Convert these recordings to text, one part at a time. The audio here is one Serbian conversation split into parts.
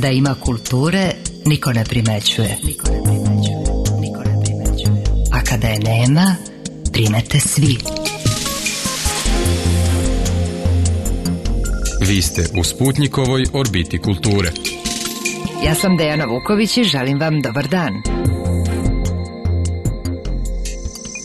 Kada ima kulture, niko ne primećuje. A kada je nema, primete svi. Vi ste u Sputnjikovoj orbiti kulture. Ja sam Dejana Vuković i želim vam dobar dan.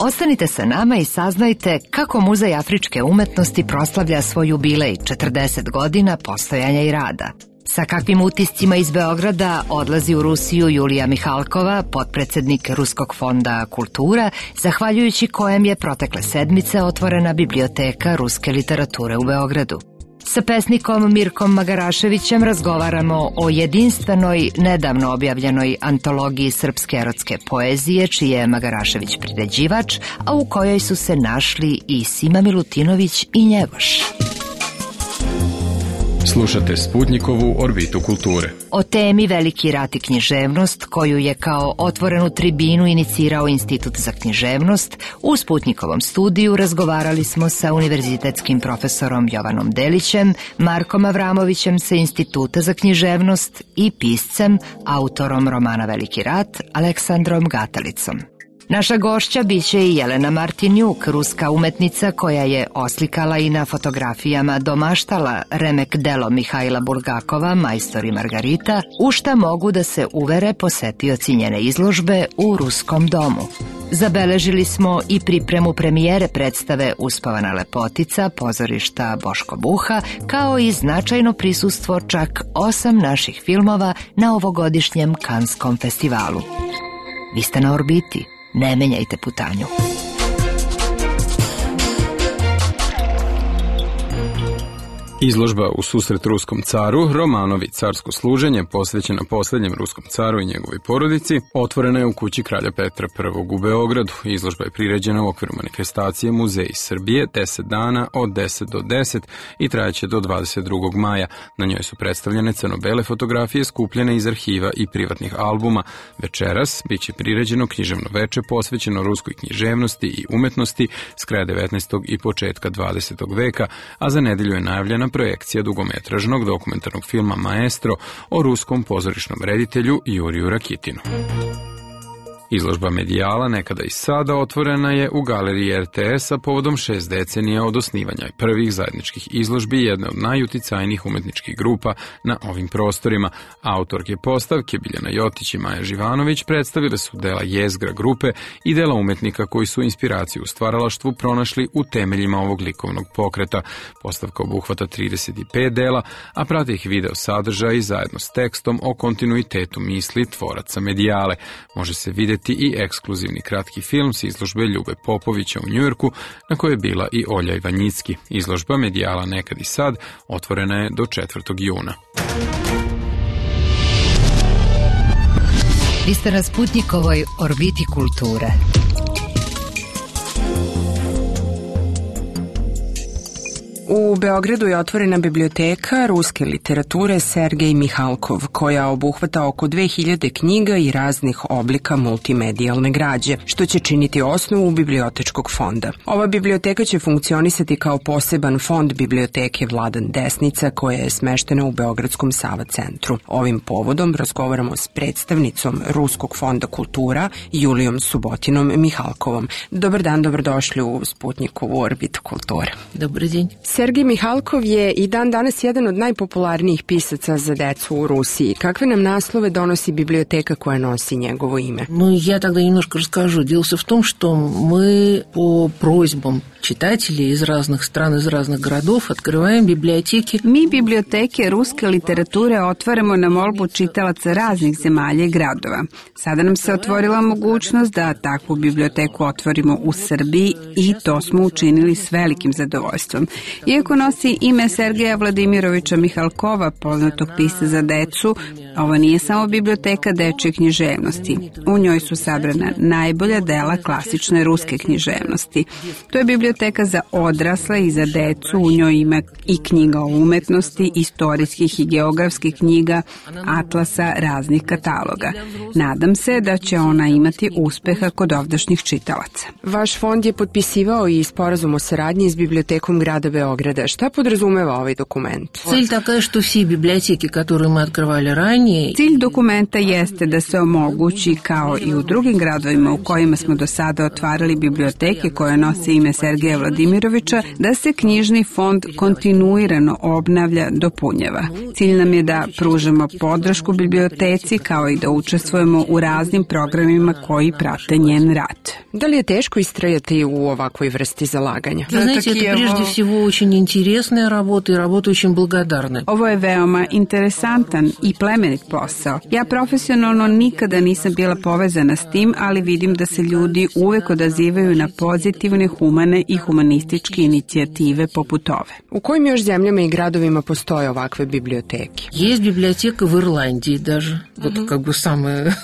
Ostanite sa nama i saznajte kako Muzej afričke umetnosti proslavlja svoj jubilej 40 godina postojanja i rada. Sa kakvim utiscima iz Beograda odlazi u Rusiju Julija Mihalkova, potpredsednik Ruskog fonda Kultura, zahvaljujući kojem je protekle sedmice otvorena biblioteka ruske literature u Beogradu. Sa pesnikom Mirkom Magaraševićem razgovaramo o jedinstvenoj, nedavno objavljenoj antologiji srpske erotske poezije, čiji je Magarašević priređivač, a u kojoj su se našli i Sima Milutinović i Njegoš. Slušate Sputnjikovu orbitu kulture. O temi Veliki rat i književnost, koju je kao otvorenu tribinu inicirao Institut za književnost, u Sputnjikovom studiju razgovarali smo sa univerzitetskim profesorom Jovanom Delićem, Markom Avramovićem sa Instituta za književnost i piscem, autorom romana Veliki rat, Aleksandrom Gatalicom. Naša gošća biće i Jelena Martinjuk, ruska umetnica koja je oslikala i na fotografijama domaštala remek delo Mihajla Bulgakova, Majstor i Margarita, u šta mogu da se uvere posetioci njene izložbe u Ruskom domu. Zabeležili smo i pripremu premijere predstave Uspavana lepotica, pozorišta Boško Buha, kao i značajno prisustvo čak 8 naših filmova na ovogodišnjem Kanskom festivalu. Vi ste na orbiti. Ne menjajte putanju. Izložba U susret ruskom caru, romanovi Carsko služenje, posvećena posljednjem ruskom caru i njegovoj porodici, otvorena je u kući kralja Petra I u Beogradu. Izložba je priređena u okviru manifestacije Muzej Srbije 10 dana od 10 do 10 i trajaće do 22. maja. Na njoj su predstavljene crno-bele fotografije skupljene iz arhiva i privatnih albuma. Večeras biće priređeno književno veče posvećeno ruskoj književnosti i umetnosti s kraja 19. i početka 20. veka, a za nedelju je najavljena projekcija dugometražnog dokumentarnog filma Maestro o ruskom pozorišnom reditelju Juriju Rakitinu. Izložba Medijala, nekada i sada, otvorena je u galeriji RTS-a povodom 6 decenija od osnivanja prvih zajedničkih izložbi jedne od najuticajnijih umetničkih grupa na ovim prostorima. Autorke postavke Biljana Jotić i Maja Živanović predstavile su dela jezgra grupe i dela umetnika koji su inspiraciju u stvaralaštvu pronašli u temeljima ovog likovnog pokreta. Postavka obuhvata 35 dela, a prate ih video sadržaj zajedno s tekstom o kontinuitetu misli tvoraca Medijale. Može se vidjeti i ekskluzivni kratki film s izložbe Ljube Popovića u Njujorku, na kojoj je bila i Olja Ivanjicki. Izložba Medijala nekad i sad otvorena je do 4. juna. Vi ste na Sputnjikovoj orbiti kulture. U Beogradu je otvorena biblioteka ruske literature Sergej Mihalkov, koja obuhvata oko 2000 knjiga i raznih oblika multimedijalne građe, što će činiti osnovu bibliotečkog fonda. Ova biblioteka će funkcionisati kao poseban fond biblioteke Vladan Desnica, koja je smeštena u Beogradskom Sava centru. Ovim povodom razgovaramo s predstavnicom Ruskog fonda kultura Julijom Subotinom Mihalkovom. Dobar dan, dobrodošli u Sputnjikovu orbitu kulture. Dobar dan. Sergej Mihalkov je i dan danas jedan od najpopularnijih pisaca za decu u Rusiji. Kakve nam naslove donosi biblioteka koja nosi njegovo ime? Я тогда немножко расскажу. Дело в том, что мы по просьбам читателей из разных стран, из разных городов открываем библиотеки. Mi biblioteke ruske literature otvaramo na molbu čitalaca raznih zemalja i gradova. Sada nam se otvorila mogućnost da takvu biblioteku otvorimo u Srbiji i to smo učinili s velikim zadovoljstvom. Iako nosi ime Sergeja Vladimirovića Mihalkova, poznatog pisca za decu, ovo nije samo biblioteka dečje književnosti. U njoj su sabrana najbolja dela klasične ruske književnosti. To je biblioteka za odrasle i za decu, u njoj ima i knjiga o umetnosti, istorijskih i geografskih knjiga, atlasa, raznih kataloga. Nadam se da će ona imati uspeha kod ovdašnjih čitalaca. Vaš fond je potpisivao i sporazum o saradnji s bibliotekom grada Beograda. Beograda. Šta podrazumeva ovaj dokument? Цель такая, что все библиотеки, которые мы открывали ранее... Cilj dokumenta jeste da se omogući, kao i u drugim gradovima u kojima smo do sada otvarali biblioteke koje nose ime Sergeja Vladimirovića, da se knjižni fond kontinuirano obnavlja, dopunjava. Cilj nam je da pružamo podršku biblioteci, kao i da učestvujemo u raznim programima koji prate njen rad. Da li je teško istrajati u ovakvoj vrsti zalaganja? Вы знаете, это прежде всего очень интересная работа и работа очень благодарная. Ovo je veoma interesantan i plemenit posao. Ja profesionalno nikada nisam bila povezana s tim, ali vidim da se ljudi uvek odazivaju na pozitivne, humane i humanističke inicijative poput ove. U kojim još zemljama i gradovima postoje ovakve biblioteke? Есть библиотека в Ирландии даже. Вот как бы самая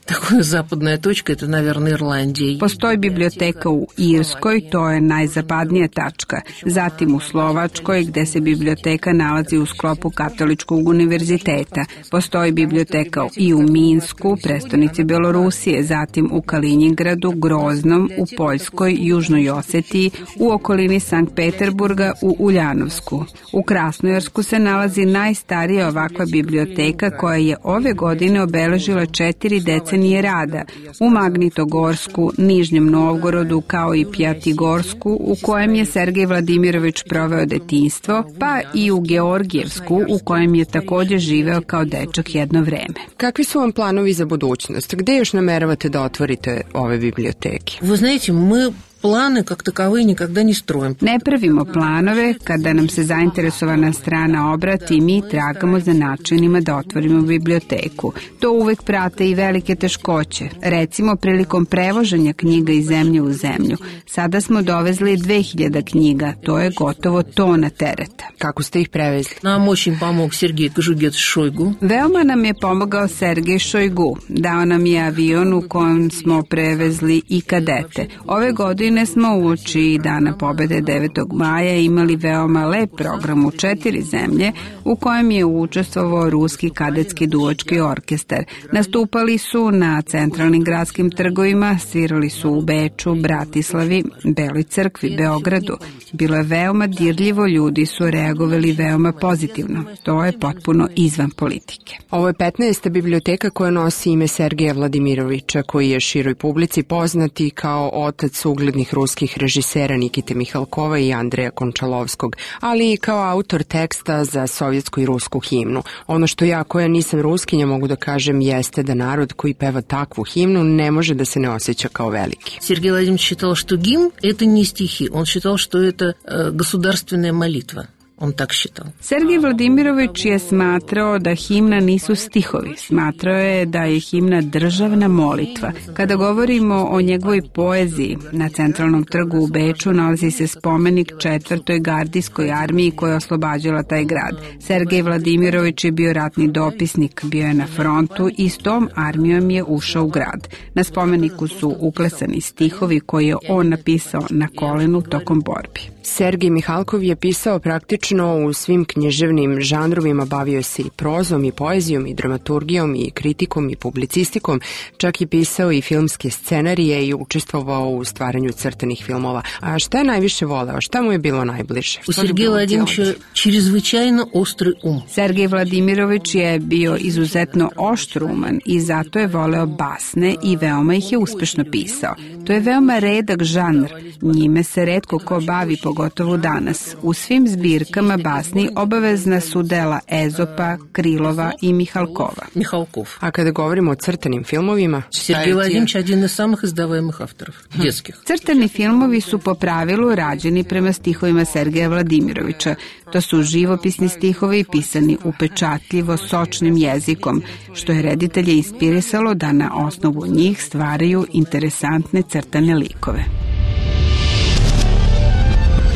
такая западная точка, это, наверное, Ирландия. Postoji biblioteka u Irskoj, to je najzapadnija tačka. Zatim u Slovačkoj, gde se biblioteka nalazi u sklopu Katoličkog univerziteta. Postoji biblioteka i u Minsku, prestonici Belorusije, zatim u Kalinjingradu, Groznom, u Poljskoj, Južnoj Osetiji, u okolini Sankt Peterburga, u Uljanovsku. U Krasnojarsku se nalazi najstarija ovakva biblioteka koja je ove godine obeležila 4 decenije rada. U Magnitogorsku, Nižnjem Novgorodu, kao i Pjatigorsku, u kojem je Sergej Vladimirović proveo detinjstvo, pa i u Georgijevsku, u kojem je takođe živeo kao dečak jedno vreme. Kakvi su vam planovi za budućnost? Gde još nameravate da otvorite ove biblioteke? Вы знаете, мы планы как таковые никогда не строим. Ne pravimo planove, kada nam se zainteresovana strana obrati, mi tragamo za načinima da otvorimo biblioteku. To uvek prate i velike teškoće. Recimo, prilikom prevoženja knjiga iz zemlje u zemlju. Sada smo dovezli 2000 knjiga, to je gotovo tona tereta. Kako ste ih prevezli? Нам очень помог Сергей Кожугетович-Шойгу. Veoma nam je pomogao Sergej Šojgu. Dao nam je avion u kojem smo prevezli i kadete. Ove godine smo uoči Dana pobede 9. maja imali veoma lep program u 4 zemlje u kojem je učestvovao Ruski kadetski duvački orkestar. Nastupali su na centralnim gradskim trgovima, svirali su u Beču, Bratislavi, Beloj crkvi, Beogradu. Bilo je veoma dirljivo, ljudi su reagovali veoma pozitivno. To je potpuno izvan politike. Ovo je 15. biblioteka koja nosi ime Sergeja Vladimirovića, koji je široj publici poznati kao otac uglednih ruskih režisera Nikite Mihalkova i Andreja Končalovskog, ali i kao autor teksta za sovjetsku i rusku himnu. Ono što ja, koja nisam ruskinja, mogu da kažem jeste da narod koji peva takvu himnu ne može da se ne osjeća kao veliki. Сергей Владимирович считал, что гимн – это не стихи. Он считал, что это государственная молитва. On tak считал. Sergej Vladimirović je smatrao da himna nisu stihovi. Smatrao je da je himna državna molitva. Kada govorimo o njegovoj poeziji, na centralnom trgu u Beču nalazi se spomenik 4. gardijskoj armiji koja je oslobađala taj grad. Sergej Vladimirović je bio ratni dopisnik, bio je na frontu i s tom armijom je ušao u grad. Na spomeniku su uklesani stihovi koje je on napisao na kolenu tokom borbi. Sergej Mihalkov je pisao praktično u svim književnim žanrovima, bavio se i prozom i poezijom i dramaturgijom i kritikom i publicistikom, čak je pisao i filmske scenarije i učestvovao u stvaranju crtanih filmova. A šta je najviše voleo? Šta mu je bilo najbliže? U Sergeja Vladimirovića čreзвычайно ostrый um. Sergej Vladimirović je bio izuzetno oštruman i zato je voleo basne i veoma ih je uspešno pisao. To je veoma redak žanr. Njime se retko ko bavi, pogotovo danas. U svim zbirkama basni obavezna su dela Ezopa, Krilova i Mihalkova. Михалков. A kada govorimo o crtanim filmovima... Сергей Владимирович один из самых издаваемых авторов, детских. Crtani filmovi su po pravilu rađeni prema stihovima Sergeja Vladimirovića. To su živopisni stihovi pisani upečatljivo, sočnim jezikom, što je reditelje inspirisalo da na osnovu njih stvaraju interesantne crtane likove.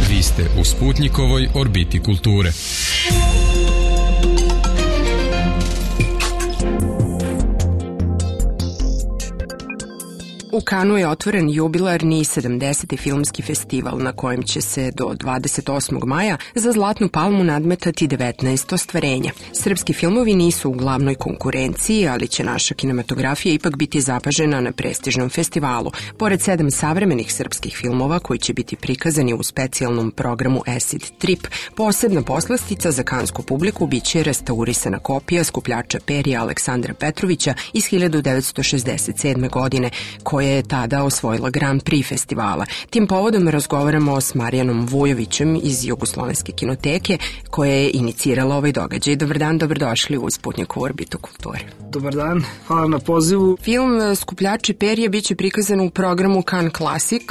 Vi ste u Sputnikovoj orbiti kulture. U Kanu je otvoren jubilarni 70. filmski festival na kojem će se do 28. maja za Zlatnu palmu nadmetati 19 ostvarenja. Srpski filmovi nisu u glavnoj konkurenciji, ali će naša kinematografija ipak biti zapažena na prestižnom festivalu. Pored 7 savremenih srpskih filmova koji će biti prikazani u specijalnom programu Acid Trip, posebna poslastica za kansku publiku biće restaurisana kopija skupljača perja Aleksandra Petrovića iz 1967. godine, koja je tada osvojila Grand Prix festivala. Tim povodom razgovaramo s Marijanom Vujovićem iz Jugoslovenske kinoteke, koja je inicirala ovaj događaj. Dobar dan, dobrodošli u Sputnikovu orbitu kulture. Dobar dan, hvala na pozivu. Film Skupljači perje biće prikazan u programu Cannes Classic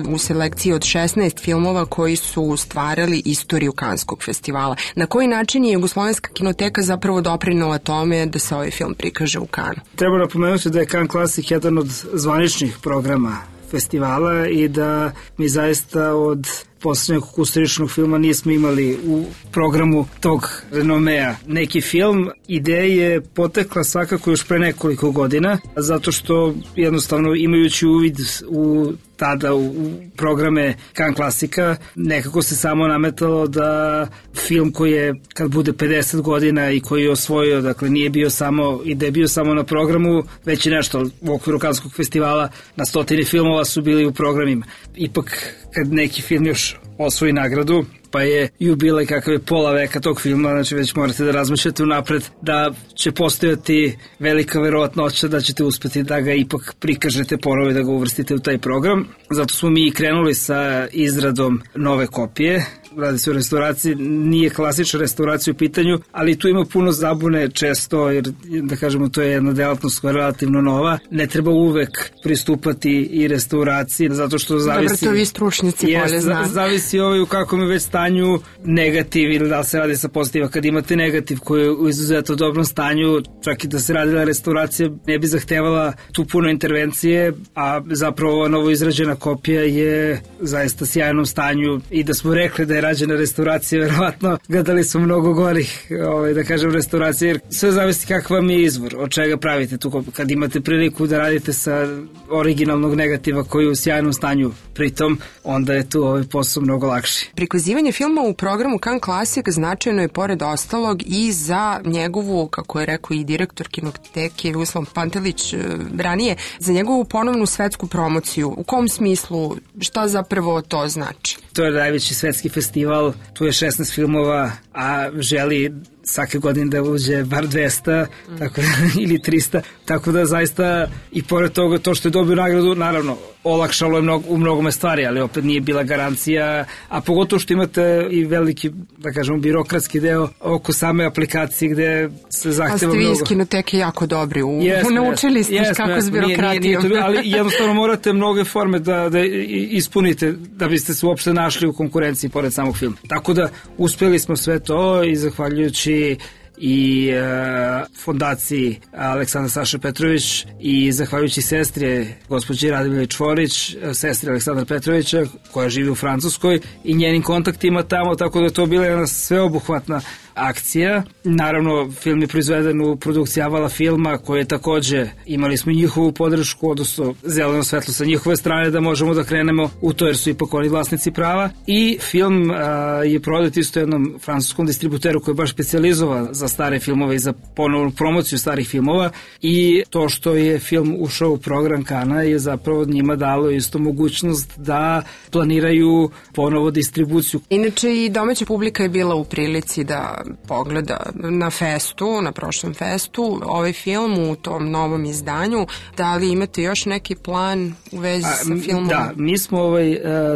u selekciji od 16 filmova koji su stvarali istoriju Kanskog festivala. Na koji način je Jugoslovenska kinoteka zapravo doprinela tome da se ovaj film prikaže u Cannes? Treba napomenuti da je Cannes Classic jedan od zvaničnih programa festivala i da mi zaista od poslednjeg kulturičnog filma nismo imali u programu tog renomea. Neki film, ideja je potekla svakako još pre nekoliko godina, zato što jednostavno imajući uvid u tada u programe Cannes Classica, nekako se samo nametalo da film koji je, kad bude 50 godina i koji je osvojio, dakle nije bio samo, i da je bio samo na programu, već i nešto u okviru Kanskog festivala, na 100 filmova su bili u programima. Ipak, kad neki film još osvoji nagradu, pa je jubilej kakav je pola veka tog filma, znači već morate da razmišljate unapred da će postojati velika verovatnoća da ćete uspeti da ga ipak prikažete ponovo i da ga uvrstite u taj program. Zato smo mi krenuli sa izradom nove kopije. Radi se o restauraciji, nije klasična restauracija u pitanju, ali tu ima puno zabune često, jer da kažemo to je jedna delatnost koja je relativno nova. Ne treba uvek pristupati i restauraciji, zato što zavisi... Dobro, to vi stručnjaci bolje znate. Zavisi u kakvom je već stanju negativ ili da se radi sa pozitiva. Kad imate negativ koji je u izuzetno dobrom stanju, čak i da se radila restauracija, ne bi zahtevala tu puno intervencije, a zapravo ova novo izrađena kopija je zaista sjajnom stanju i da smo rekli da je rađena restauracija, verovatno gledali smo mnogo gorih, da kažem, restauracije, jer sve zavisi kakav vam je izvor, od čega pravite tu kopiju. Kad imate priliku da radite sa originalnog negativa koji je u sjajnom stanju pritom, onda je tu ovaj posao mnogo lakši. Prikazivanje filma u programu Cannes Classic značajno je pored ostalog i za njegovu, kako je rekao i direktor kinoteke Jugoslav Pantelić ranije, za njegovu ponovnu svetsku promociju. U kom smislu, šta zapravo to znači? To je najveći svetski festival, tu je 16 filmova, a želi svake godine da uđe bar 200 tako da, ili 300, tako da zaista i pored toga to što je dobio nagradu, naravno olakšalo je u mnogome stvari, ali opet nije bila garancija, a pogotovo što imate i veliki, da kažemo, birokratski deo oko same aplikacije gde se zahteva mnogo. A ste vi iz kinoteke jako dobri, naučili ste kako s birokratijom. Ali jednostavno morate mnoge forme da ispunite da biste se uopšte našli u konkurenciji pored samog filma. Tako da uspeli smo sve to i zahvaljujući i fondaciji Aleksandra Saša Petrović i zahvaljujući sestri gospođi Radmili Čvorić, sestri Aleksandra Petrovića koja živi u Francuskoj i njenim kontaktima tamo, tako da je to bila jedna sveobuhvatna akcija. Naravno, film je proizveden u produkciji Avala filma, koje je takođe, imali smo njihovu podršku, odnosno zeleno svetlo sa njihove strane da možemo da krenemo u to, jer su ipak oni vlasnici prava. I film je prodat isto jednom francuskom distributeru koji je baš specijalizovan za stare filmove i za ponovnu promociju starih filmova, i to što je film ušao u program Kana je zapravo njima dalo isto mogućnost da planiraju ponovo distribuciju. Inače i domaća publika je bila u prilici da pogleda na festu, na prošlom festu, ovaj film u tom novom izdanju. Da li imate još neki plan u vezi sa filmom? Da, mi smo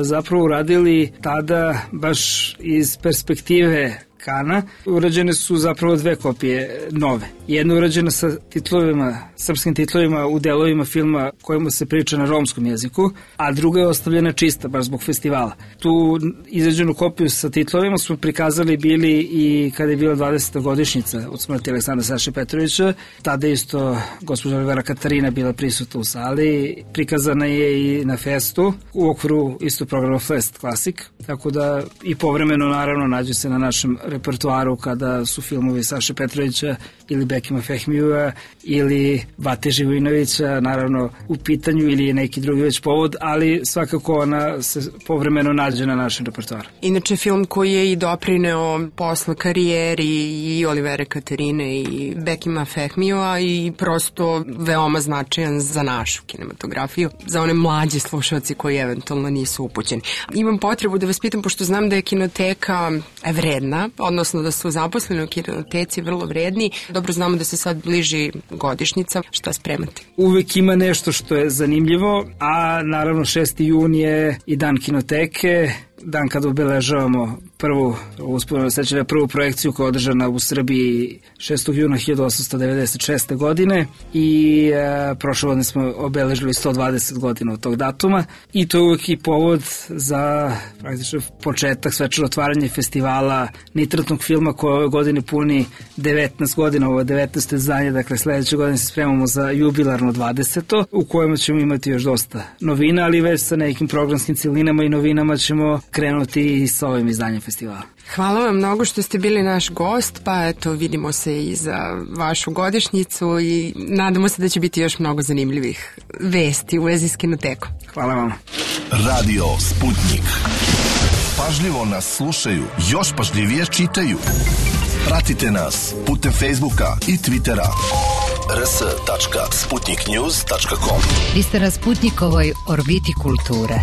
zapravo uradili tada baš iz perspektive Kana. Urađene su zapravo 2 kopije nove. Jedna je urađena sa titlovima, srpskim titlovima u delovima filma kojima se priča na romskom jeziku, a druga je ostavljena čista, baš zbog festivala. Tu izrađenu kopiju sa titlovima smo prikazali bili i kada je bila 20. godišnjica od smrti Aleksandra Saše Petrovića. Tada isto gospođa Olivera Katarina bila prisutna u sali. Prikazana je i na festu u okviru isto programa Fest Classic, tako da i povremeno naravno nađe se na našem repertoaru kada su filmovi Saše Petrovića ili Bekima Fehmijua ili Bate Živojinovića, naravno u pitanju ili neki drugi već povod, ali svakako ona se povremeno nađe na našem repertoaru. Inače, film koji je i doprineo posle karijeri i Olivera Katerine i Bekima Fehmijua i prosto veoma značajan za našu kinematografiju, za one mlađe slušalci koji eventualno nisu upućeni. Imam potrebu da vas pitam, pošto znam da je kinoteka vredna, odnosno da su zaposleni u kinoteci vrlo vredni. Dobro znamo da se sad bliži godišnjica. Šta spremate? Uvek ima nešto što je zanimljivo, a naravno 6. jun je i dan kinoteke, dan kada obeležavamo prvu projekciju koja je održana u Srbiji 6. juna 1896. godine i prošle godine smo obeležili 120 godina od tog datuma i to je uvek i povod za praktično početak, svečano otvaranje festivala nitratnog filma koje ove godine puni 19 godina, ovo je 19. izdanje, dakle sledeće godine se spremamo za jubilarno 20. u kojem ćemo imati još dosta novina, ali već sa nekim programskim cilinama i novinama ćemo krenuti i sa ovim izdanjem festivala. Hvala vam mnogo što ste bili naš gost, pa eto, vidimo se i za vašu godišnjicu i nadamo se da će biti još mnogo zanimljivih vesti u vezi s kinotekom. Hvala vam. Radio Sputnik. Pažljivo nas slušaju, još pažljivije čitaju. Pratite nas putem Facebooka i Twittera. rs.sputniknews.com. Vi ste na Sputnikovoj orbiti kulture.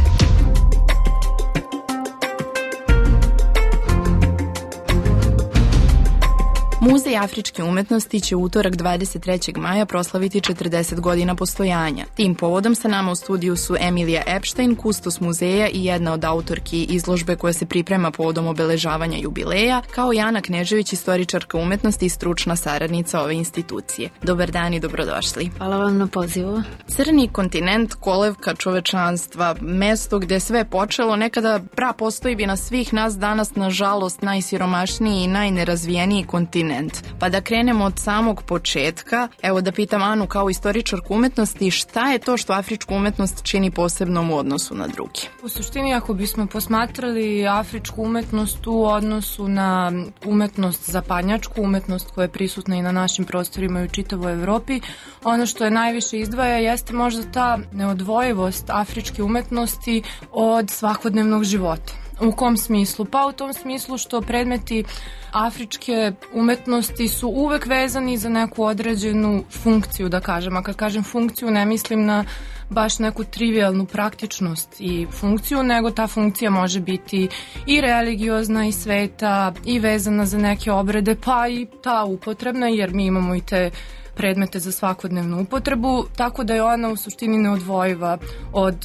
Muzej afričke umetnosti će utorak 23. maja proslaviti 40 godina postojanja. Tim povodom sa nama u studiju su Emilija Epstein, kustos muzeja i jedna od autorki izložbe koja se priprema povodom obeležavanja jubileja, kao i Ana Knežević, istoričarka umetnosti i stručna saradnica ove institucije. Dobar dan i dobrodošli. Hvala vam na pozivu. Crni kontinent, kolevka čovečanstva, mesto gde sve počelo, nekada postoji bi na svih nas danas, nažalost, najsiromašniji i najnerazvijeniji kontinent. Pa da krenemo od samog početka, evo da pitam Anu kao istoričarku umetnosti, šta je to što afričku umetnost čini posebnom u odnosu na drugi? U suštini, ako bismo posmatrali afričku umetnost u odnosu na umetnost zapadnjačku, umetnost koja je prisutna i na našim prostorima i u čitavoj Evropi, ono što je najviše izdvaja jeste možda ta neodvojivost afričke umetnosti od svakodnevnog života. U kom smislu? Pa u tom smislu što predmeti afričke umetnosti su uvek vezani za neku određenu funkciju, da kažem. A kad kažem funkciju, ne mislim na baš neku trivialnu praktičnost i funkciju, nego ta funkcija može biti i religiozna i sveta i vezana za neke obrede, pa i ta upotrebna, jer mi imamo i te predmete za svakodnevnu upotrebu, tako da je ona u suštini neodvojiva od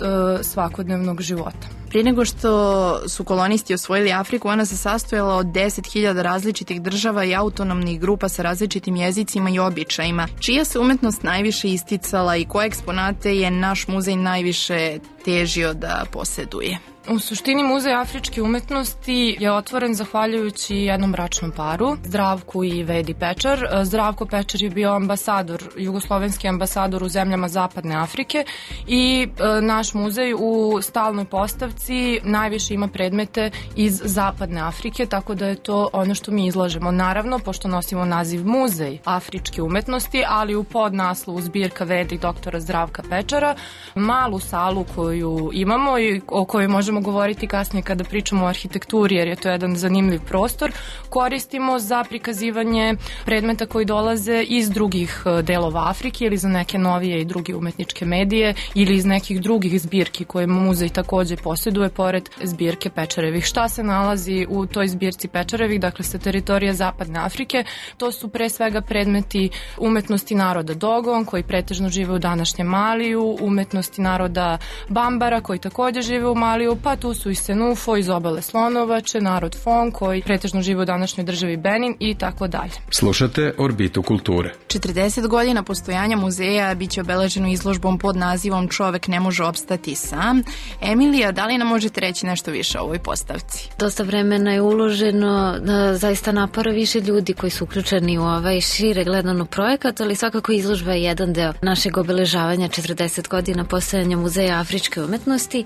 svakodnevnog života. Prije nego što su kolonisti osvojili Afriku, ona se sastojala od 10.000 različitih država i autonomnih grupa sa različitim jezicima i običajima. Čija se umetnost najviše isticala i koje eksponate je naš muzej najviše težio da poseduje? U suštini Muzej afričke umetnosti je otvoren zahvaljujući jednom bračnom paru, Zdravku i Vedi Pečar. Zdravko Pečar je bio ambasador, jugoslovenski ambasador u zemljama Zapadne Afrike i naš muzej u stalnoj postavci najviše ima predmete iz Zapadne Afrike, tako da je to ono što mi izlažemo. Naravno, pošto nosimo naziv Muzej afričke umetnosti, ali u podnaslovu zbirka Vedi doktora Zdravka Pečara, malu salu koju imamo i o kojoj možemo govoriti kasnije kada pričamo o arhitekturi, jer je to jedan zanimljiv prostor, koristimo za prikazivanje predmeta koji dolaze iz drugih delova Afrike ili za neke novije i druge umetničke medije ili iz nekih drugih zbirki koje muzej takođe posjeduje pored zbirke Pečarevih. Šta se nalazi u toj zbirci Pečarevih, dakle sa teritorija Zapadne Afrike? To su pre svega predmeti umetnosti naroda Dogon, koji pretežno žive u današnjem Maliju, umetnosti naroda Bambara, koji takođe žive u Maliju, pa tu su i Senufo iz obale Slonovače, narod Fon, koji pretežno žive u današnjoj državi Benin i tako dalje. Slušate Orbitu kulture. 40 godina postojanja muzeja biće obeleženo izložbom pod nazivom Čovek ne može opstati sam. Emilija, da li li nam možete reći nešto više o ovoj postavci? Dosta vremena je uloženo, zaista napora više ljudi koji su uključeni u ovaj šire gledano projekat, ali svakako izložba je jedan deo našeg obeležavanja 40 godina postojanja Muzeja afričke umetnosti.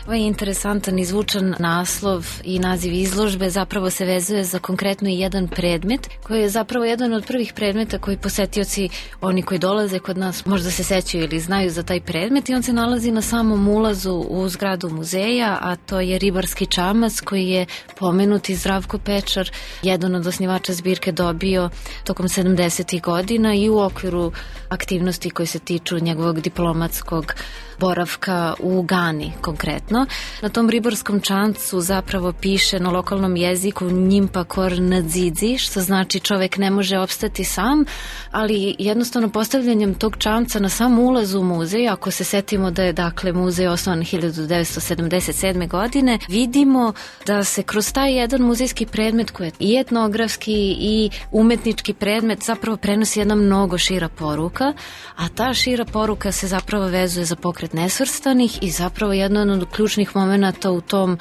Ovaj interesantan i zvučan naslov i naziv izložbe zapravo se vezuje za konkretno i jedan predmet koji je zapravo jedan od prvih predmeta koji posetioci, oni koji dolaze kod nas, možda se sećaju ili znaju za taj predmet, i on se nalazi na samom ulazu u zgradu muzeja, a to je ribarski čamac koji je pomenuti Zdravko Pečar, jedan od osnivača zbirke, dobio tokom 70. godina i u okviru aktivnosti koje se tiču njegovog diplomatskog boravka u Gani konkretno. Na tom ribarskom čamcu zapravo piše na lokalnom jeziku Njimpa Kor Nadzidzi, što znači čovek ne može opstati sam, ali jednostavno postavljanjem tog čamca na sam ulaz u muzej, ako se setimo da je dakle muzej osnovan 1977. godine, vidimo da se kroz taj jedan muzejski predmet koji je i etnografski i umetnički predmet zapravo prenosi jedna mnogo šira poruka, a ta šira poruka se zapravo vezuje za pokret nesvrstanih i zapravo jedan od ključnih momenata u tom,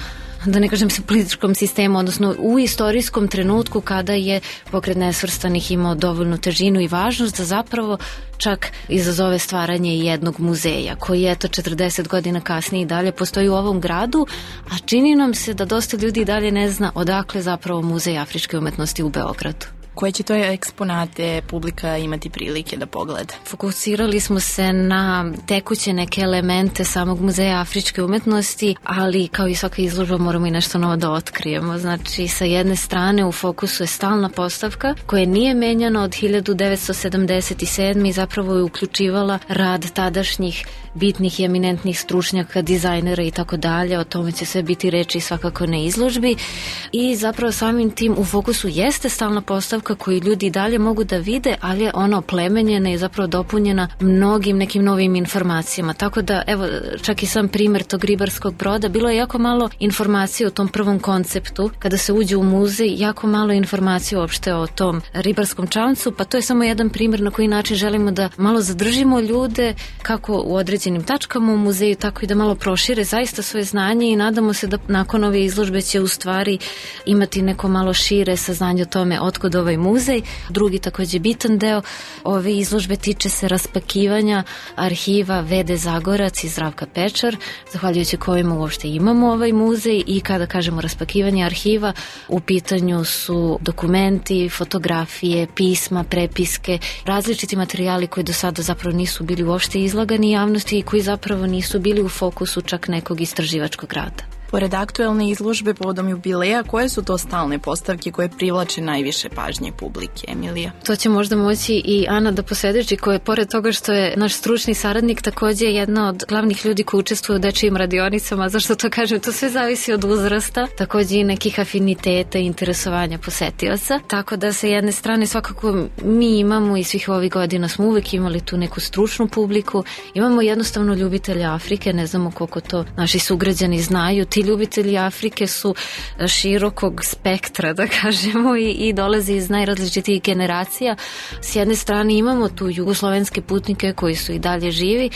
da ne kažem se, političkom sistemu, odnosno u istorijskom trenutku kada je pokret nesvrstanih imao dovoljnu težinu i važnost da zapravo čak izazove stvaranje jednog muzeja koji je 40 godina kasnije i dalje postoji u ovom gradu, a čini nam se da dosta ljudi i dalje ne zna odakle zapravo Muzej afričke umetnosti u Beogradu. Koje će to eksponate publika imati prilike da pogleda? Fokusirali smo se na tekuće neke elemente samog Muzeja afričke umetnosti, ali kao i svaka izložba moramo i nešto novo da otkrijemo. Znači, sa jedne strane u fokusu je stalna postavka koja nije menjana od 1977. i zapravo je uključivala rad tadašnjih bitnih i eminentnih stručnjaka, dizajnera i tako dalje. O tome će sve biti reči svakako na izložbi. I zapravo samim tim u fokusu jeste stalna postavka koju ljudi dalje mogu da vide, ali je ona oplemenjena i zapravo dopunjena mnogim nekim novim informacijama. Tako da, evo, čak i sam primer tog ribarskog broda, bilo je jako malo informacije o tom prvom konceptu. Kada se uđe u muzej, jako malo informacije uopšte o tom ribarskom čamcu, pa to je samo jedan primer na koji način želimo da malo zadržimo ljude, kako u određenim tačkama u muzeju, tako i da malo prošire zaista svoje znanje i nadamo se da nakon ove izložbe će u stvari imati neko malo šire saznanje o tome otkud ovaj muzej. Drugi takođe bitan deo ove izložbe tiče se raspakivanja arhiva Vede Zagorac i Zdravka Pečar, zahvaljujući kojima uopšte imamo ovaj muzej, i kada kažemo raspakivanje arhiva, u pitanju su dokumenti, fotografije, pisma, prepiske, različiti materijali koji do sada zapravo nisu bili uopšte izlagani javnosti i koji zapravo nisu bili u fokusu čak nekog istraživačkog rada. Pored aktuelne izložbe povodom jubileja, koje su to stalne postavke koje privlače najviše pažnje publike, Emilija? To će možda moći i Ana da posvedoči, koja je pored toga što je naš stručni saradnik takođe jedna od glavnih ljudi koji učestvuju u dečijim radionicama. Zašto to kažem? To sve zavisi od uzrasta, takođe i nekih afiniteta i interesovanja posetioca. Tako da sa jedne strane svakako mi imamo i svih ovih godina smo uvek imali tu neku stručnu publiku. Imamo jednostavno ljubitelje Afrike, ne znamo koliko to naši sugrađani znaju. Ti ljubitelji Afrike su širokog spektra, da kažemo, i dolaze iz najrazličitijih generacija. S jedne strane imamo tu jugoslovenske putnike koji su i dalje živi,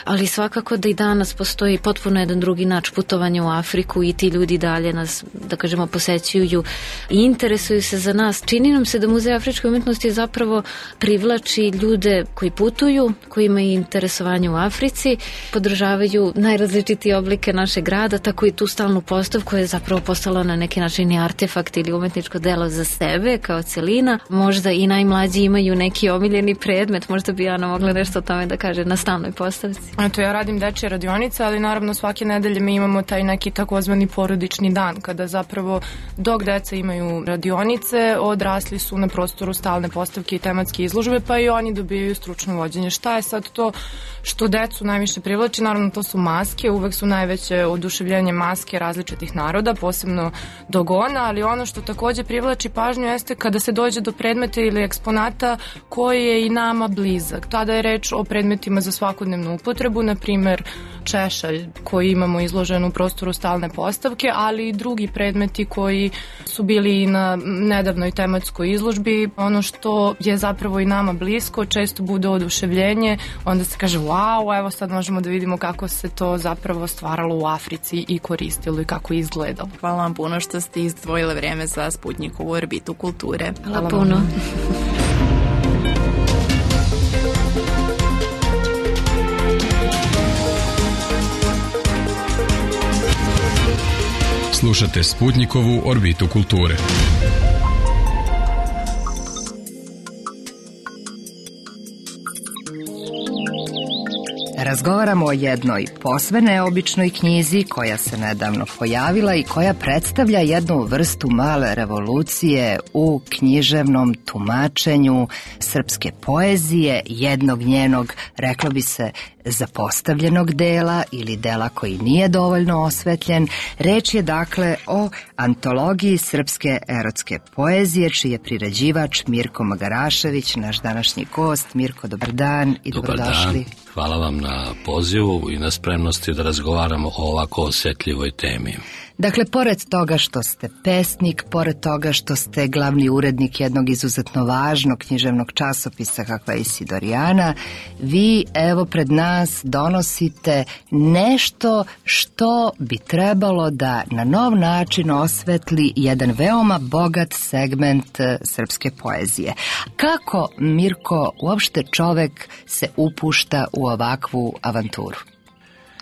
ali svakako da i danas postoji potpuno jedan drugi način putovanja u Afriku i ti ljudi dalje nas, da kažemo, posećuju i interesuju se za nas. Čini nam se da Muzej afričke umetnosti zapravo privlači ljude koji putuju, koji imaju interesovanje u Africi, podržavaju najrazličitije oblike našeg grada, tako i tu stalnu postavku koja je zapravo postala na neki način i artefakt ili umetničko delo za sebe kao celina. Možda i najmlađi imaju neki omiljeni predmet, možda bi Ana mogla nešto o tome da kaže na stalnoj postavci. Eto, ja radim dečje radionice, ali naravno svake nedelje mi imamo taj neki takozvani porodični dan, kada zapravo dok deca imaju radionice, odrasli su na prostoru stalne postavke i tematske izložbe, pa i oni dobijaju stručno vođenje. Šta je sad to što decu najviše privlači? Naravno, to su maske, uvek su najveće oduševljenje maske različitih naroda, posebno Dogona, ali ono što takođe privlači pažnju jeste kada se dođe do predmeta ili eksponata koji je i nama blizak. Tada je reč o predmetima za svakodnevnu upotrebu, na primer češalj koji imamo izložen u prostoru stalne postavke, ali i drugi predmeti koji su bili i na nedavnoj tematskoj izložbi. Ono što je zapravo i nama blisko, često bude oduševljenje, onda se kaže wow, evo sad možemo da vidimo kako se to zapravo stvaralo u Africi i koristilo i kako je izgledalo. Hvala vam puno što ste izdvojile vreme za Sputnikovu orbitu kulture. Hvala puno. Slušate Sputnikovu orbitu kulture. Razgovaramo o jednoj posve neobičnoj knjizi koja se nedavno pojavila i koja predstavlja jednu vrstu male revolucije u književnom tumačenju srpske poezije, jednog njenog, reklo bi se, zapostavljenog dela ili dela koji nije dovoljno osvetljen. Reč je dakle o antologiji srpske erotske poezije, čiji je priređivač Mirko Magarašević, naš današnji gost. Mirko, dobar dan i dobrodošli. Hvala vam na pozivu i na spremnosti da razgovaramo o ovako osjetljivoj temi. Dakle, pored toga što ste pesnik, pored toga što ste glavni urednik jednog izuzetno važnog književnog časopisa kakva je Isidorijana, vi evo pred nas donosite nešto što bi trebalo da na nov način osvetli jedan veoma bogat segment srpske poezije. Kako, Mirko, uopšte čovek se upušta u ovakvu avanturu?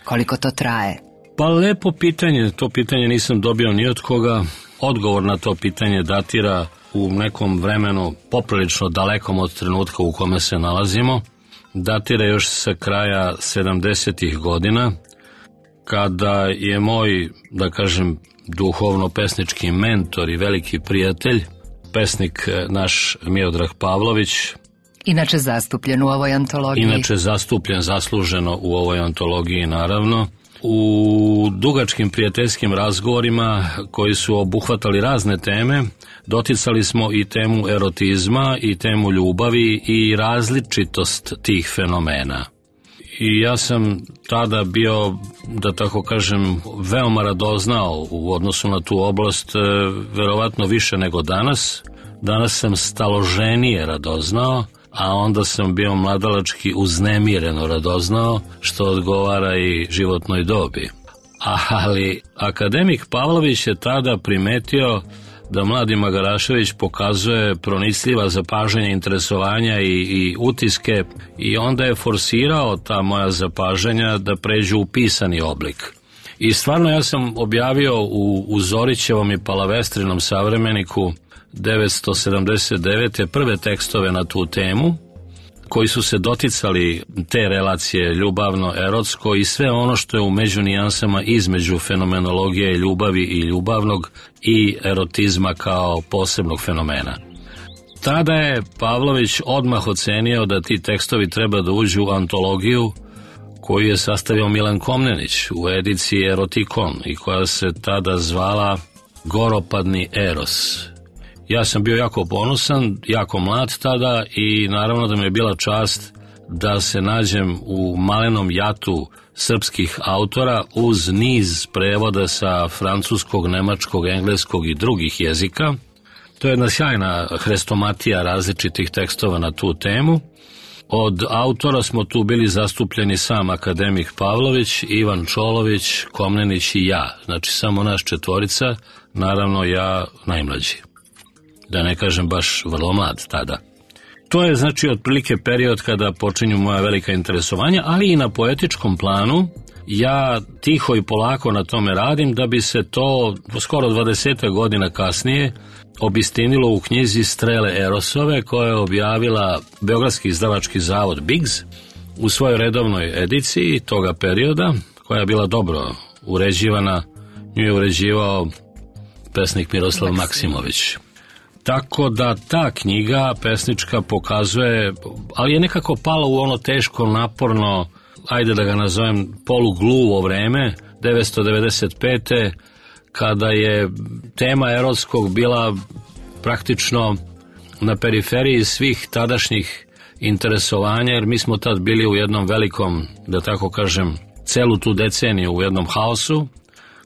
Koliko to traje? Pa lepo pitanje, to pitanje nisam dobio ni od koga. Odgovor na to pitanje datira u nekom vremenu poprilično dalekom od trenutka u kome se nalazimo. Datira još sa kraja 70-ih godina, kada je moj, da kažem, duhovno-pesnički mentor i veliki prijatelj, pesnik naš Miodrag Pavlović, inače zastupljen u ovoj antologiji. Inače zastupljen zasluženo u ovoj antologiji, naravno. U dugačkim prijateljskim razgovorima koji su obuhvatali razne teme, doticali smo i temu erotizma i temu ljubavi i različitost tih fenomena. I ja sam tada bio, da tako kažem, veoma radoznao u odnosu na tu oblast, verovatno više nego danas. Danas sam staloženije radoznao, a onda sam bio mladalački uznemireno radoznao, što odgovara i životnoj dobi. Ali akademik Pavlović je tada primetio da mladi Magarašević pokazuje pronicljiva zapažanja, interesovanja i utiske, i onda je forsirao ta moja zapažanja da pređu u pisani oblik. I stvarno ja sam objavio u Zorićevom i Palavestrinom savremeniku 1979. prve tekstove na tu temu, koji su se doticali te relacije ljubavno-erotsko i sve ono što je u međunijansama između fenomenologije ljubavi i ljubavnog i erotizma kao posebnog fenomena. Tada je Pavlović odmah ocenio da ti tekstovi treba da uđu u antologiju koju je sastavio Milan Komnenić u ediciji Erotikon i koja se tada zvala Goropadni eros. Ja sam bio jako ponosan, jako mlad tada i naravno da mi je bila čast da se nađem u malenom jatu srpskih autora uz niz prevoda sa francuskog, nemačkog, engleskog i drugih jezika. To je jedna sjajna hrestomatija različitih tekstova na tu temu. Od autora smo tu bili zastupljeni sam akademik Pavlović, Ivan Čolović, Komnenić i ja. Znači samo naš četvorica, naravno ja najmlađi. Da ne kažem baš vrlo mlad tada. To je znači otprilike period kada počinju moja velika interesovanja, ali i na poetičkom planu ja tiho i polako na tome radim da bi se to skoro 20 godina kasnije obistinilo u knjizi Strele Erosove, koja je objavila Beogradski izdavački zavod Bigz u svojoj redovnoj ediciji toga perioda, koja je bila dobro uređivana. Nju je uređivao pesnik Miroslav Maksimović. Tako da ta knjiga pesnička pokazuje, ali je nekako pala u ono teško, naporno, ajde da ga nazovem polugluvo vreme, 1995. kada je tema erotskog bila praktično na periferiji svih tadašnjih interesovanja, jer mi smo tad bili u jednom velikom, da tako kažem, celu tu deceniju u jednom haosu,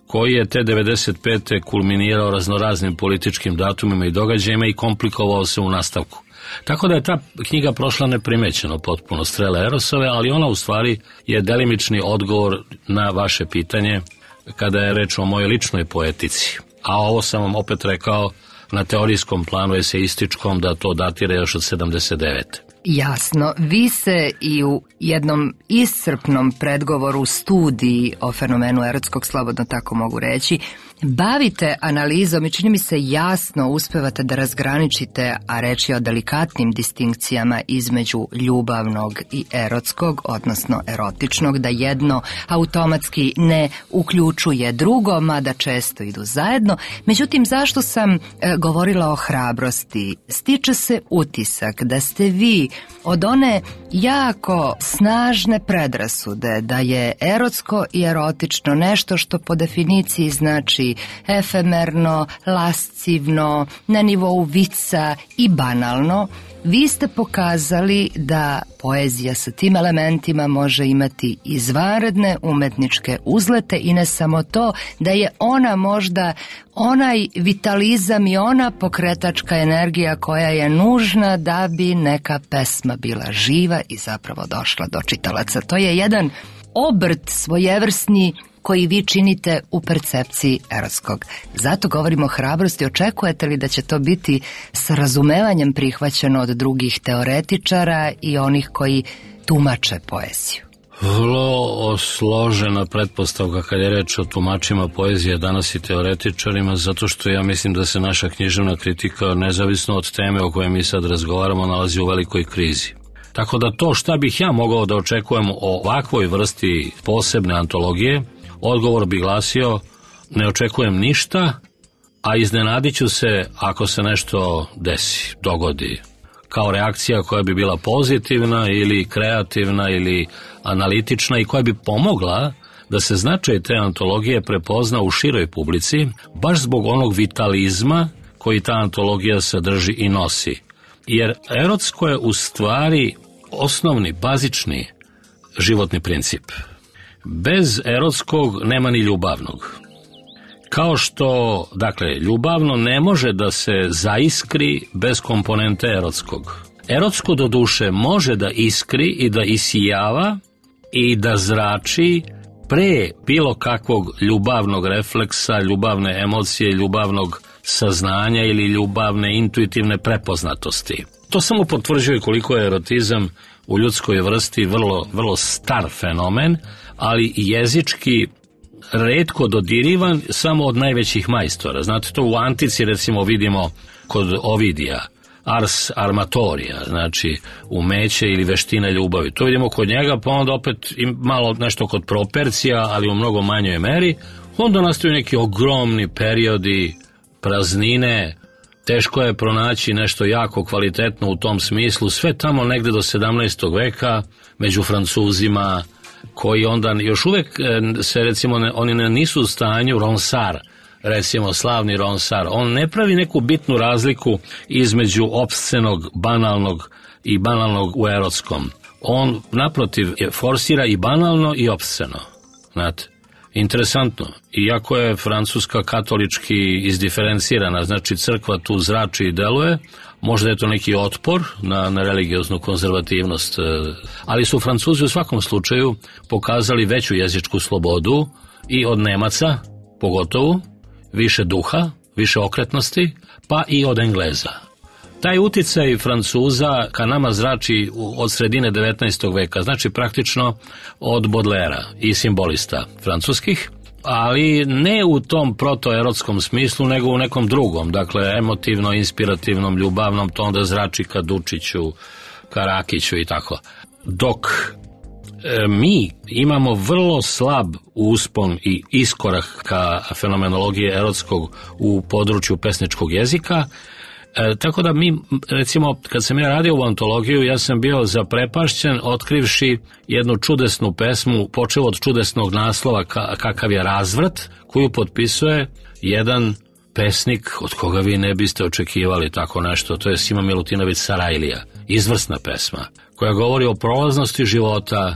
koji je te 95. kulminirao raznoraznim političkim datumima i događajima i komplikovao se u nastavku. Tako da je ta knjiga prošla neprimećeno potpuno, Strele Erosove, ali ona u stvari je delimični odgovor na vaše pitanje kada je reč o mojoj ličnoj poetici. A ovo sam vam opet rekao na teorijskom planu eseističkom da to datira još od 79. Jasno, vi se i u jednom iscrpnom predgovoru studiji o fenomenu erotskog, slobodno tako mogu reći, bavite analizom i čini mi se jasno uspevate da razgraničite, a reč je o delikatnim distinkcijama između ljubavnog i erotskog, odnosno erotičnog, da jedno automatski ne uključuje drugo, mada često idu zajedno. Međutim, zašto sam govorila o hrabrosti? Stiče se utisak da ste vi od one jako snažne predrasude da je erotsko i erotično nešto što po definiciji znači efemerno, lascivno, na nivou vica i banalno, vi ste pokazali da poezija sa tim elementima može imati izvanredne umetničke uzlete i ne samo to, da je ona možda onaj vitalizam i ona pokretačka energija koja je nužna da bi neka pesma bila živa i zapravo došla do čitalaca. To je jedan obrt svojevrsni koji vi činite u percepciji erotskog. Zato govorimo o hrabrosti. Očekujete li da će to biti sa razumevanjem prihvaćeno od drugih teoretičara i onih koji tumače poeziju? Vrlo složena pretpostavka kad je reč o tumačima poezije danas i teoretičarima, zato što ja mislim da se naša književna kritika, nezavisno od teme o kojoj mi sad razgovaramo, nalazi u velikoj krizi. Tako da to šta bih ja mogao da očekujem o ovakvoj vrsti posebne antologije, odgovor bi glasio: ne očekujem ništa, a iznenadit ću se ako se nešto desi, dogodi, kao reakcija koja bi bila pozitivna ili kreativna ili analitična i koja bi pomogla da se značaj te antologije prepozna u široj publici, baš zbog onog vitalizma koji ta antologija sadrži i nosi. Jer erotsko je u stvari osnovni, bazični životni princip. Bez erotskog nema ni ljubavnog. Kao što, dakle, ljubavno ne može da se zaiskri bez komponente erotskog. Erotsko do duše može da iskri i da isijava i da zrači pre bilo kakvog ljubavnog refleksa, ljubavne emocije, ljubavnog saznanja ili ljubavne intuitivne prepoznatosti. To samo potvrđuje koliko je erotizam u ljudskoj vrsti vrlo star fenomen, ali jezički retko dodirivan samo od najvećih majstora. Znate, to u antici recimo vidimo kod Ovidija, ars armatorija, znači umeće ili veštine ljubavi. To vidimo kod njega, pa onda opet malo nešto kod Propercija, ali u mnogo manjoj meri. Onda nastaju neki ogromni periodi praznine, teško je pronaći nešto jako kvalitetno u tom smislu, sve tamo negde do 17. veka među Francuzima, koji onda još uvek se, recimo, oni nisu u stanju, Ronsard, recimo slavni Ronsard, on ne pravi neku bitnu razliku između opscenog, banalnog i banalnog u erotskom. On, naprotiv, forsira i banalno i opsceno. Znate, interesantno. Iako je Francuska katolički izdiferencirana, znači crkva tu zrači i deluje, možda je to neki otpor na religioznu konzervativnost, ali su Francuzi u svakom slučaju pokazali veću jezičku slobodu i od Nemaca, pogotovo, više duha, više okretnosti, pa i od Engleza. Taj uticaj Francuza ka nama zrači od sredine 19. veka, znači praktično od Baudelaira i simbolista francuskih, ali ne u tom protoerotskom smislu, nego u nekom drugom, dakle emotivno, inspirativnom, ljubavnom, to onda zrači ka Dučiću, ka Rakiću i tako. Dok mi imamo vrlo slab uspon i iskorak ka fenomenologiji erotskog u području pesničkog jezika, tako da mi, recimo, kad sam ja radio u antologiju, ja sam bio zaprepašćen otkrivši jednu čudesnu pesmu, počeo od čudesnog naslova Kakav je razvrat, koju potpisuje jedan pesnik od koga vi ne biste očekivali tako nešto, to je Sima Milutinović Sarajlija, izvrsna pesma, koja govori o prolaznosti života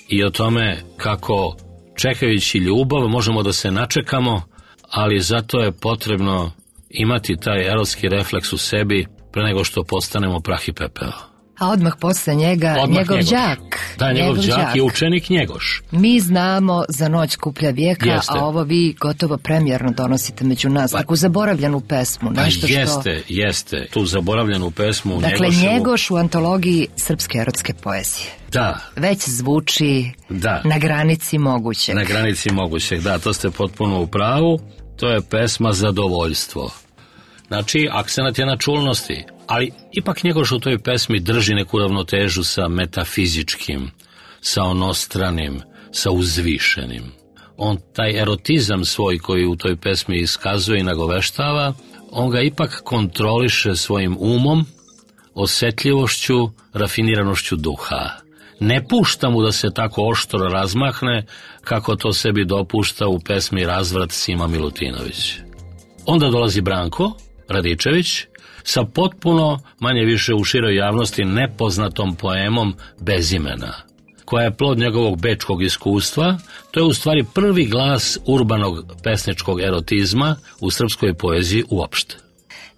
i o tome kako čekajući ljubav možemo da se načekamo, ali zato je potrebno imati taj erotski refleks u sebi pre nego što postanemo prah i pepeo. A odmah posle njega njegov đak. Da, njegov đak je učenik Njegoš. Mi znamo za Noć skuplja vijeka, jeste. A ovo vi gotovo premijerno donosite među nas, takvu zaboravljenu pesmu. Nešto jeste, tu zaboravljenu pesmu dakle, Njegoš u antologiji srpske erotske poezije. Da. Već zvuči na granici mogućeg. Na granici mogućeg, da, to ste potpuno u pravu. To je pesma Zadovoljstvo. Znači, akcenat je na čulnosti, ali ipak Njegoš u toj pesmi drži neku ravnotežu sa metafizičkim, sa onostranim, sa uzvišenim. On taj erotizam svoj koji u toj pesmi iskazuje i nagoveštava, on ga ipak kontroliše svojim umom, osetljivošću, rafiniranošću duha. Ne pušta mu da se tako oštro razmahne kako to sebi dopušta u pesmi Razvrat Sima Milutinović. Onda dolazi Branko Radičević sa potpuno, manje više u široj javnosti, nepoznatom poemom Bez imena, koja je plod njegovog bečkog iskustva. To je u stvari prvi glas urbanog pesničkog erotizma u srpskoj poeziji uopšte.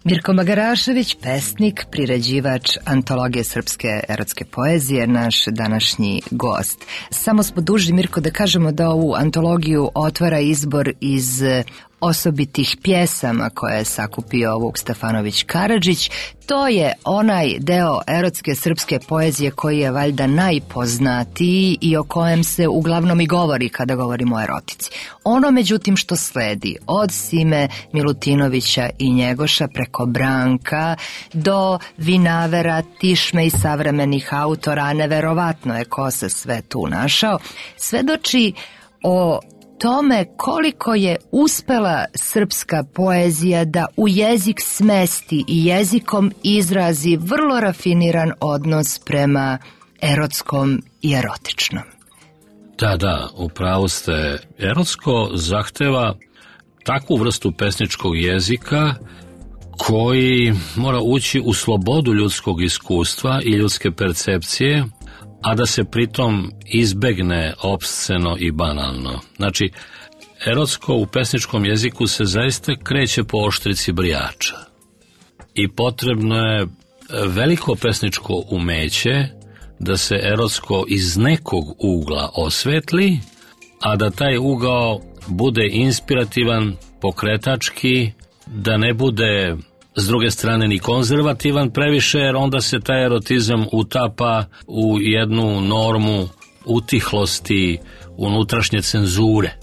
Mirko Magarašević, pesnik, priređivač antologije srpske erotske poezije, naš današnji gost. Samo smo dužni, Mirko, da kažemo da ovu antologiju otvara izbor iz osobitih pjesama koje je sakupio Vuk Stefanović Karadžić. To je onaj deo erotske srpske poezije koji je valjda najpoznatiji i o kojem se uglavnom i govori kada govorimo o erotici. Ono, međutim, što sledi od Sime Milutinovića i Njegoša preko Branka do Vinavera, Tišme i savremenih autora, neverovatno je ko se sve tu našao, svedoči o tome koliko je uspela srpska poezija da u jezik smesti i jezikom izrazi vrlo rafiniran odnos prema erotskom i erotičnom. Da, upravo ste. Erotsko zahteva takvu vrstu pesničkog jezika koji mora ući u slobodu ljudskog iskustva i ljudske percepcije, a da se pritom izbegne opsceno i banalno. Znači, erotsko u pesničkom jeziku se zaista kreće po oštrici brijača. I potrebno je veliko pesničko umeće da se erotsko iz nekog ugla osvetli, a da taj ugao bude inspirativan, pokretački, da ne bude s druge strane ni konzervativan previše, jer onda se taj erotizam utapa u jednu normu utihlosti, unutrašnje cenzure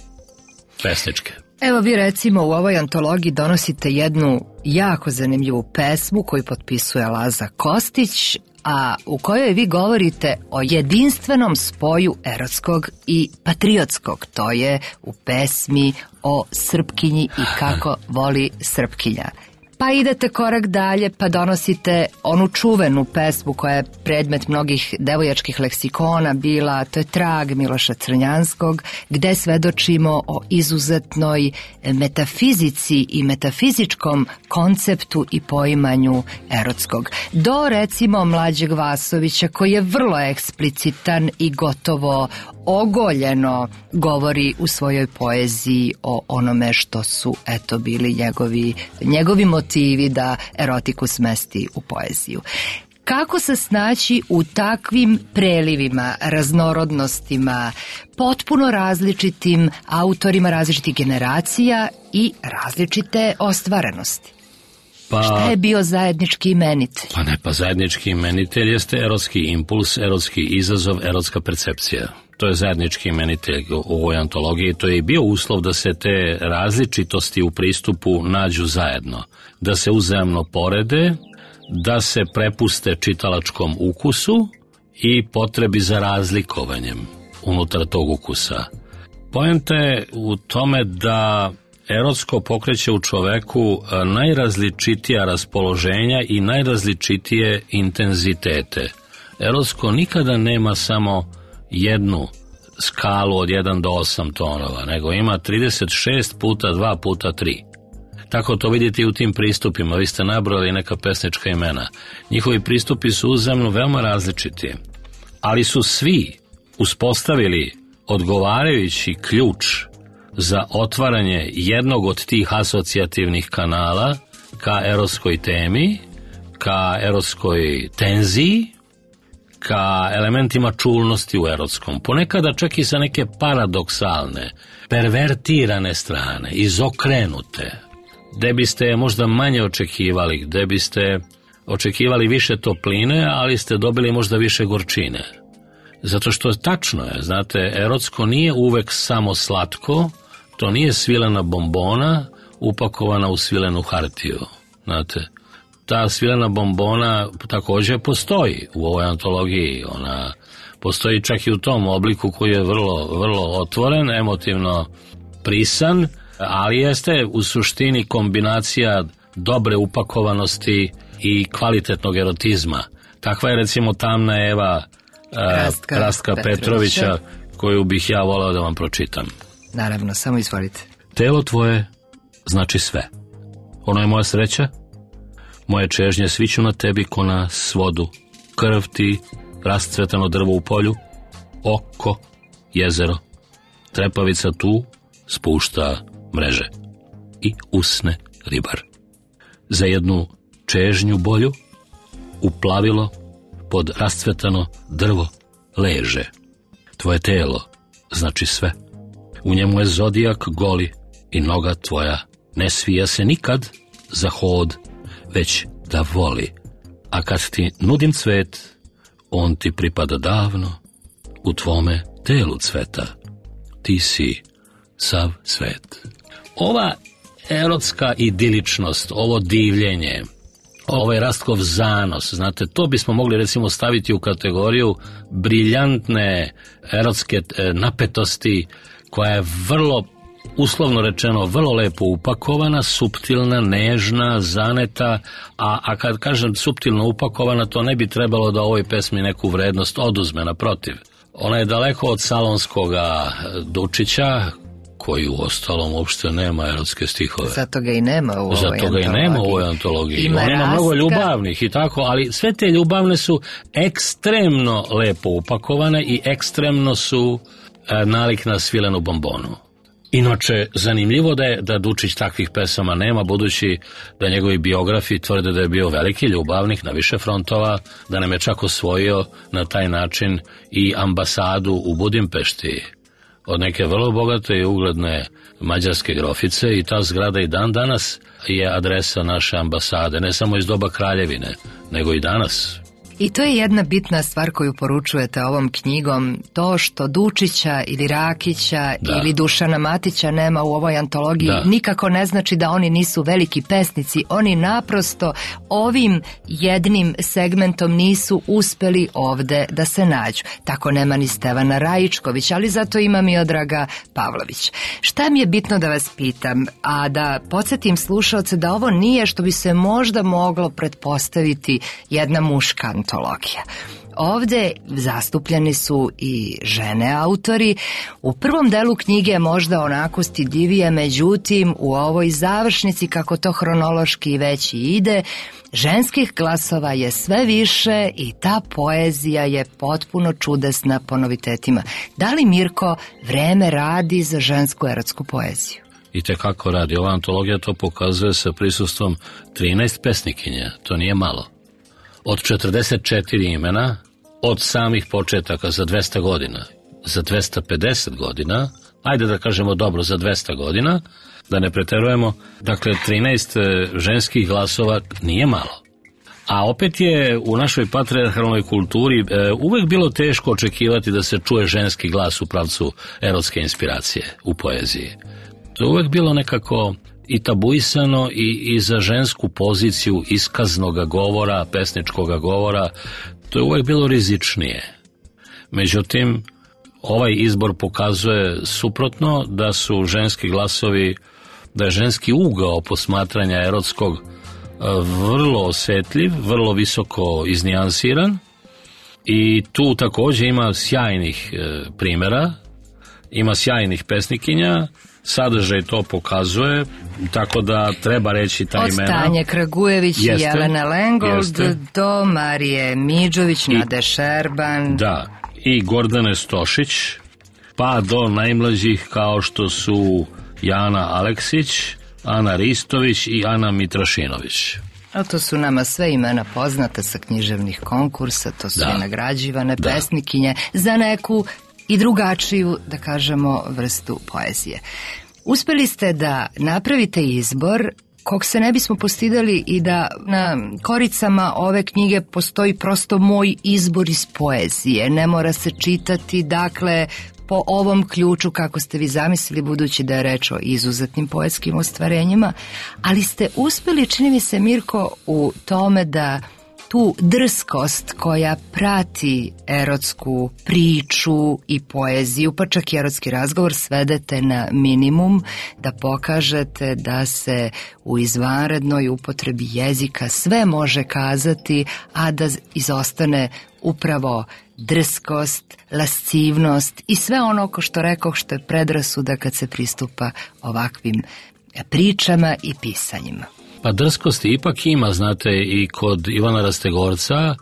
pesničke. Evo vi recimo u ovoj antologiji donosite jednu jako zanimljivu pesmu koju potpisuje Laza Kostić, a u kojoj vi govorite o jedinstvenom spoju erotskog i patriotskog. To je u pesmi o Srpkinji i kako voli Srpkinja. Pa idete korak dalje pa donosite onu čuvenu pesmu koja je predmet mnogih devojačkih leksikona bila, to je Trag Miloša Crnjanskog, gde svedočimo o izuzetnoj metafizici i metafizičkom konceptu i poimanju erotskog. Do recimo Mlađeg Vasovića koji je vrlo eksplicitan i gotovo ogoljeno govori u svojoj poeziji o onome što su bili njegovi motivi da erotiku smesti u poeziju. Kako se snaći u takvim prelivima, raznorodnostima, potpuno različitim autorima različitih generacija i različite ostvarenosti? Šta je bio zajednički imenitelj? Zajednički imenitelj jeste erotski impuls, erotski izazov, erotska percepcija. To je zajednički imenitelj u ovoj antologiji. To je i bio uslov da se te različitosti u pristupu nađu zajedno. Da se uzajamno porede, da se prepuste čitalačkom ukusu i potrebi za razlikovanjem unutar tog ukusa. Poenta je u tome da erotsko pokreće u čoveku najrazličitija raspoloženja i najrazličitije intenzitete. Erotsko nikada nema samo jednu skalu od 1 do 8 tonova, nego ima 36 puta 2 puta 3. Tako to vidite i u tim pristupima. Vi ste nabrojali neka pesnička imena. Njihovi pristupi su uzajamno veoma različiti, ali su svi uspostavili odgovarajući ključ za otvaranje jednog od tih asocijativnih kanala ka erotskoj temi, ka erotskoj tenziji, ka elementima čulnosti u erotskom. Ponekada čak i sa neke paradoksalne, pervertirane strane, izokrenute, gde biste možda manje očekivali, gde biste očekivali više topline, ali ste dobili možda više gorčine. Zato što tačno je, znate, erotsko nije uvek samo slatko, to nije svilena bombona upakovana u svilenu hartiju, znate. Ta svilena bombona također postoji u ovoj antologiji, ona postoji čak i u tom obliku koji je vrlo otvoren, emotivno prisan, ali jeste u suštini kombinacija dobre upakovanosti i kvalitetnog erotizma. Takva je recimo Tamna Eva Rastka Petrovića, koju bih ja volao da vam pročitam. Naravno, samo izvolite. Telo tvoje znači sve. Ono je moja sreća, moje čežnje sviću na tebi ko na svodu, krv ti, rascvetano drvo u polju, oko, jezero, trepavica tu spušta mreže i usne ribar. Za jednu čežnju bolju uplavilo pod rascvetano drvo leže. Tvoje telo znači sve. U njemu je zodijak goli i noga tvoja ne svija se nikad za hod, već da voli. A kad ti nudim cvet, on ti pripada davno, u tvome telu cveta. Ti si sav svet. Ova erotska idiličnost, ovo divljenje, ovaj Rastkov zanos, znate, to bismo mogli recimo staviti u kategoriju briljantne erotske napetosti, koja je vrlo, uslovno rečeno, vrlo lepo upakovana, suptilna, nežna, zaneta, a kad kažem suptilno upakovana, to ne bi trebalo da ovoj pesmi neku vrednost oduzme, naprotiv. Ona je daleko od salonskoga Dučića, koji u ostalom uopšte nema erotske stihove. Zato ga i nema u ovoj antologiji. On ima mnogo ljubavnih i tako, ali sve te ljubavne su ekstremno lepo upakovane i ekstremno su nalik na svilenu bombonu. Inače, zanimljivo da Dučić takvih pesama nema, budući da njegovi biografi tvrde da je bio veliki ljubavnik na više frontova, da nam je čak osvojio na taj način i ambasadu u Budimpešti od neke vrlo bogate i ugledne mađarske grofice, i ta zgrada i dan danas je adresa naše ambasade, ne samo iz doba kraljevine, nego i danas. I to je jedna bitna stvar koju poručujete ovom knjigom, to što Dučića ili Rakića ili Dušana Matića nema u ovoj antologiji, nikako ne znači da oni nisu veliki pesnici, oni naprosto ovim jednim segmentom nisu uspeli ovde da se nađu. Tako nema ni Stevana Rajičković, ali zato ima Miodraga Pavlović. Šta mi je bitno da vas pitam, a da podsjetim slušaoce da ovo nije što bi se možda moglo pretpostaviti jedna muška antologija. Ovde zastupljeni su i žene autori. U prvom delu knjige je možda onako stidljivije, međutim u ovoj završnici, kako to hronološki već i ide, ženskih glasova je sve više i ta poezija je potpuno čudesna po novitetima. Da li, Mirko, vreme radi za žensku erotsku poeziju? I tekako radi. Ova antologija to pokazuje sa prisustvom 13 pesnikinja. To nije malo. Od 44 imena, od samih početaka za 200 godina, za 250 godina, ajde da kažemo dobro za 200 godina, da ne preterujemo, dakle 13 ženskih glasova nije malo. A opet je u našoj patrijarhalnoj kulturi uvek bilo teško očekivati da se čuje ženski glas u pravcu erotske inspiracije u poeziji. To je uvek bilo nekako i tabuisano i za žensku poziciju iskaznog govora, pesničkog govora, to je uvek bilo rizičnije. Međutim, ovaj izbor pokazuje suprotno, da su ženski glasovi, da je ženski ugao posmatranja erotskog vrlo osetljiv, vrlo visoko iznijansiran, i tu također ima sjajnih primjera, ima sjajnih pesnikinja, sadržaj to pokazuje, tako da treba reći ta imena. Od Tanje Kragujević i Jelene Lengold do Marije Midžović, Nade Šerban. Da, i Gordane Stošić, pa do najmlađih kao što su Jana Aleksić, Ana Ristović i Ana Mitrašinović. A to su nama sve imena poznata sa književnih konkursa, to su i nagrađivane pesnikinje za neku i drugačiju, da kažemo, vrstu poezije. Uspeli ste da napravite izbor kog se ne bismo postidali i da na koricama ove knjige postoji prosto moj izbor iz poezije. Ne mora se čitati, dakle, po ovom ključu kako ste vi zamislili, budući da je reč o izuzetnim poetskim ostvarenjima, ali ste uspeli, čini mi se, Mirko, u tome da tu drskost koja prati erotsku priču i poeziju, pa čak i erotski razgovor, svedete na minimum, da pokažete da se u izvanrednoj upotrebi jezika sve može kazati, a da izostane upravo drskost, lascivnost i sve ono, ko što rekoh, što je predrasuda kad se pristupa ovakvim pričama i pisanjima. Pa drskosti ipak ima, znate, i kod Ivana Rastegorca,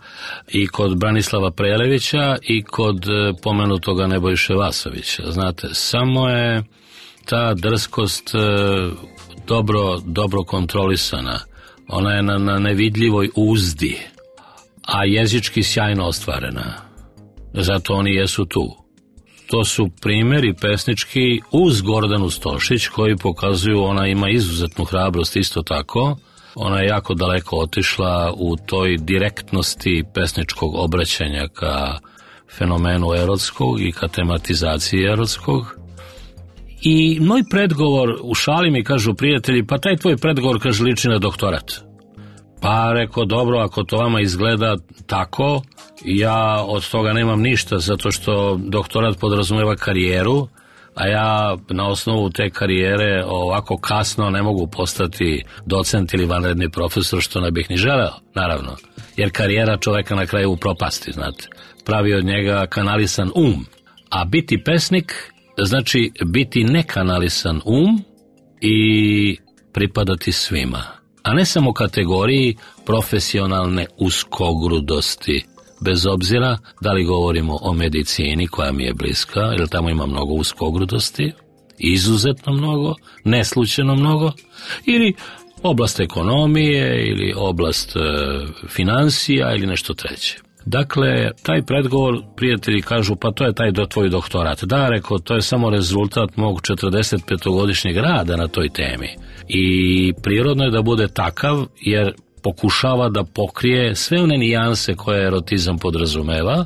i kod Branislava Prelevića, i kod pomenutoga Nebojše Vasovića. Znate, samo je ta drskost dobro kontrolisana. Ona je na nevidljivoj uzdi, a jezički sjajno ostvarena. Zato oni jesu tu. To su primjeri pesnički uz Gordanu Stošić koji pokazuju, ona ima izuzetnu hrabrost isto tako. Ona je jako daleko otišla u toj direktnosti pesničkog obraćanja ka fenomenu erotskog i ka tematizaciji erotskog. I moj predgovor, u šali mi kažu prijatelji, pa taj tvoj predgovor, kaže, liči na doktorat. Pa rekao, dobro, ako to vama izgleda tako, ja od toga nemam ništa, zato što doktorat podrazumeva karijeru, a ja na osnovu te karijere ovako kasno ne mogu postati docent ili vanredni profesor, što ne bih ni želeo, naravno. Jer karijera čoveka na kraju upropasti, znate. Pravi od njega kanalisan a biti pesnik znači biti nekanalisan i pripadati svima. A ne samo kategoriji profesionalne uskogrudosti, bez obzira da li govorimo o medicini koja mi je bliska, jer tamo ima mnogo uskogrudosti, izuzetno mnogo, neslučajno mnogo, ili oblast ekonomije, ili oblast financija, ili nešto treće. Dakle, taj predgovor, prijatelji kažu, pa to je taj tvoj doktorat. Da, rekao, to je samo rezultat mog 45-godišnjeg rada na toj temi. I prirodno je da bude takav, jer pokušava da pokrije sve one nijanse koje erotizam podrazumeva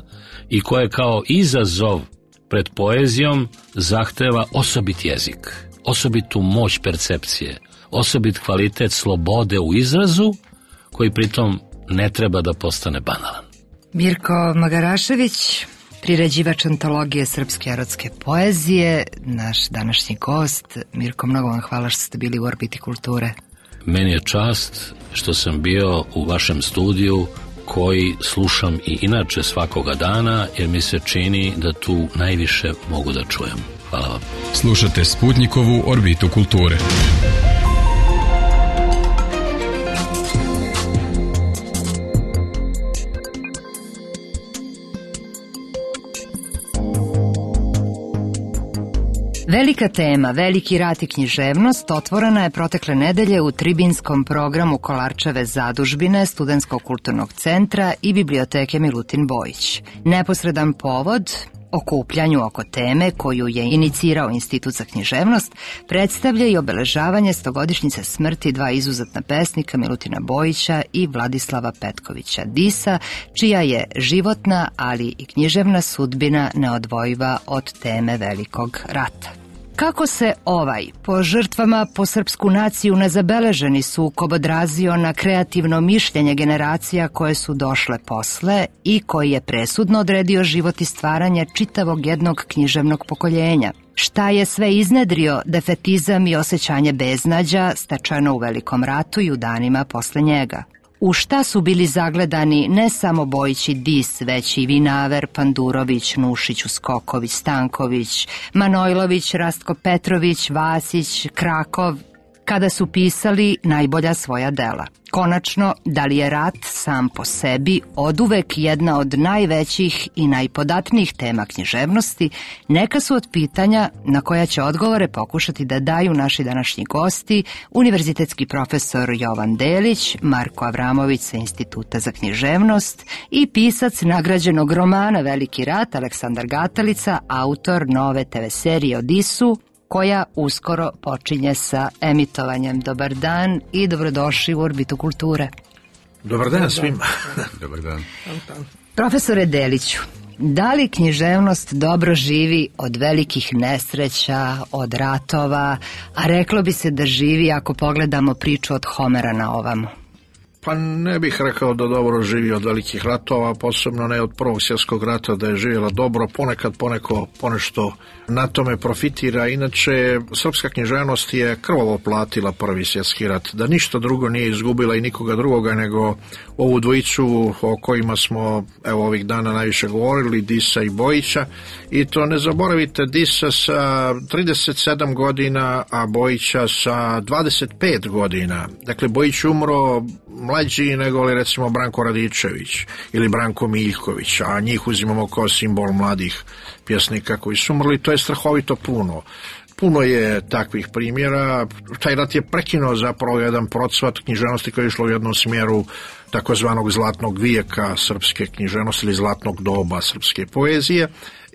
i koje kao izazov pred poezijom zahteva osobit jezik, osobitu moć percepcije, osobit kvalitet slobode u izrazu, koji pritom ne treba da postane banalan. Mirko Magarašević, priređivač antologije srpske erotske poezije, naš današnji gost. Mirko, mnogo vam hvala što ste bili u Orbiti kulture. Meni je čast što sam bio u vašem studiju, koji slušam i inače svakoga dana, jer mi se čini da tu najviše mogu da čujem. Hvala vam. Slušate Sputnikovu Orbitu kulture. Velika tema, veliki rat i književnost otvorena je protekle nedelje u tribinskom programu Kolarčeve zadužbine, Studentskog kulturnog centra i biblioteke Milutin Bojić. Neposredan povod okupljanju oko teme koju je inicirao Institut za književnost predstavlja i obeležavanje 100-godišnjice smrti dva izuzetna pesnika, Milutina Bojića i Vladislava Petkovića Disa, čija je životna, ali i književna sudbina neodvojiva od teme velikog rata. Kako se ovaj, po žrtvama po srpsku naciju nezabeleženi sukob odrazio na kreativno mišljenje generacija koje su došle posle i koji je presudno odredio život i stvaranje čitavog jednog književnog pokoljenja? Šta je sve iznedrio defetizam i osjećanje beznađa stečeno u Velikom ratu i u danima posle njega? U šta su bili zagledani ne samo Bojić i Dis, već i Vinaver, Pandurović, Nušić, Uskoković, Stanković, Manojlović, Rastko Petrović, Vasić, Krakov kada su pisali najbolja svoja dela. Konačno, da li je rat sam po sebi oduvek jedna od najvećih i najpodatnijih tema književnosti, neka su od pitanja na koja će odgovore pokušati da daju naši današnji gosti, univerzitetski profesor Jovan Delić, Marko Avramović sa Instituta za književnost i pisac nagrađenog romana Veliki rat Aleksandar Gatalica, autor nove TV serije Odisu, koja uskoro počinje sa emitovanjem. Dobar dan i dobrodošli u Orbitu kulture. Dobar dan svima. Dobar dan. Profesore Deliću, da li književnost dobro živi od velikih nesreća, od ratova, a reklo bi se da živi ako pogledamo priču od Homera na ovamo? Pa ne bih rekao da dobro živi od velikih ratova, posebno ne od Prvog svjetskog rata, da je živjela dobro, ponekad ponešto na tome profitira. Inače, srpska književnost je krvavo platila Prvi svjetski rat, da ništa drugo nije izgubila i nikoga drugoga nego ovu dvojicu o kojima smo ovih dana najviše govorili, Disa i Bojića. I to ne zaboravite, Disa sa 37 godina, a Bojića sa 25 godina. Dakle, Bojić umro mlađi nego li recimo Branko Radičević ili Branko Miljković, a njih uzimamo kao simbol mladih pjesnika koji su umrli. To je strahovito puno. Puno je takvih primjera. Taj rat je prekinuo zapravo jedan procvat književnosti koji je išlo u jednom smjeru takozvanog zlatnog vijeka srpske književnosti ili zlatnog doba srpske poezije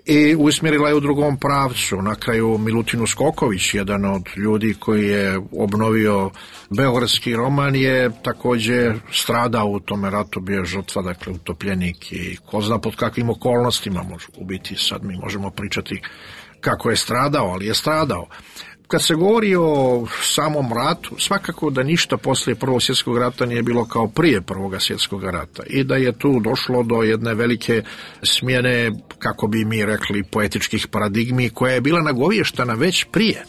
i usmjerila je u drugom pravcu. Na kraju Milutin Uskoković, jedan od ljudi koji je obnovio beogradski roman, je također stradao u tome ratu, bio žrtva, dakle utopljenik i ko zna pod kakvim okolnostima može ubiti. Sad mi možemo pričati kako je stradao, ali je stradao. Kad se govori o samom ratu, svakako da ništa poslije Prvog svjetskog rata nije bilo kao prije Prvog svjetskog rata i da je tu došlo do jedne velike smjene, kako bi mi rekli, poetičkih paradigmi, koja je bila nagovještana već prije.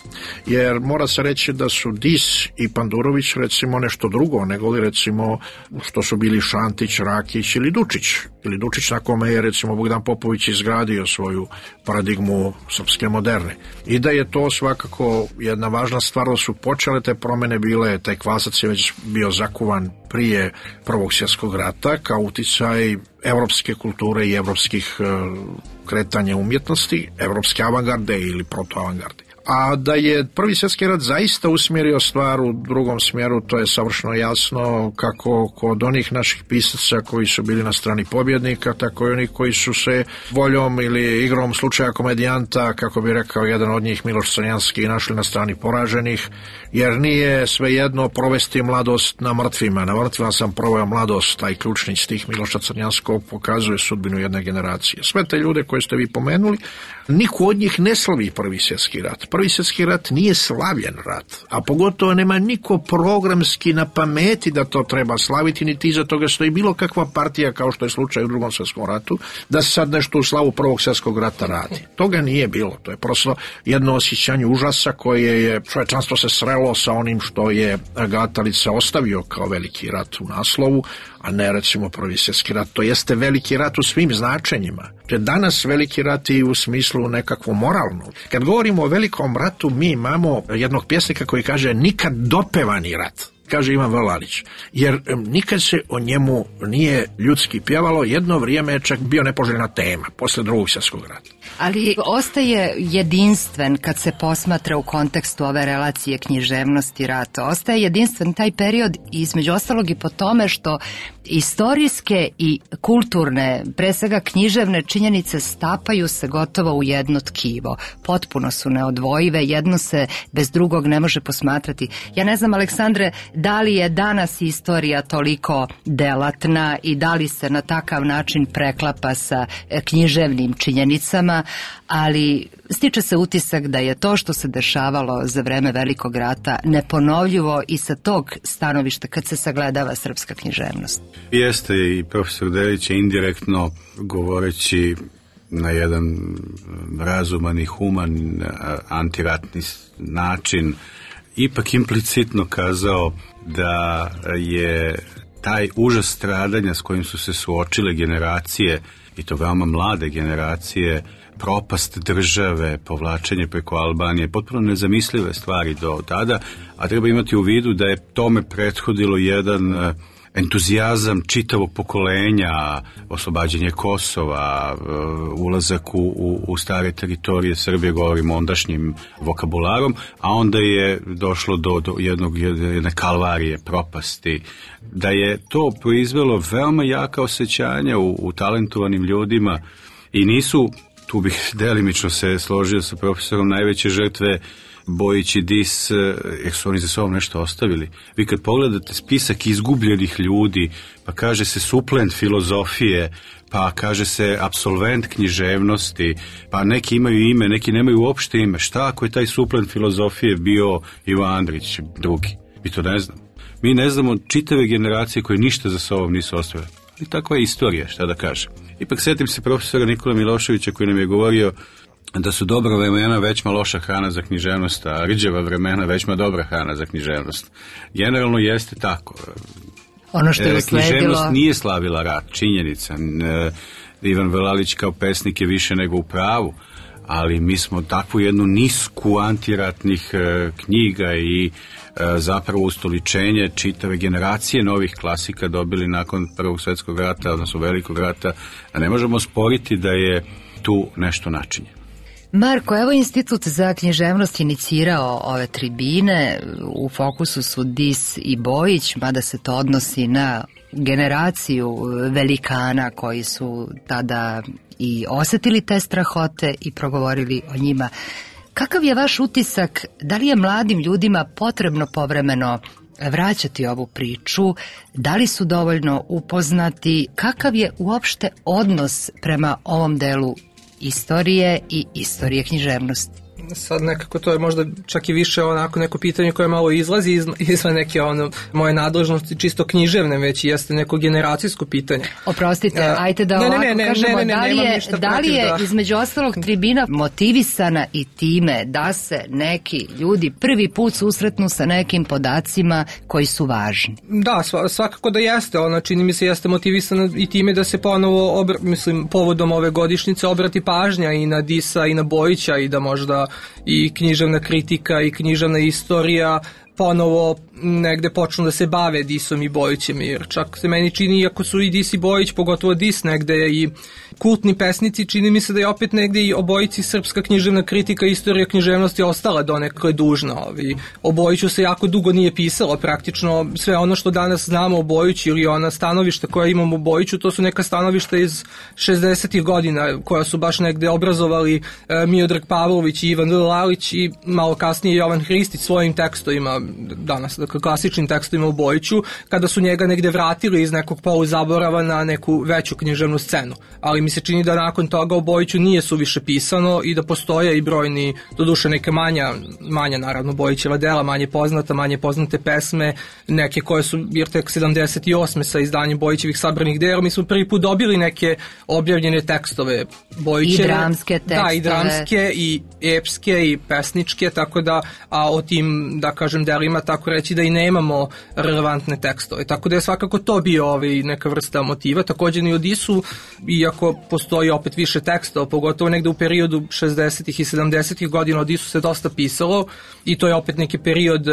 Jer mora se reći da su Dis i Pandurović recimo nešto drugo, nego li recimo što su bili Šantić, Rakić ili Dučić. Ili Dučić na kome je recimo Bogdan Popović izgradio svoju paradigmu srpske moderne. I da je to svakako jedna važna stvar, da su počele te promjene bile, taj kvasac je već bio zakuvan prije Prvog svjetskog rata kao uticaj evropske kulture i evropskih kretanja umjetnosti, evropske avangarde ili protoavangarde. A da je Prvi svjetski rat zaista usmjerio stvar u drugom smjeru, to je savršeno jasno, kako kod onih naših pisaca koji su bili na strani pobjednika, tako i onih koji su se voljom ili igrom slučaja komedijanta, kako bi rekao jedan od njih Miloš Crnjanski, našli na strani poraženih, jer nije svejedno provesti mladost na mrtvima. Na mrtvima sam proveo mladost, taj ključni stih Miloša Crnjanskog pokazuje sudbinu jedne generacije. Sve te ljude koje ste vi pomenuli, niko od njih ne slavi Prvi svjetski rat. Prvi svjetski rat nije slavljen rat, a pogotovo nema niko programski na pameti da to treba slaviti, niti iza toga stoji bilo kakva partija, kao što je slučaj u Drugom svjetskom ratu, da se sad nešto u slavu Prvog svjetskog rata radi. Toga nije bilo, to je prosto jedno osjećanje užasa koje je čovječanstvo se srelo sa onim što je Gatalica ostavio kao veliki rat u naslovu, a ne recimo Prvi svjetski rat. To jeste veliki rat u svim značenjima. To je danas veliki rat i u smislu nekakvu moralnu. Kad govorimo o velikom ratu, mi imamo jednog pjesnika koji kaže nikad dopevani rat, kaže Ivan Vlalić, jer nikad se o njemu nije ljudski pjevalo, jedno vrijeme je čak bio nepoželjna tema, posle Drugog svjetskog rata. Ali ostaje jedinstven kad se posmatra u kontekstu ove relacije književnosti rata. Ostaje jedinstven taj period između ostalog i po tome što istorijske i kulturne, pre svega književne činjenice stapaju se gotovo u jedno tkivo. Potpuno su neodvojive, jedno se bez drugog ne može posmatrati. Ja ne znam, Aleksandre, da li je danas istorija toliko delatna i da li se na takav način preklapa sa književnim činjenicama, ali stiče se utisak da je to što se dešavalo za vreme Velikog rata neponovljivo i sa tog stanovišta kad se sagledava srpska književnost. Jeste, i profesor Delić je indirektno govoreći na jedan razuman i human antiratni način ipak implicitno kazao da je taj užas stradanja s kojim su se suočile generacije, i to veoma mlade generacije, propast države, povlačenje preko Albanije, potpuno nezamislive stvari do tada, a treba imati u vidu da je tome prethodilo jedan entuzijazam čitavog pokolenja, oslobađanje Kosova, ulazak u stare teritorije Srbije, govorimo ondašnjim vokabularom, a onda je došlo do jedne kalvarije, propasti. Da je to proizvelo veoma jaka osjećanja u talentovanim ljudima i nisu, tu bih delimično se složio sa profesorom, najveće žrtve Bojić i Dis, jer su oni za sobom nešto ostavili. Vi kad pogledate spisak izgubljenih ljudi, pa kaže se suplent filozofije, pa kaže se apsolvent književnosti, pa neki imaju ime, neki nemaju uopšte ime. Šta ako je taj suplent filozofije bio Ivo Andrić drugi? Mi to ne znamo. Mi ne znamo čitave generacije koje ništa za sobom nisu ostavile. I takva je istorija, šta da kažem. Ipak setim se profesora Nikola Miloševića koji nam je govorio da su dobra vremena većma loša hrana za književnost, a rđeva vremena većma dobra hrana za književnost. Generalno jeste tako. Ono što je usledilo... Književnost nije slavila rat, činjenica. Ivan Velalić kao pesnik je više nego u pravu, ali mi smo takvu jednu nisku antiratnih knjiga i zapravo ustoličenje čitave generacije novih klasika dobili nakon Prvog svjetskog rata, odnosno Velikog rata, a ne možemo sporiti da je tu nešto načinjeno. Marko, evo Institut za književnost inicirao ove tribine, u fokusu su Dis i Bojić, mada se to odnosi na generaciju velikana koji su tada i osetili te strahote i progovorili o njima. Kakav je vaš utisak, da li je mladim ljudima potrebno povremeno vraćati ovu priču, da li su dovoljno upoznati, kakav je uopšte odnos prema ovom delu istorije i istorije književnosti? Sad nekako to je možda čak i više onako neko pitanje koje malo izlazi izvan neke moje nadležnosti čisto književne, već jeste neko generacijsko pitanje. Oprostite, ajte da ovako kažemo, da li je između ostalog tribina motivisana i time da se neki ljudi prvi put susretnu sa nekim podacima koji su važni? Da, svakako da jeste, ona čini mi se jeste motivisana i time da se ponovo, povodom ove godišnjice obrati pažnja i na Disa i na Bojića i da možda i književna kritika i književna istorija ponovo negde počnu da se bave Disom i Bojićem, jer čak se meni čini, iako su i Dis i Bojić, pogotovo Dis negde i kultni pesnici, čini mi se da je opet negde i obojici srpska književna kritika i istorija književnosti ostala donekle dužna. O Bojiću se jako dugo nije pisalo, praktično sve ono što danas znamo o Bojiću ili ona stanovišta koja imamo o Bojiću, to su neka stanovišta iz 60. godina koja su baš negde obrazovali Miodrag Pavlović i Ivan Lalić i malo kasnije Jovan Hristić svojim tekstovima danas, dakle klasičnim tekstovima o Bojiću, kada su njega negde vratili iz nekog poluzaborava na neku veću književnu scenu. Ali mi se čini da nakon toga o Bojiću nije suviše pisano i da postoje i brojni, doduše neke manja naravno Bojićeva dela, manje poznate pesme, neke koje su jer tek 78. sa izdanjem Bojićevih sabranih dela, mi smo prvi put dobili neke objavljene tekstove Bojićeve. I dramske tekstove. Da, i dramske, i epske, i pesničke, tako da, a o tim, da kažem, delima, tako reći da i nemamo relevantne tekstove. Tako da je svakako to bio neka vrsta motiva. Također i o Disu, iako postoji opet više tekstova, pogotovo negde u periodu 60. i 70. godina o Disu se dosta pisalo i to je opet neki period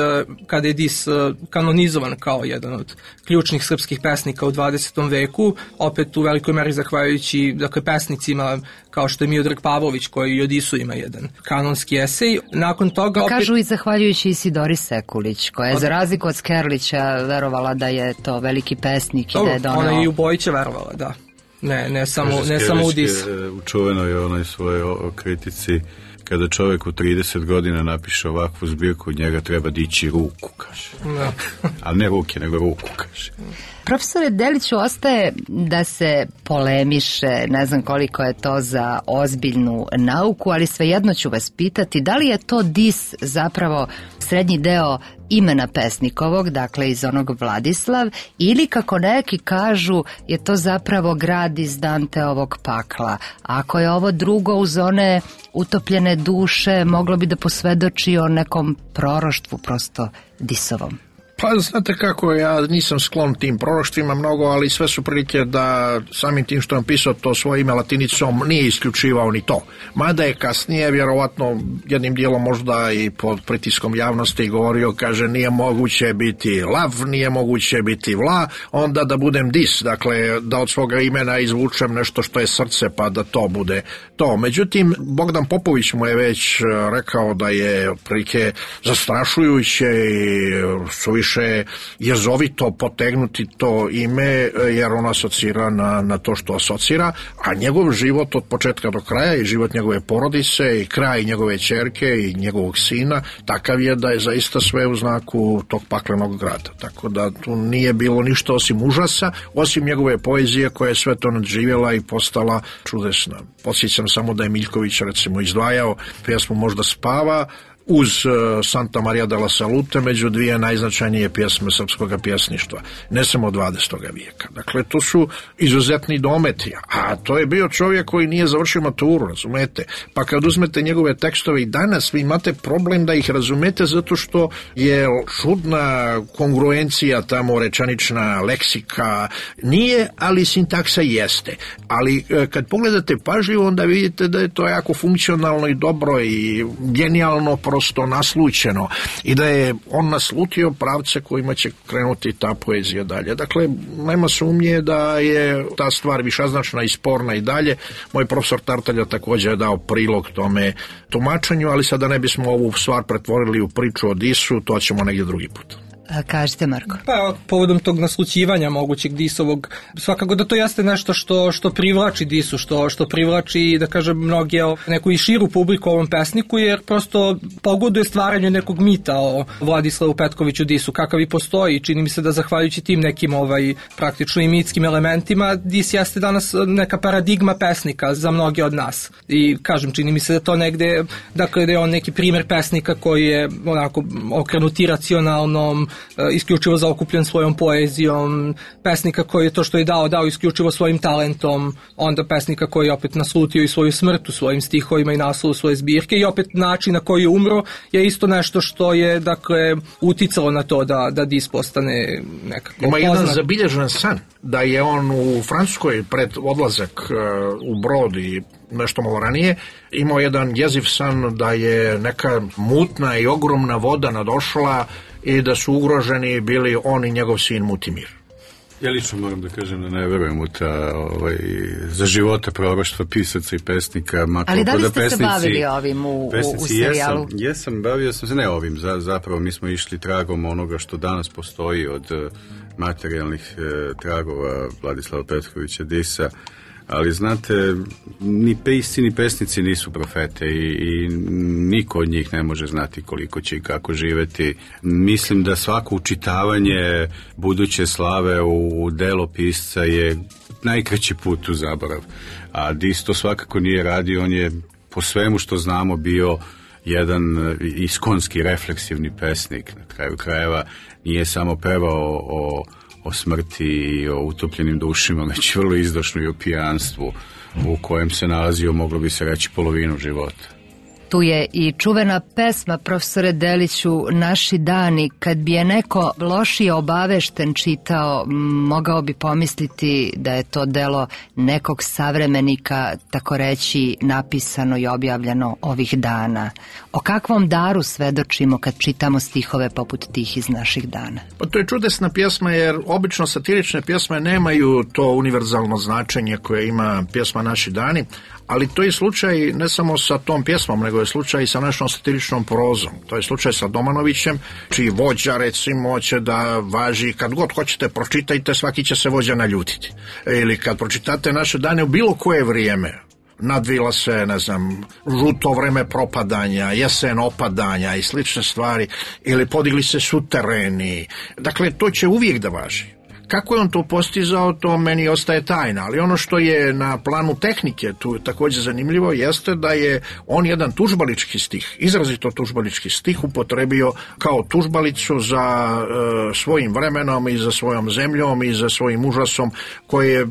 kada je Dis kanonizovan kao jedan od ključnih srpskih pesnika u 20. veku, opet u velikoj meri zahvaljujući pesnicima kao što je Miodrag Pavlović koji i o Disu ima jedan kanonski esej. Nakon toga opet... Kažu i zahvaljujući Isidori Sekulić, koja je za razliku od Skerlića verovala da je to veliki pesnik i da je donao... Ona je i u Bojića verovala, da. Ne samo u Dis. U čuvenoj onoj svojoj kritici, kada čovjek u 30 godina napiše ovakvu zbirku, od njega treba dići ruku, kaže. Da. Ali ne ruke, nego ruku, kaže. Profesore Deliću, ostaje da se polemiše, ne znam koliko je to za ozbiljnu nauku, ali svejedno ću vas pitati, da li je to Dis zapravo srednji deo imena pesnikovog, dakle iz onog Vladislav, ili kako neki kažu je to zapravo grad iz Danteovog pakla. Ako je ovo drugo uz one utopljene duše, moglo bi da posvedoči o nekom proroštvu prosto Disovom. Pa znate kako, ja nisam sklon tim proroštvima mnogo, ali sve su prilike da samim tim što je pisao to svoje ime latinicom nije isključivao ni to. Mada je kasnije, vjerovatno jednim dijelom možda i pod pritiskom javnosti govorio, kaže nije moguće biti lav, nije moguće biti vla, onda da budem dis, dakle da od svoga imena izvučem nešto što je srce pa da to bude to. Međutim, Bogdan Popović mu je već rekao da je prilike zastrašujuće i suviše jezovito potegnuti to ime jer ono asocira na to što asocira, a njegov život od početka do kraja i život njegove porodice i kraj njegove ćerke i njegovog sina takav je da je zaista sve u znaku tog paklenog grada. Tako da tu nije bilo ništa osim užasa, osim njegove poezije koja je sve to nadživjela i postala čudesna. Podsjećam samo da je Miljković recimo izdvajao pjesmu Možda spava uz Santa Maria della Salute među dvije najznačajnije pjesme srpskog pjesništva, ne samo od 20. vijeka. Dakle, to su izuzetni dometi, a to je bio čovjek koji nije završio maturu, razumete? Pa kad uzmete njegove tekstove i danas, vi imate problem da ih razumete zato što je čudna kongruencija tamo rečanična, leksika, nije, ali sintaksa jeste. Ali kad pogledate pažljivo, onda vidite da je to jako funkcionalno i dobro i genijalno prosto naslućeno i da je on naslutio pravce kojima će krenuti ta poezija dalje. Dakle, nema sumnje da je ta stvar višeznačna i sporna i dalje. Moj profesor Tartalja također je dao prilog tome tumačenju, ali sada ne bismo ovu stvar pretvorili u priču o Disu, to ćemo negdje drugi put. Kažete, Marko. Pa, povodom tog naslućivanja mogućeg Disovog, svakako da to jeste nešto što privlači Disu, što privlači, da kažem, mnoge neku i širu publiku ovom pesniku, jer prosto pogoduje stvaranju nekog mita o Vladislavu Petkoviću Disu, kakav i postoji. Čini mi se da zahvaljujući tim nekim praktično i mitskim elementima, Dis jeste danas neka paradigma pesnika za mnoge od nas. I kažem, čini mi se da to negde, dakle, da je on neki primjer pesnika koji je onako okrenut iracionalnom, isključivo zaokupljen svojom poezijom, pesnika koji je to što je dao isključivo svojim talentom, onda pesnika koji je opet naslutio i svoju smrt u svojim stihovima i naslovu svoje zbirke i opet način na koji je umro je isto nešto što je, dakle, uticalo na to da Dis postane nekako Ima poznat. jedan zabilježen san da je on u Francuskoj pred odlazak u brod i nešto malo ranije imao jedan jeziv san da je neka mutna i ogromna voda nadošla i da su ugroženi bili on i njegov sin Mutimir. Ja lično moram da kažem da ne verujem u ta za života proroštva pisaca i pesnika. Ali da li ste se bavili ovim u serijalu? Jesam, bavio sam se, ne ovim, zapravo mi smo išli tragom onoga što danas postoji od materijalnih tragova Vladislava Petkovića Disa, ali znate, ni pisci ni pesnici nisu profete i niko od njih ne može znati koliko će i kako živeti. Mislim da svako učitavanje buduće slave u delo pisca je najkraći put u zaborav. A Dis to svakako nije radio, on je po svemu što znamo bio jedan iskonski refleksivni pesnik. Na kraju krajeva nije samo pevao o smrti i o utopljenim dušima, već vrlo izdašno i o pijanstvu u kojem se nalazio, moglo bi se reći, polovinu života. Tu je i čuvena pesma, profesore Deliću, Naši dani. Kad bi je neko lošije obavešten čitao, mogao bi pomisliti da je to delo nekog savremenika, tako reći, napisano i objavljeno ovih dana. O kakvom daru svedočimo kad čitamo stihove poput tih iz Naših dana? Pa to je čudesna pjesma, jer obično satirične pjesme nemaju to univerzalno značenje koje ima pjesma Naši dani, ali to je slučaj ne samo sa tom pjesmom, nego je slučaj i sa našom satiričnom prozom. To je slučaj sa Domanovićem, čiji vođa, recimo, će da važi, kad god hoćete pročitajte, svaki će se vođa naljutiti. Ili kad pročitate Naše dane u bilo koje vrijeme, nadvila se, ne znam, žuto vreme propadanja, jesen opadanja i slične stvari, ili podigli se sutereni. Dakle, to će uvijek da važi. Kako je on to postizao, to meni ostaje tajna, ali ono što je na planu tehnike tu također zanimljivo jeste da je on jedan tužbalički stih, izrazito tužbalički stih upotrebio kao tužbalicu za svojim vremenom i za svojom zemljom i za svojim užasom koji je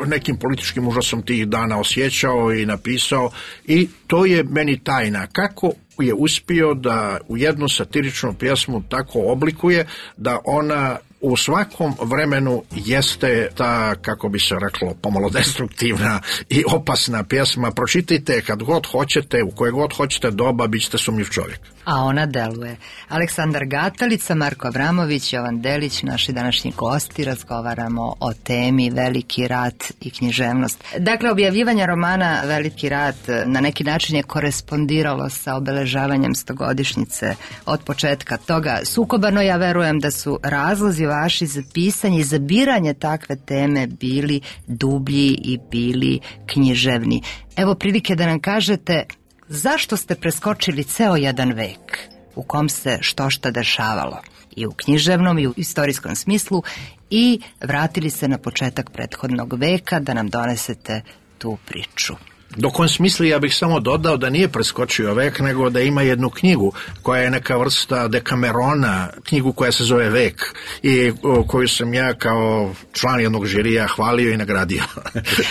nekim političkim užasom tih dana osjećao i napisao, i to je meni tajna. Kako je uspio da u jednu satiričnu pjesmu tako oblikuje da ona u svakom vremenu jeste ta, kako bi se reklo, pomalo destruktivna i opasna pjesma. Pročitajte kad god hoćete, u koje god hoćete doba, bit ćete sumnjiv čovjek. A ona deluje. Aleksandar Gatalica, Marko Avramović, Jovan Delić, naši današnji gosti, razgovaramo o temi Veliki rat i književnost. Dakle, objavljivanje romana Veliki rat na neki način je korespondiralo sa obeležavanjem 100-godišnjice od početka toga sukoba, no ja verujem da su razlozi vaši za pisanje i za biranje takve teme bili dublji i bili književni. Evo prilike da nam kažete zašto ste preskočili ceo jedan vek u kom se što dešavalo i u književnom i u istorijskom smislu i vratili se na početak prethodnog veka da nam donesete tu priču. Dok on smisli, ja bih samo dodao da nije preskočio vek, nego da ima jednu knjigu koja je neka vrsta Dekamerona, knjigu koja se zove Vek i koju sam ja kao član jednog žirija hvalio i nagradio.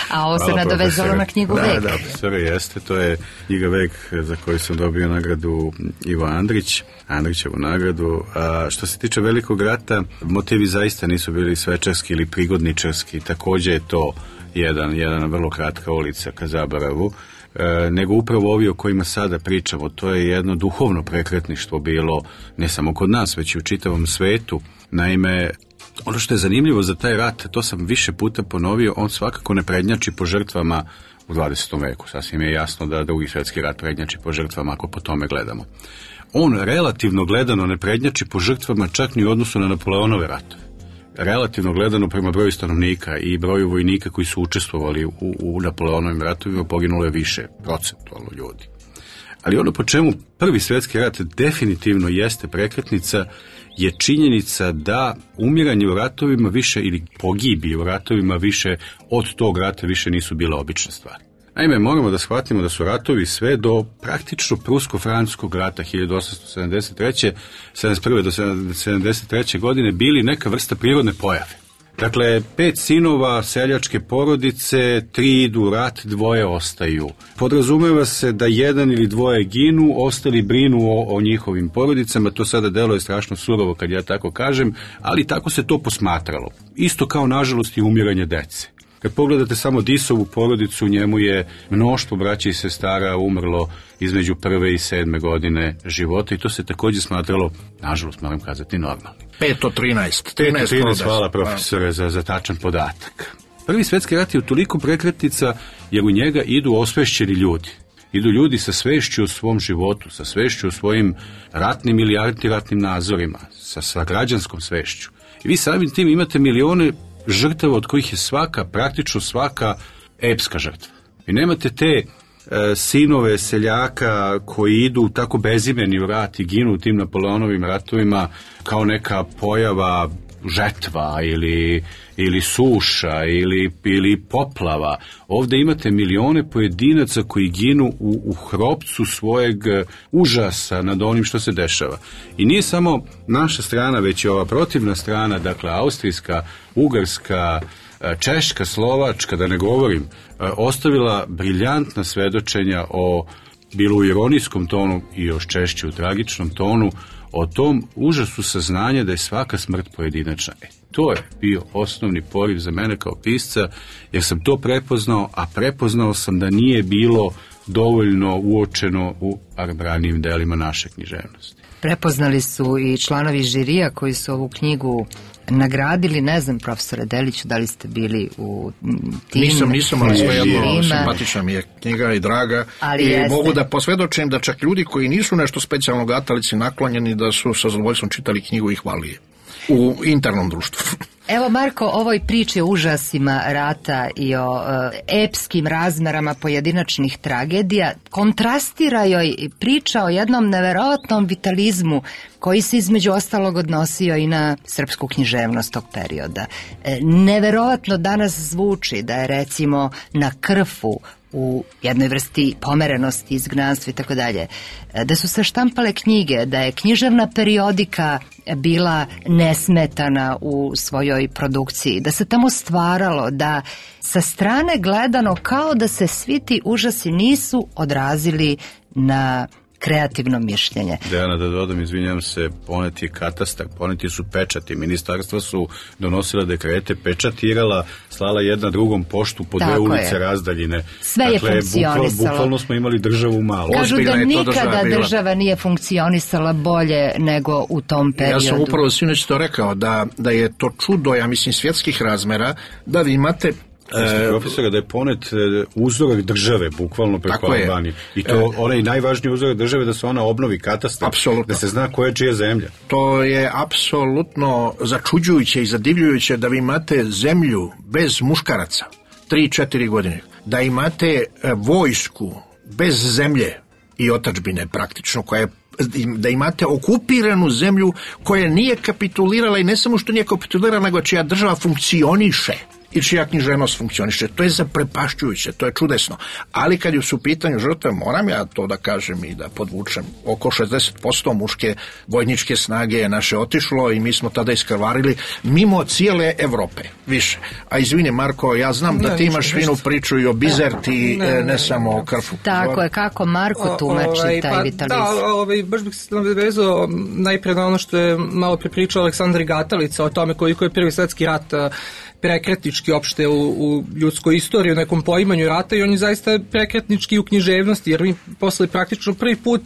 A ovo se nadovezalo na knjigu Vek. Da, profesore, jeste, to je knjiga Vek za koju sam dobio nagradu Ivo Andrićevu nagradu. A što se tiče Velikog rata, motivi zaista nisu bili svečarski ili prigodničarski, također je to jedna vrlo kratka ulica ka zaboravu, nego upravo ovi o kojima sada pričamo. To je jedno duhovno prekretništvo bilo ne samo kod nas, već i u čitavom svetu. Naime, ono što je zanimljivo za taj rat, to sam više puta ponovio, on svakako ne prednjači po žrtvama u 20. veku. Sasvim je jasno da Drugi svjetski rat prednjači po žrtvama ako po tome gledamo. On relativno gledano ne prednjači po žrtvama čak ni u odnosu na Napoleonove ratove. Relativno gledano prema broju stanovnika i broju vojnika koji su učestvovali u Napoleonovim ratovima poginulo je više procentualno ljudi. Ali ono po čemu Prvi svjetski rat definitivno jeste prekretnica je činjenica da umiranje u ratovima više ili pogibije u ratovima više od tog rata više nisu bila obična stvar. Naime, moramo da shvatimo da su ratovi sve do praktično prusko-francuskog rata 1871. do 73. godine bili neka vrsta prirodne pojave. Dakle, 5 sinova seljačke porodice, 3 idu u rat, 2 ostaju. Podrazumeva se da 1 ili 2 ginu, ostali brinu o njihovim porodicama. To sada deluje strašno surovo kad ja tako kažem, ali tako se to posmatralo. Isto kao, nažalost, i umiranje dece. Kad pogledate samo Disovu porodicu, njemu je mnoštvo braća i sestara umrlo između 1. i 7. godine života i to se također smatralo, nažalost moram kazati, normalno. 5 od 13. 13, hvala profesore za tačan podatak. Prvi svjetski rat je toliko prekretnica jer u njega idu osvešćeni ljudi. Idu ljudi sa svešću o svom životu, sa svešću o svojim ratnim ili antiratnim nazorima, sa građanskom svešću. I vi samim tim imate milione žrtava od kojih je praktično svaka epska žrtva. Vi nemate te sinove seljaka koji idu tako bezimeni u rat i ginu u tim Napoleonovim ratovima kao neka pojava žetva ili suša ili poplava. Ovdje imate milione pojedinaca koji ginu u hropcu svojeg užasa nad onim što se dešava. I nije samo naša strana, već i ova protivna strana, dakle austrijska, ugarska, češka, slovačka, da ne govorim, ostavila briljantna svedočenja o, bilo u ironijskom tonu i još češće u tragičnom tonu, o tom užasu saznanja da je svaka smrt pojedinačna. To je bio osnovni poriv za mene kao pisca, jer sam to prepoznao, a prepoznao sam da nije bilo dovoljno uočeno u ranijim delima naše književnosti. Prepoznali su i članovi žirija koji su ovu knjigu nagradili. Ne znam, profesore Deliću, da li ste bili u tim? Nisam, ali svejedno simpatična mi je knjiga i draga. I mogu da posvjedočim da čak ljudi koji nisu nešto specijalno Gatalici naklonjeni, da su sa zadovoljstvom čitali knjigu i hvalili u internom društvu. Evo, Marko, ovoj priči o užasima rata i o epskim razmerama pojedinačnih tragedija kontrastira joj priča o jednom neverovatnom vitalizmu koji se između ostalog odnosio i na srpsku književnost tog perioda. Neverovatno danas zvuči da je recimo na Krfu u jednoj vrsti pomerenosti, izgnanstva i tako dalje, da su se štampale knjige, da je književna periodika bila nesmetana u svojoj produkciji, da se tamo stvaralo, da sa strane gledano kao da se svi ti užasi nisu odrazili na kreativno mišljenje. Dejana, da dodam, izvinjam se, poneti je katastar, poneti su pečati, ministarstva su donosila dekrete, pečatirala, slala jedna drugom poštu po dve ulice razdaljine. Sve je funkcionisalo. Bukvalno smo imali državu malu. Kažu da nikada država nije funkcionisala bolje nego u tom periodu. Ja sam upravo sinoć to rekao, da je to čudo, ja mislim, svjetskih razmera, da vi imate profesora, da je ponet uzorak države, bukvalno preko Albanije. I to onaj najvažniji uzorak države, da se ona obnovi katastar, da se zna koja je čija zemlja. To je apsolutno začuđujuće i zadivljujuće da vi imate zemlju bez muškaraca 3-4 godine, da imate vojsku bez zemlje i otadžbine praktično, da imate okupiranu zemlju koja nije kapitulirala i ne samo što nije kapitulirala, nego čija država funkcioniše i čija književnost funkcioniše. To je zaprepašćujuće, to je čudesno. Ali kad su u pitanju žrtve, moram ja to da kažem i da podvučem, oko 60% muške vojničke snage je naše otišlo i mi smo tada iskrvarili mimo cijele Evrope, više. A izvini Marko, ja znam da ti imaš finu priču i o Bizerti, ne samo o Krfu. Tako je, kako Marko tumači taj vitalizam? Da, baš bih se navezao najpre na ono što je malo prepričao Aleksandar Gatalica o tome koliko je Prvi svjetski rat prekretnički opšte u ljudskoj istoriji, u nekom poimanju rata, i on je zaista prekretnički u književnosti, jer mi posle praktično prvi put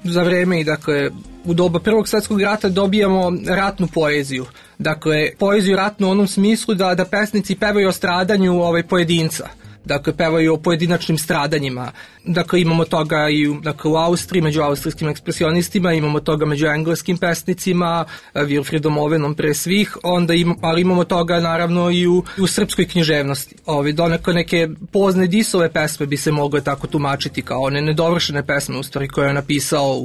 za vreme i dakle u doba Prvog svjetskog rata dobijamo ratnu poeziju. Dakle, poeziju ratnu u onom smislu da pesnici pevaju o stradanju pojedinca. Dakle, pevaju o pojedinačnim stradanjima. Dakle, imamo toga i u Austriji, među austrijskim ekspresionistima, imamo toga među engleskim pesnicima, Wilfriedom Owenom pre svih, ali imamo toga naravno i u srpskoj književnosti. Donekle neke pozne Disove pesme bi se mogle tako tumačiti kao one nedovršene pesme, u stvari, koje je napisao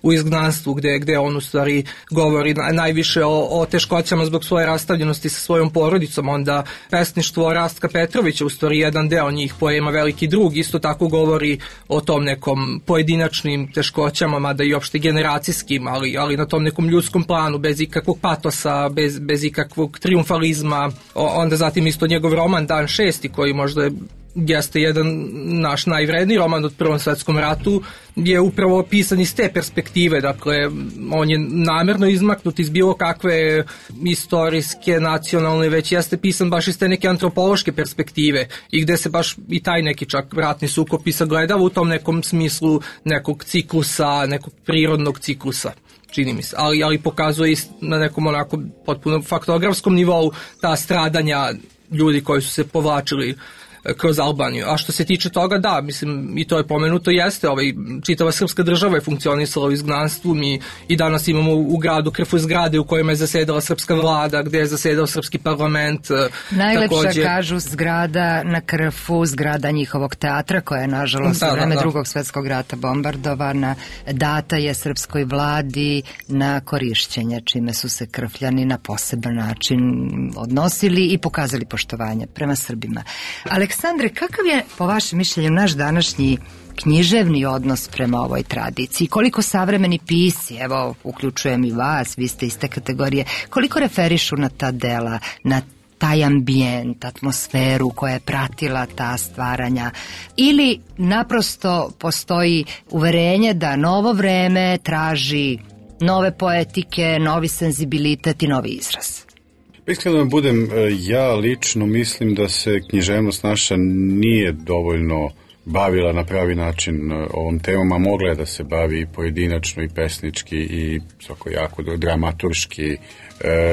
u Izgnanstvu, gde on u stvari govori najviše o teškoćama zbog svoje rastavljenosti sa svojom porodicom. Onda pesništvo Rastka Petrovića, u stvari jedan deo njih poema Veliki drug, isto tako govori o tom nekom pojedinačnim teškoćama, mada i opšte generacijskim, ali na tom nekom ljudskom planu, bez ikakvog patosa, bez ikakvog triumfalizma. Onda zatim isto njegov roman Dan 6, koji možda jeste jedan naš najvredniji roman od Prvom svjetskom ratu, je upravo pisan iz te perspektive. Dakle, on je namjerno izmaknut iz bilo kakve istorijske, nacionalne, već jeste pisan baš iz te neke antropološke perspektive i gde se baš i taj neki čak ratni sukob i sagledava u tom nekom smislu nekog ciklusa, nekog prirodnog ciklusa, čini mi se, ali pokazuje na nekom onako potpuno faktografskom nivou ta stradanja ljudi koji su se povlačili kroz Albaniju. A što se tiče toga, da, mislim, i to je pomenuto, jeste, čitava srpska država je funkcionisala u izgnanstvu. Mi i danas imamo u gradu Krfu zgrade u kojima je zasedala srpska vlada, gde je zasedao srpski parlament. Najlepša, kažu, zgrada na Krfu, zgrada njihovog teatra, koja je nažalost u vreme Drugog svjetskog rata bombardovana, data je srpskoj vladi na korišćenje, čime su se Krfljani na poseban način odnosili i pokazali poštovanje prema Srbima. Aleksandre, kakav je, po vašem mišljenju, naš današnji književni odnos prema ovoj tradiciji? Koliko savremeni pisci, evo, uključujem i vas, vi ste iz te kategorije, koliko referišu na ta dela, na taj ambijent, atmosferu koja je pratila ta stvaranja, ili naprosto postoji uverenje da novo vreme traži nove poetike, novi senzibilitet i novi izraz? Iskreno da budem, ja lično mislim da se književnost naša nije dovoljno bavila na pravi način ovom temom, a mogla je da se bavi i pojedinačno i pesnički i jako dramaturški.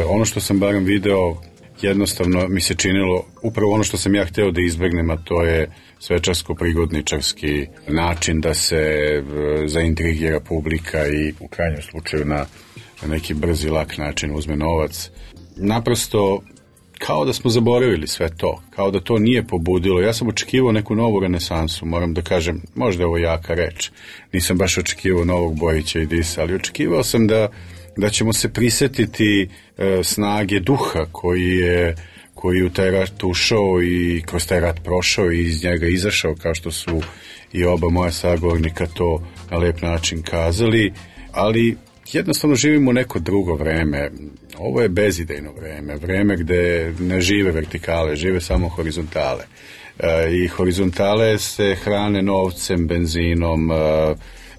Ono što sam barem video, jednostavno mi se činilo upravo ono što sam ja hteo da izbegnem, a to je svečarsko-prigodničarski način da se zaintrigira publika i u krajnjem slučaju na neki brzi, lak način uzme novac. Naprosto, kao da smo zaboravili sve to, kao da to nije pobudilo. Ja sam očekivao neku novu renesansu, moram da kažem, možda je ovo jaka reč. Nisam baš očekivao novog Bojića i Disa, ali očekivao sam da ćemo se prisetiti snage duha koji u taj rat ušao i kroz taj rat prošao i iz njega izašao, kao što su i oba moja sagovornika to na lep način kazali, ali jednostavno živimo u neko drugo vreme. Ovo je bezidejno vreme gde ne žive vertikale, žive samo horizontale. I horizontale se hrane novcem, benzinom,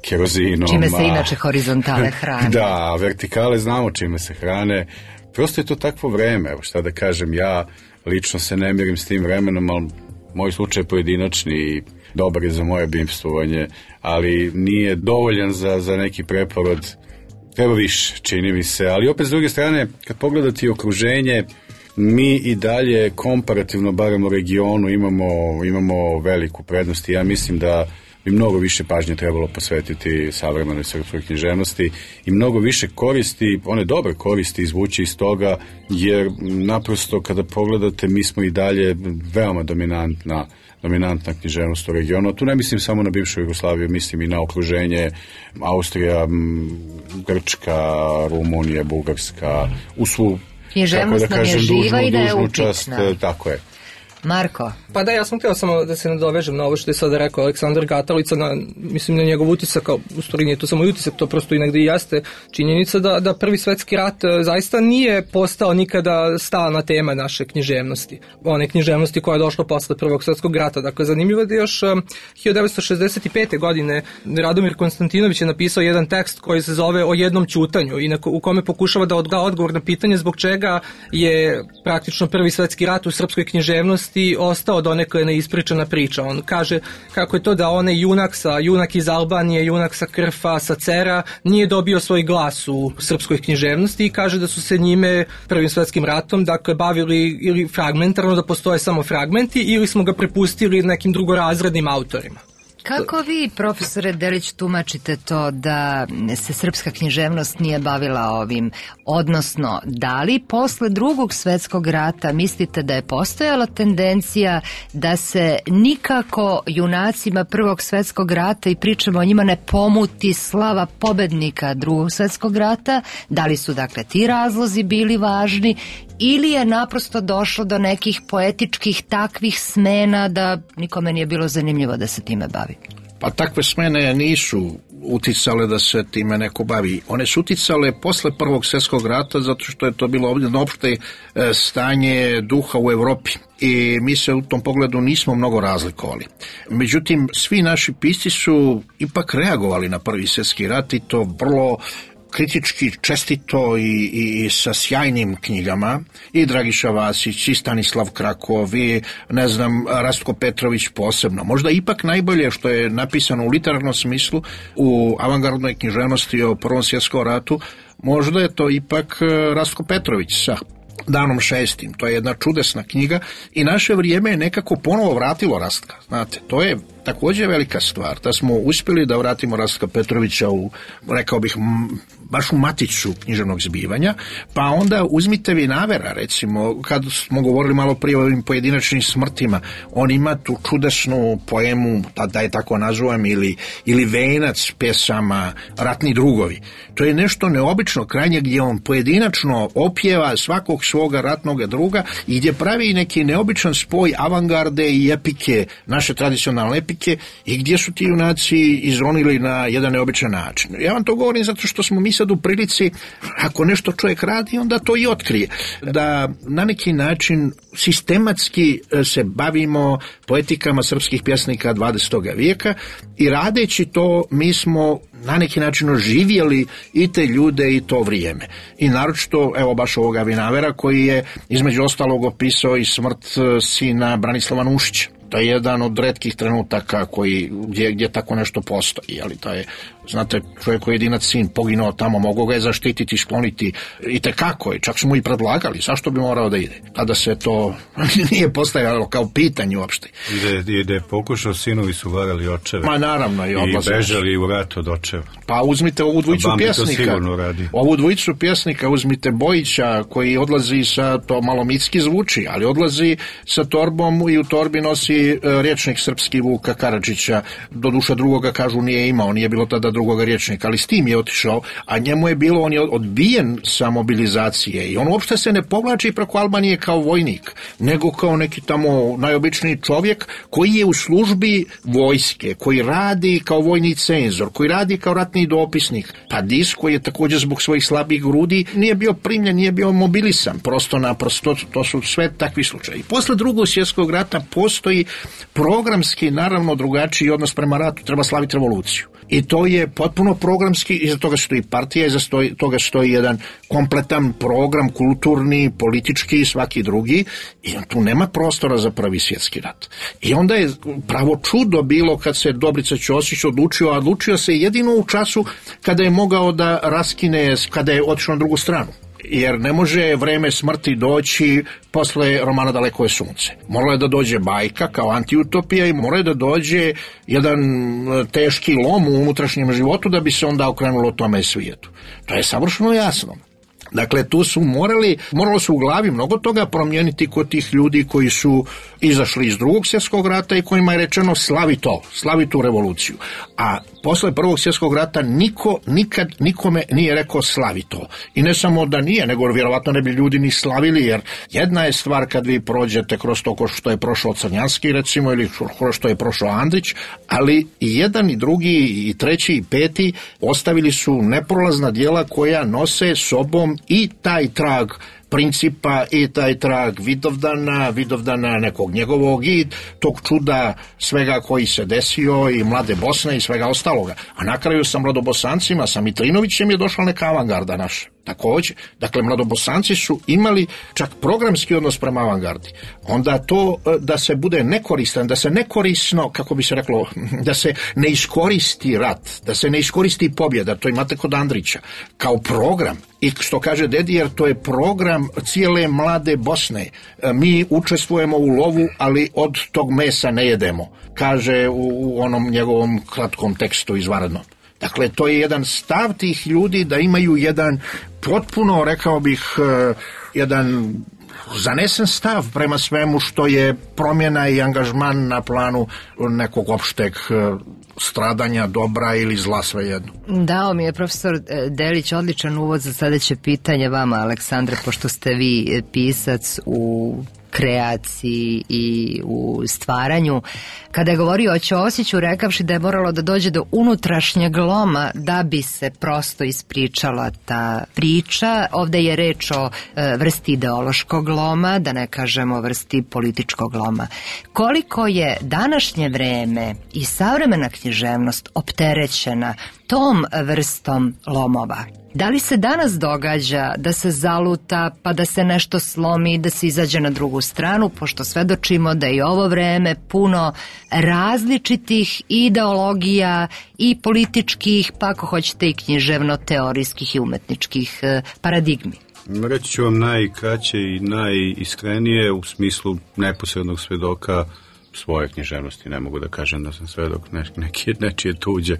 kerozinom. Čime se inače horizontale hrane. Da, vertikale znamo čime se hrane. Prosto je to takvo vreme, evo šta da kažem, ja lično se ne mirim s tim vremenom, ali moj slučaj je pojedinačni i dobar je za moje bivstvovanje, ali nije dovoljan za neki preporod. Treba više, čini mi se, ali opet s druge strane, kad pogledate okruženje, mi i dalje komparativno, barem u regionu, imamo veliku prednost i ja mislim da bi mnogo više pažnje trebalo posvetiti savremenoj srpskoj književnosti i mnogo više koristi, one dobre koristi izvući iz toga, jer naprosto kada pogledate mi smo i dalje veoma dominantna književnost u regionu. Tu ne mislim samo na bivšu Jugoslaviju, mislim i na okruženje Austrija, Grčka, Rumunija, Bugarska, u svu, književnost nam je živa i da je upitna. Tako je. Marko? Pa da, ja sam htio samo da se nadovežem na ovo što je sada rekao Aleksandar Gatalica, mislim na njegov utisak, u stvari nije to samo utisak, to prosto i negdje jeste činjenica da Prvi svetski rat zaista nije postao nikada stalna tema naše književnosti. One književnosti koja je došla posle Prvog svetskog rata. Dakle, zanimljivo je da još 1965. godine Radomir Konstantinović je napisao jedan tekst koji se zove O jednom ćutanju i u kome pokušava da da odgovor na pitanje zbog čega je praktično Prvi svetski rat u srpskoj književnosti ostao donekle neispričana priča. On kaže kako je to da onaj junak iz Albanije, junak sa Krfa, sa Cera, nije dobio svoj glas u srpskoj književnosti i kaže da su se njime Prvim svetskim ratom dakle bavili ili fragmentarno, da postoje samo fragmenti, ili smo ga prepustili nekim drugorazrednim autorima. Kako vi, profesore Delić, tumačite to da se srpska književnost nije bavila ovim? Odnosno, da li posle Drugog svetskog rata mislite da je postojala tendencija da se nikako junacima Prvog svetskog rata, i pričamo o njima, ne pomuti slava pobednika Drugog svetskog rata? Da li su dakle ti razlozi bili važni? Ili je naprosto došlo do nekih poetičkih takvih smena da nikome nije bilo zanimljivo da se time bavi? Pa takve smene nisu uticale da se time neko bavi. One su uticale posle Prvog svjetskog rata zato što je to bilo ovdje opšte stanje duha u Evropi. I mi se u tom pogledu nismo mnogo razlikovali. Međutim, svi naši pisci su ipak reagovali na Prvi svjetski rat i to vrlo kritički, čestito i sa sjajnim knjigama, i Dragiša Vasić, i Stanislav Krakov, i Rastko Petrović posebno. Možda ipak najbolje što je napisano u literarnom smislu u avangardnoj književnosti o Prvom svjetskom ratu, možda je to ipak Rastko Petrović sa Danom šestim. To je jedna čudesna knjiga i naše vrijeme je nekako ponovo vratilo Rastka. Znate, to je također velika stvar, da smo uspjeli da vratimo Rastka Petrovića u, rekao bih, baš u maticu književnog zbivanja, pa onda uzmite Vinavera, recimo, kad smo govorili malo prije o ovim pojedinačnim smrtima, on ima tu čudesnu poemu, da je tako nazovem, ili venac pjesama Ratni drugovi. To je nešto neobično krajnje gdje on pojedinačno opjeva svakog svoga ratnog druga i gdje pravi neki neobičan spoj avangarde i epike, naše tradicionalne epike, i gdje su ti junaci izronili na jedan neobičan način. Ja vam to govorim zato što smo mi sad u prilici, ako nešto čovjek radi, onda to i otkrije. Da na neki način sistematski se bavimo poetikama srpskih pjesnika 20. vijeka i radeći to mi smo na neki način oživjeli i te ljude i to vrijeme. I naročito, evo baš ovoga Vinavera koji je između ostalog opisao i smrt sina Branislava Nušića. To je jedan od retkih trenutaka gdje tako nešto postoji. Ali to je, znate, čovjek koji je jedinac sin poginuo tamo, mogu ga je zaštititi, skloniti i tekako je. Čak smo i predlagali, zašto bi morao da ide. Tada se to nije postavljalo kao pitanje uopšte. I da je pokušao, sinovi su varali očeve. Ma naravno i odlazili. I bežali u rat od očeva. Pa uzmite ovu dvojicu pjesnika. Ovu dvojicu pjesnika uzmite Bojića koji odlazi sa, to malo mitski zvuči, ali odlazi sa torbom i u torbi nosi rječnik srpski Vuka Karadžića. Doduše drugoga kažu nije imao, nije bilo tada drugoga rječnika, ali s tim je otišao, a njemu je bilo, on je odbijen sa mobilizacije i on uopšte se ne povlači preko Albanije kao vojnik, nego kao neki tamo najobičniji čovjek koji je u službi vojske, koji radi kao vojni cenzor, koji radi kao ratni dopisnik. Pa Dis koji je također zbog svojih slabih grudi nije bio primljen, nije bio mobilisan, prosto naprosto, to su sve takvi slučaji. Posle Drugog svjetskog rata postoji programski naravno drugačiji odnos prema ratu, treba slaviti revoluciju. I to je potpuno programski, iza toga stoji partija, iza toga stoji jedan kompletan program, kulturni, politički i svaki drugi, i tu nema prostora za Prvi svjetski rat. I onda je pravo čudo bilo kad se Dobrica Ćosić odlučio se jedino u času kada je mogao da raskine, kada je otišao na drugu stranu. Jer ne može vreme smrti doći posle romana Daleko je sunce. Moralo je da dođe bajka kao antiutopija i moralo je da dođe jedan teški lom u unutrašnjem životu da bi se onda okrenulo tome svijetu. To je savršeno jasno. Dakle, tu su moralo se u glavi mnogo toga promijeniti kod tih ljudi koji su izašli iz Drugog svjetskog rata i kojima je rečeno slavi tu revoluciju. A posle Prvog svjetskog rata niko nikad nikome nije rekao slavi to. I ne samo da nije, nego vjerovatno ne bi ljudi ni slavili, jer jedna je stvar kad vi prođete kroz to što je prošao Crnjanski recimo ili kroz što je prošao Andrić, ali i jedan i drugi i treći i peti ostavili su neprolazna djela koja nose sobom i taj trag principa i taj trag Vidovdana nekog njegovog i tog čuda svega koji se desio i Mlade Bosne i svega ostaloga. A na kraju sa Mladobosancima, sa Mitrinovićem je došla neka avangarda naša. Također, dakle, Mladobosanci su imali čak programski odnos prema avangardi. Onda to da se bude nekoristan, da se nekorisno, kako bi se reklo, da se ne iskoristi rat, da se ne iskoristi pobjeda, to imate kod Andrića, kao program. I što kaže Dedijer, to je program cijele Mlade Bosne. Mi učestvujemo u lovu, ali od tog mesa ne jedemo, kaže u onom njegovom kratkom tekstu izvanrednom. Dakle, to je jedan stav tih ljudi da imaju jedan potpuno, rekao bih, jedan zanesen stav prema svemu što je promjena i angažman na planu nekog opšteg stradanja, dobra ili zla, svejedno. Dao mi je profesor Delić odličan uvod za sledeće pitanje vama, Aleksandre, pošto ste vi pisac u kreaciji i u stvaranju. Kada je govorio o Ćosiću, rekavši da je moralo da dođe do unutrašnjeg loma da bi se prosto ispričala ta priča. Ovde je reč o vrsti ideološkog loma, da ne kažemo vrsti političkog loma. Koliko je današnje vreme i savremena književnost opterećena tom vrstom lomova? Da li se danas događa da se zaluta, pa da se nešto slomi, da se izađe na drugu stranu, pošto svedočimo da je ovo vreme puno različitih ideologija i političkih, pa ako hoćete i književno-teorijskih i umetničkih paradigmi? Reći ću vam najkraće i najiskrenije u smislu neposrednog svedoka svoje književnosti. Ne mogu da kažem da sam svedok nečije tuđe,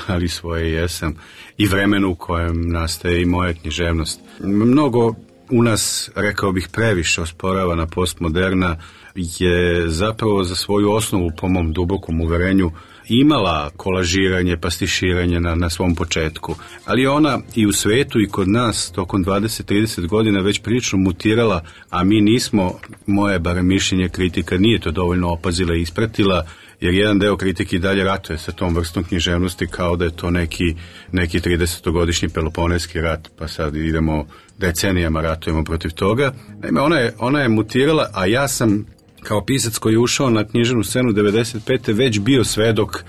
ali svoje jesam. I vremenu u kojem nastaje i moja književnost. Mnogo u nas, rekao bih, previše osporavana postmoderna je zapravo za svoju osnovu, po mom dubokom uverenju, imala kolažiranje, pastiširanje na svom početku. Ali ona i u svetu i kod nas tokom 20-30 godina već prilično mutirala, a mi nismo, moje barem mišljenje, kritika nije to dovoljno opazila i ispratila, jer jedan deo kritike i dalje ratuje sa tom vrstom književnosti kao da je to neki 30-godišnji Peloponejski rat, pa sad idemo decenijama ratujemo protiv toga. Naime, ona je mutirala, a ja sam kao pisac koji je ušao na književnu scenu 95. već bio svedok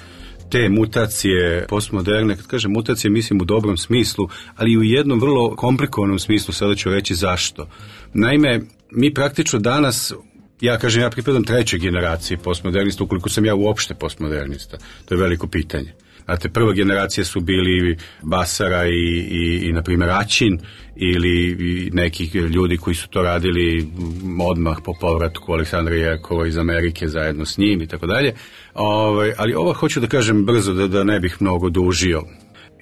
te mutacije postmoderne. Kad kažem mutacije, mislim u dobrom smislu, ali i u jednom vrlo komplikovanom smislu, sada ću reći zašto. Naime, mi praktično danas, ja pripadam trećoj generaciji postmodernista, ukoliko sam ja uopšte postmodernista. To je veliko pitanje. Znate, prva generacija su bili Basara i na primjer, Ačin ili nekih ljudi koji su to radili odmah po povratku Aleksandra Jerkova iz Amerike zajedno s njim i tako dalje. Ali ovo hoću da kažem brzo da ne bih mnogo dužio.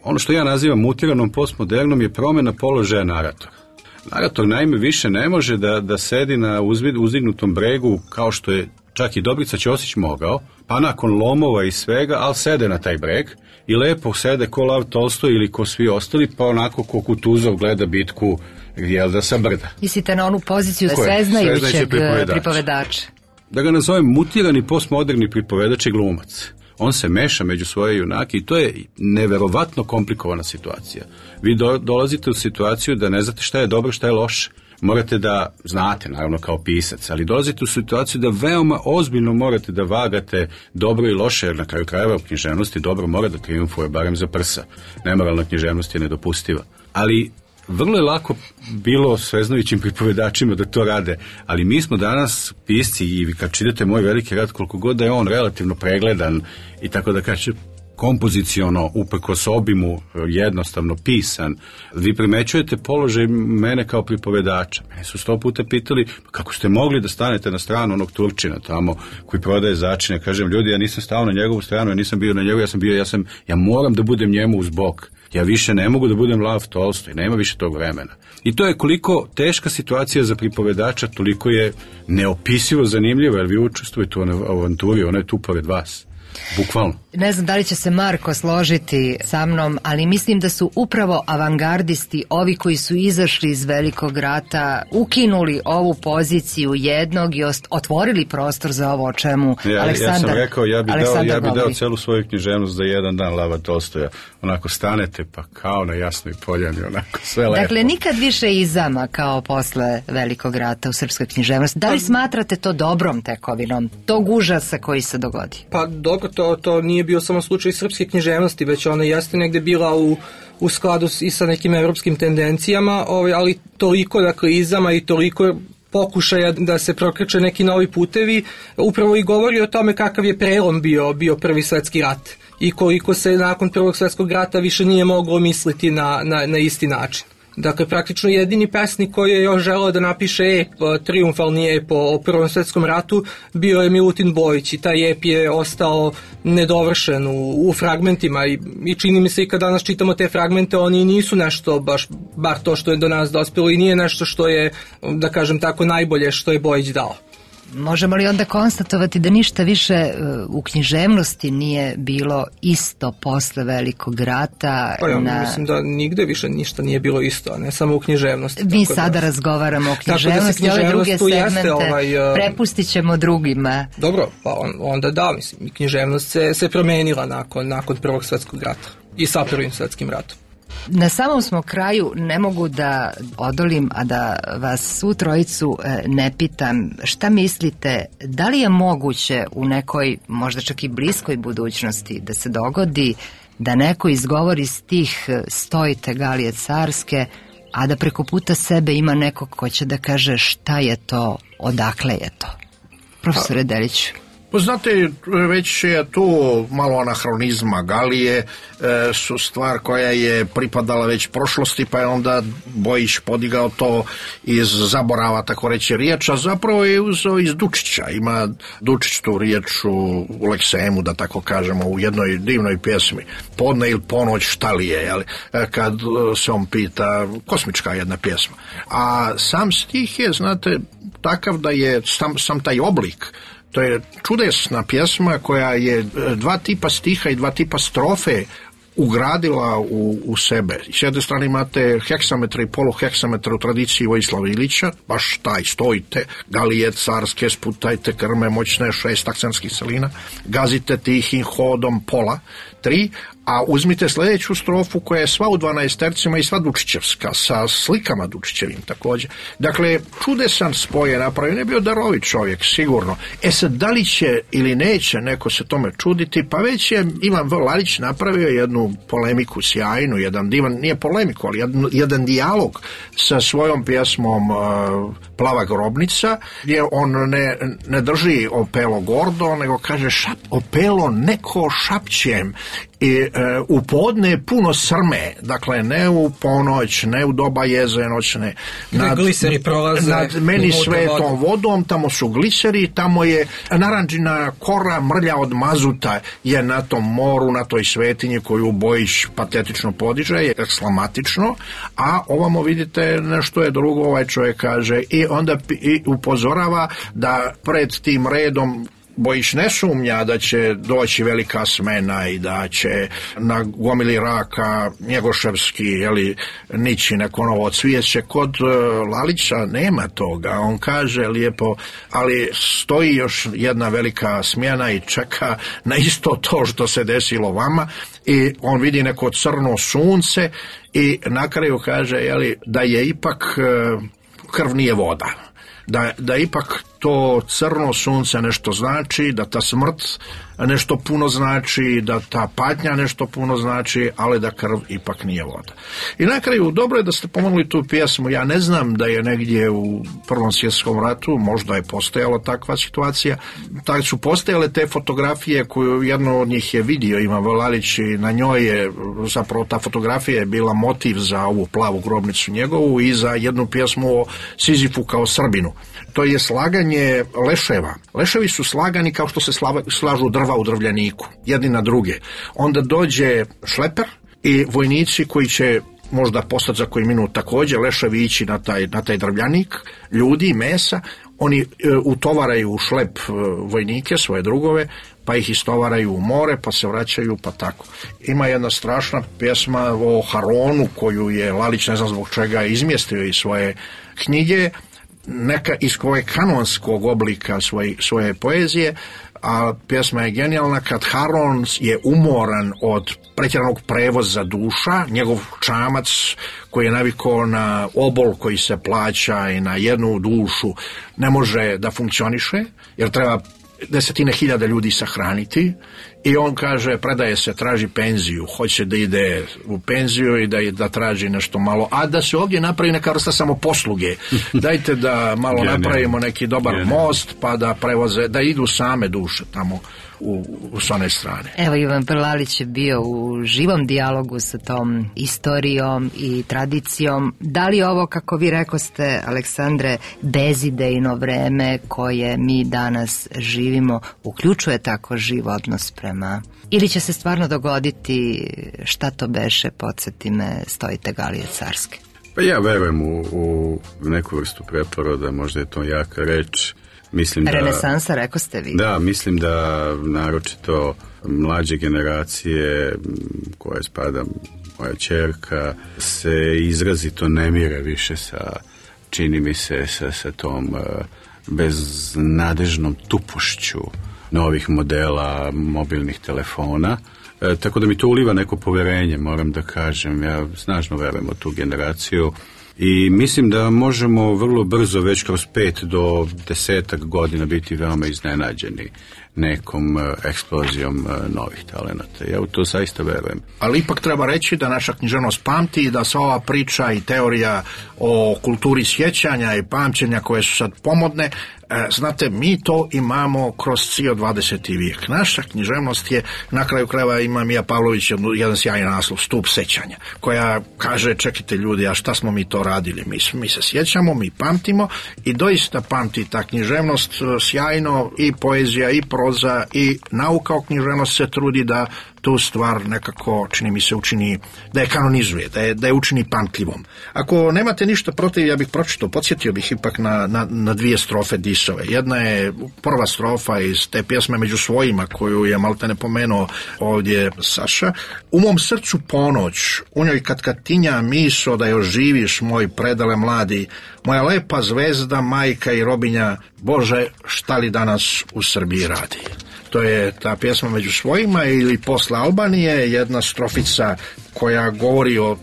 Ono što ja nazivam mutiranom postmodernom je promjena položaja naratora. Narator naime više ne može da sedi na uzdignutom bregu kao što je čak i Dobrica Ćosić mogao, pa nakon lomova i svega, ali sede na taj breg i lepo sede ko Lav Tolstoj ili ko svi ostali, pa onako ko Kutuzov gleda bitku sa brda. Mislite na onu poziciju sveznajućeg pripovedača? Da ga nazovem mutirani postmoderni pripovedač i glumac. On se meša među svoje junake i to je neverovatno komplikovana situacija. Vi dolazite u situaciju da ne znate šta je dobro, šta je loše. morate da znate, naravno kao pisac, ali dolazite u situaciju da veoma ozbiljno morate da vagate dobro i loše, jer na kraju krajeva u književnosti dobro mora da trijumfuje, barem za prsa. Nemoralna književnost je nedopustiva. Ali vrlo je lako bilo sveznajućim pripovedačima da to rade, ali mi smo danas pisci i kad čitate moj veliki rad, koliko god da je on relativno pregledan i tako da kaže kompoziciono, uprkos obimu, jednostavno pisan, vi primećujete položaj mene kao pripovedača. Mene su 100 puta pitali kako ste mogli da stanete na stranu onog Turčina tamo koji prodaje začine. Kažem, ljudi, ja nisam stao na njegovu stranu, ja nisam bio na njegovu, ja moram da budem njemu uz bok. Ja više ne mogu da budem Lav Tolstoj, nema više tog vremena. I to je koliko teška situacija za pripovedača, toliko je neopisivo zanimljivo, jer vi učestvujete u avanturi, ona je tu pored vas. Bukvalno. Ne znam da li će se Marko složiti sa mnom, ali mislim da su upravo avangardisti, ovi koji su izašli iz Velikog rata, ukinuli ovu poziciju jednog i otvorili prostor za ovo o čemu Aleksandar. Ja sam rekao, ja bi dao celu svoju književnost za jedan dan Lava Tolstoja. Onako stanete pa kao na Jasnoj poljani, onako sve lepo. Dakle, nikad više izama kao posle Velikog rata u srpskoj književnosti. Da li smatrate to dobrom tekovinom, tog užasa koji se dogodi? Pa dobro, to nije bio samo slučaj srpske književnosti, već ona jeste negde bila u skladu i sa nekim evropskim tendencijama, ali toliko dakle izama i toliko pokušaja da se prokreće neki novi putevi, upravo i govori o tome kakav je prelom bio Prvi svetski rat i koliko se nakon Prvog svetskog rata više nije moglo misliti na isti način. Dakle, praktično jedini pesnik koji je još želeo da napiše triumfalni ep o Prvom svetskom ratu bio je Milutin Bojić i taj ep je ostao nedovršen u fragmentima i čini mi se i kad danas čitamo te fragmente, oni nisu nešto bar to što je do nas dospelo i nije nešto što je, da kažem tako, najbolje što je Bojić dao. Možemo li onda konstatovati da ništa više u književnosti nije bilo isto posle Velikog rata? Pa ja mislim da nigde više ništa nije bilo isto, a ne samo u književnosti. Mi sada razgovaramo o književnosti, ove druge segmente prepustit ćemo drugima. Dobro, pa onda da, mislim, književnost se promenila nakon Prvog svetskog rata i sa Prvim svetskim ratom. Na samom smo kraju, ne mogu da odolim, a da vas svu trojicu ne pitam šta mislite, da li je moguće u nekoj, možda čak i bliskoj budućnosti da se dogodi da neko izgovori stih Stojite Galije carske, a da preko puta sebe ima nekog ko će da kaže šta je to, odakle je to? Profesore Deliću. Znate, već je tu malo anahronizma. Galije su stvar koja je pripadala već prošlosti, pa je onda Bojić podigao to iz zaborava, tako reći, riječa. Zapravo je uzeo iz Dučića. Ima Dučić tu riječ u Leksemu, da tako kažemo, u jednoj divnoj pjesmi. Podne ili ponoć šta li je, jel? Kad se on pita, kosmička jedna pjesma. A sam stih je, znate, takav da je sam taj oblik. To je čudesna pjesma koja je 2 tipa stiha i 2 tipa strofe ugradila u sebe. S jedne strane imate heksametra i poluheksametra u tradiciji Vojislava Ilića, baš taj Stojite, Galije carske, sputajte krme moćne 6 akcentskih celina, gazite tihim hodom pola 3, a uzmite sljedeću strofu koja je sva u 12 i sva Dučićevska, sa slikama Dučićevim također. Dakle, čudesan spoj je napravio, ne bio darovit čovjek, sigurno. Sad, da li će ili neće neko se tome čuditi, pa već je Ivan V. Lalić napravio jednu polemiku sjajnu, jedan divan, nije polemiku, ali jedan dijalog sa svojom pjesmom Plava grobnica, gdje on ne drži opelo gordo, nego kaže opelo neko šapćem, i u podne puno srme, dakle ne u ponoć, ne u doba jeze noćne, nad meni svetom vodom, tamo su gliseri, tamo je naranđina kora mrlja od mazuta je na tom moru, na toj svetinji koju Bojić patetično podiže, je eksklamatično, a ovamo vidite nešto je drugo, ovaj čovjek kaže, i onda upozorava da pred tim redom Bojić ne sumnja da će doći velika smena i da će na gomili raka Njegoševski nići neko novo cvijeće. Kod Lalića nema toga. On kaže lijepo, ali stoji još jedna velika smjena i čeka na isto to što se desilo vama, i on vidi neko crno sunce i na kraju kaže da je ipak krv nije voda. Da ipak to crno sunce nešto znači, da ta smrt nešto puno znači, da ta patnja nešto puno znači, ali da krv ipak nije voda. I na kraju, dobro je da ste pomenuli tu pjesmu. Ja ne znam da je negdje u Prvom svjetskom ratu, možda je postojala takva situacija, tako su postojale te fotografije koju jedno od njih je vidio Ivan Vlalić i na njoj je, zapravo ta fotografija je bila motiv za ovu plavu grobnicu njegovu i za jednu pjesmu o Sizifu kao Srbinu. To je slaganje leševa. Leševi su slagani kao što se slažu drva u drvljaniku, jedni na druge. Onda dođe šleper i vojnici koji će možda postati za koji minut također leševi ići na taj drvljanik, ljudi i mesa, oni utovaraju u šlep vojnike, svoje drugove, pa ih istovaraju u more, pa se vraćaju, pa tako. Ima jedna strašna pjesma o Haronu koju je Lalić, ne znam zbog čega, izmjestio iz svoje knjige, neka iz koje kanonskog oblika svoje poezije, a pjesma je genijalna kad Haron je umoran od pretjeranog prevoza duša, njegov čamac koji je navikao na obol koji se plaća i na jednu dušu ne može da funkcioniše, jer treba 10.000 ljudi sahraniti i on kaže, predaje se, traži penziju, hoće da ide u penziju i da traži nešto malo, a da se ovdje napravi neka vrsta samoposluge. Dajte da malo napravimo neki dobar most, pa da prevoze, da idu same duše tamo s one strane. Evo, Ivan Prlalić je bio u živom dijalogu sa tom istorijom i tradicijom. Da li ovo, kako vi rekoste, Aleksandre, bezidejno vreme koje mi danas živimo uključuje tako živ odnos prema, ili će se stvarno dogoditi, šta to beše, podsjeti me, Stojite Galije Carske? Pa ja verujem u neku vrstu preporoda, možda je to jaka reč. Renesansa, rekao ste vi. Da, mislim da naročito mlađe generacije koje spada moja ćerka se izrazito ne mire više sa, čini mi se, sa tom beznadežnom tupošću novih modela mobilnih telefona. Tako da mi to uliva neko poverenje, moram da kažem. Ja snažno verujem u tu generaciju. I mislim da možemo vrlo brzo, već kroz 5 do 10 godina biti veoma iznenađeni nekom eksplozijom novih talenata. Ja u to zaista verujem. Ali ipak treba reći da naša književnost pamti i da sva ova priča i teorija o kulturi sjećanja i pamćenja koje su sad pomodne, znate, mi to imamo kroz cijel 20. vijek. Naša književnost je, na kraju krajeva ima Mija Pavlović jedan sjajan naslov, Stup sećanja, koja kaže, čekajte ljudi, a šta smo mi to radili? Mi se sjećamo, mi pamtimo i doista pamti ta književnost sjajno, i poezija, i proza, i nauka o književnosti se trudi da tu stvar nekako, čini mi se, učini, da je kanonizuje, da je učini pamtljivom. Ako nemate ništa protiv, ja bih pročitao, podsjetio bih ipak na dvije strofe Disove. Jedna je prva strofa iz te pjesme Među svojima, koju je maltene pomenuo ovdje Saša. U mom srcu ponoć, u njoj kad tinja miso da još živiš, moj predale mladi, moja lepa zvezda, majka i robinja, Bože, šta li danas u Srbiji radi? To je ta pjesma Među svojima, ili Posle Albanije, jedna strofica koja govori o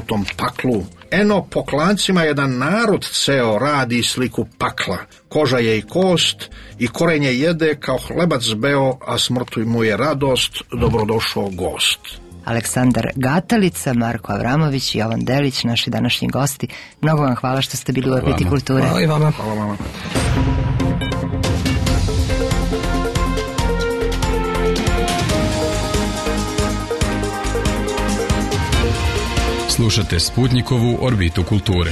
tom paklu. Eno, po klancima jedan narod ceo radi sliku pakla. Koža je i kost i korenje jede kao hlebac beo, a smrtu mu je radost, dobrodošao gost. Aleksandar Gatalica, Marko Avramović i Jovan Delić, naši današnji gosti. Mnogo vam hvala što ste bili u Orbiti kulture. Hvala i vama. Hvala vama. Slušate Sputnikovu Orbitu kulture.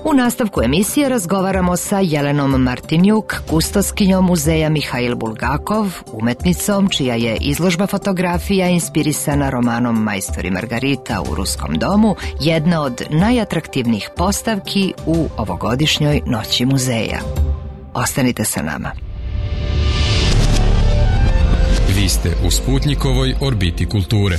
U nastavku emisije razgovaramo sa Jelenom Martinjuk, kustoskinjom muzeja Mihail Bulgakov, umetnicom čija je izložba fotografija inspirisana romanom Majstor i Margarita u Ruskom domu, jedna od najatraktivnijih postavki u ovogodišnjoj Noći muzeja. Ostanite sa nama. Vi ste u Sputnikovoj Orbiti kulture.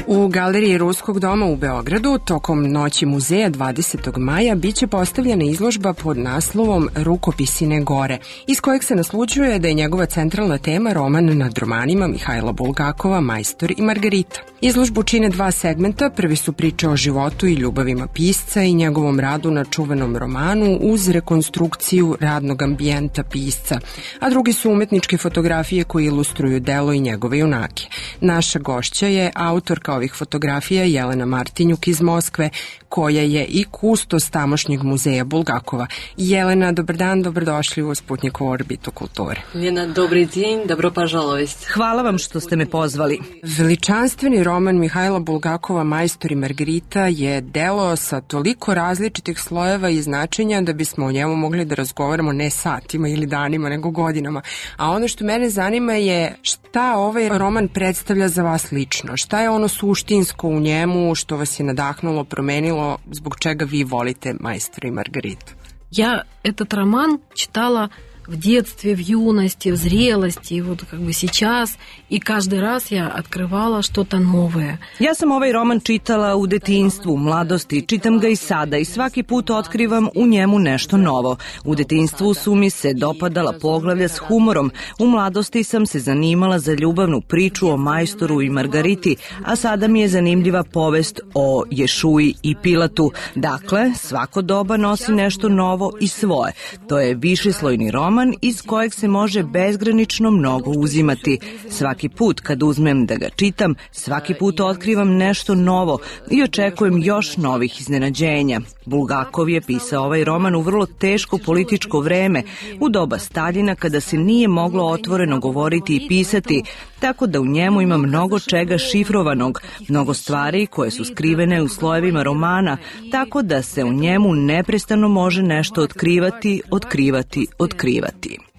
U Galeriji Ruskog doma u Beogradu tokom Noći muzeja 20. maja biće postavljena izložba pod naslovom Rukopisine gore, iz kojeg se naslućuje da je njegova centralna tema roman nad romanima Mihajla Bulgakova Majstor i Margarita. Izložbu čine dva segmenta, prvi su priče o životu i ljubavima pisca i njegovom radu na čuvenom romanu uz rekonstrukciju radnog ambijenta pisca, a drugi su umetničke fotografije koje ilustruju delo i njegove junake. Naša gošća je autorka ovih fotografija Jelena Martinjuk iz Moskve, koja je i kustos tamošnjeg muzeja Bulgakova. Jelena, dobar dan, dobrodošli u Sputnikovu orbitu kulture. Lena, dobri din, dobro požalovist. Hvala vam što ste me pozvali. Veličanstveni roman Mihajla Bulgakova Majstor i Margarita je delo sa toliko različitih slojeva i značenja da bismo o njemu mogli da razgovaramo ne satima ili danima, nego godinama. A ono što mene zanima je šta ovaj roman predstavlja za vas lično? Šta je ono suštinsko u njemu što vas je nadahnulo, promenilo, zbog čega vi volite Majstora i Margaritu? Я этот роман читала в детстве, в юности, в зрелости, вот как бы сейчас, и каждый раз я открывала что-то новое. Ja sam ovaj roman čitala u detinjstvu, u mladosti, čitam ga i sada i svaki put otkrivam u njemu nešto novo. U detinjstvu su mi se dopadala poglavlja s humorom, u mladosti sam se zanimala za ljubavnu priču o Majstoru i Margariti, a sada mi je zanimljiva povest o Ješuji i Pilatu. Dakle, svako doba nosi nešto novo i svoje. To je višeslojni roman iz kojeg se može bezgranično mnogo uzimati. Svaki put kad uzmem da ga čitam, svaki put otkrivam nešto novo i očekujem još novih iznenađenja. Bulgakov je pisao ovaj roman u vrlo teško političko vreme, u doba Staljina kada se nije moglo otvoreno govoriti i pisati, tako da u njemu ima mnogo čega šifrovanog, mnogo stvari koje su skrivene u slojevima romana, tako da se u njemu neprestano može nešto otkrivati.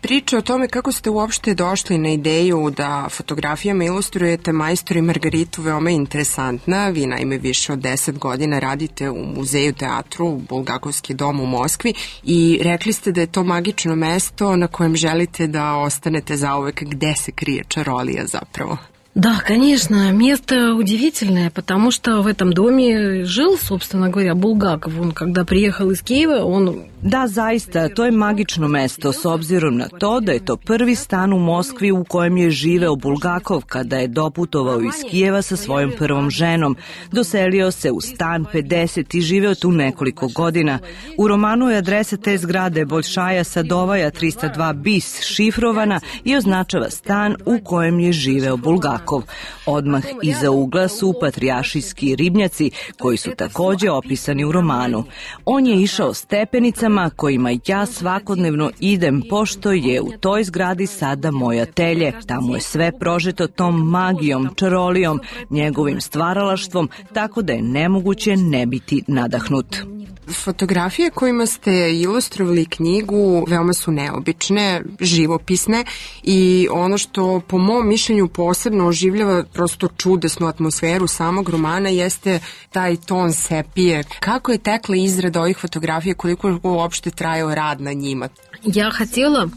Priča o tome kako ste uopšte došli na ideju da fotografijama ilustrujete Majstor i Margaritu veoma interesantna. Vi naime više od 10 godina radite u muzeju teatru, Bulgakovski dom u Moskvi, i rekli ste da je to magično mesto na kojem želite da ostanete zauvek, gde se krije čarolija zapravo. Да, конечно, место удивительное, потому что в этом доме жил, собственно говоря, Булгаков. Он, когда приехал из Киева, он... Da, zaista, to je magično mesto, s obzirom na to da je to prvi stan u Moskvi u kojem je živeo Bulgakov kada je doputovao iz Kijeva sa svojom prvom ženom. Doselio se u stan 50 i živeo tu nekoliko godina. U romanu je adresa te zgrade Boljšaja Sadovaja 302 bis šifrovana i označava stan u kojem je živeo Bulgakov. Odmah iza ugla su patrijaršijski ribnjaci koji su takođe opisani u romanu. On je išao stepenicama kojima ja svakodnevno idem, pošto je u toj zgradi sada moje atelje. Tamo je sve prožeto tom magijom, čarolijom, njegovim stvaralaštvom, tako da je nemoguće ne biti nadahnut. Fotografije kojima ste ilustrovali knjigu veoma su neobične, živopisne, i ono što po mom mišljenju posebno oživljava prosto čudesnu atmosferu samog romana jeste taj ton sepije. Kako je tekla izrada ovih fotografija, koliko je uopšte trajao rad на njima? Я хотела,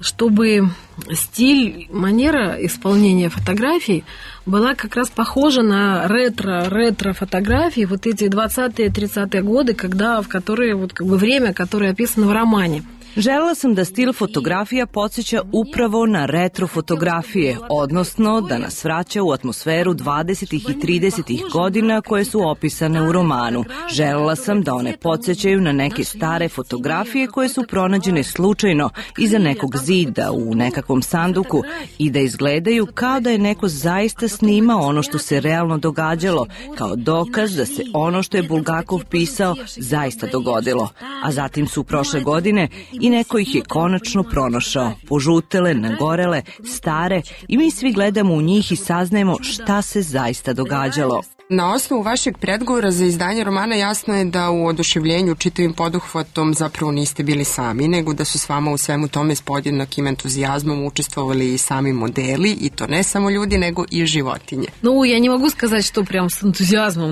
чтобы стиль, манера исполнения фотографий была как раз похожа на ретро-фотографии, вот эти 20-е, 30-е годы, в которые, вот как бы время, которое описано в романе. Želela sam da stil fotografija podsjeća upravo na retro fotografije, odnosno da nas vraća u atmosferu 20. i 30. godina koje su opisane u romanu. Želela sam da one podsjećaju na neke stare fotografije koje su pronađene slučajno iza nekog zida u nekakvom sanduku i da izgledaju kao da je neko zaista snimao ono što se realno događalo, kao dokaz da se ono što je Bulgakov pisao zaista dogodilo. A zatim su prošle godine i neko ih je konačno pronašao, požutele, nagorele, stare, i mi svi gledamo u njih i saznajemo šta se zaista događalo. Na osnovu vašeg predgovora za izdanje romana jasno je da u oduševljenju čitavim poduhvatom zapravo niste bili sami, nego da su s vama u svemu tome s podjednakim entuzijazmom učestvovali i sami modeli, i to ne samo ljudi, nego i životinje. Ну, я не могу сказать, что прям с энтузиазмом.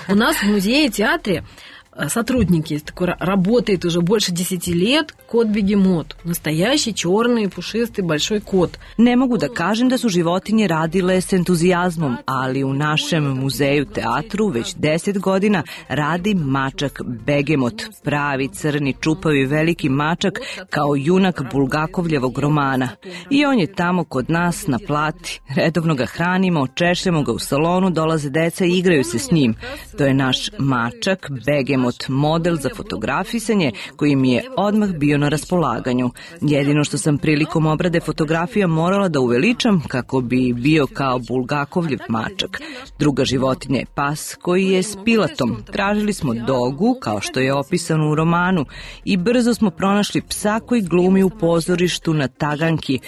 У нас в музее, театре сотрудник есть, такой работает уже больше 10 лет, кот-бегемот. Настоящий черный, пушистый, большой кот. Ne mogu da kažem da su životinje radile s entuzijazmom, ali u našem muzeju teatru već 10 godina radi mačak begemot, pravi crni čupavi veliki mačak kao junak Bulgakovljevog romana. I on je tamo kod nas na plati. Redovno ga hranimo, češljamo ga u salonu, dolaze deca i igraju se s njim. To je naš mačak begemot, model za fotografisanje koji mi je odmah bio na raspolaganju. Jedino što sam prilikom obrade fotografija morala da uveličam kako bi bio kao Bulgakovljev mačak. Druga životinja je pas koji je s pilatom. Tražili smo dogu, kao što je opisano u romanu, i brzo smo pronašli psa koji glumi u pozorištu na Taganki,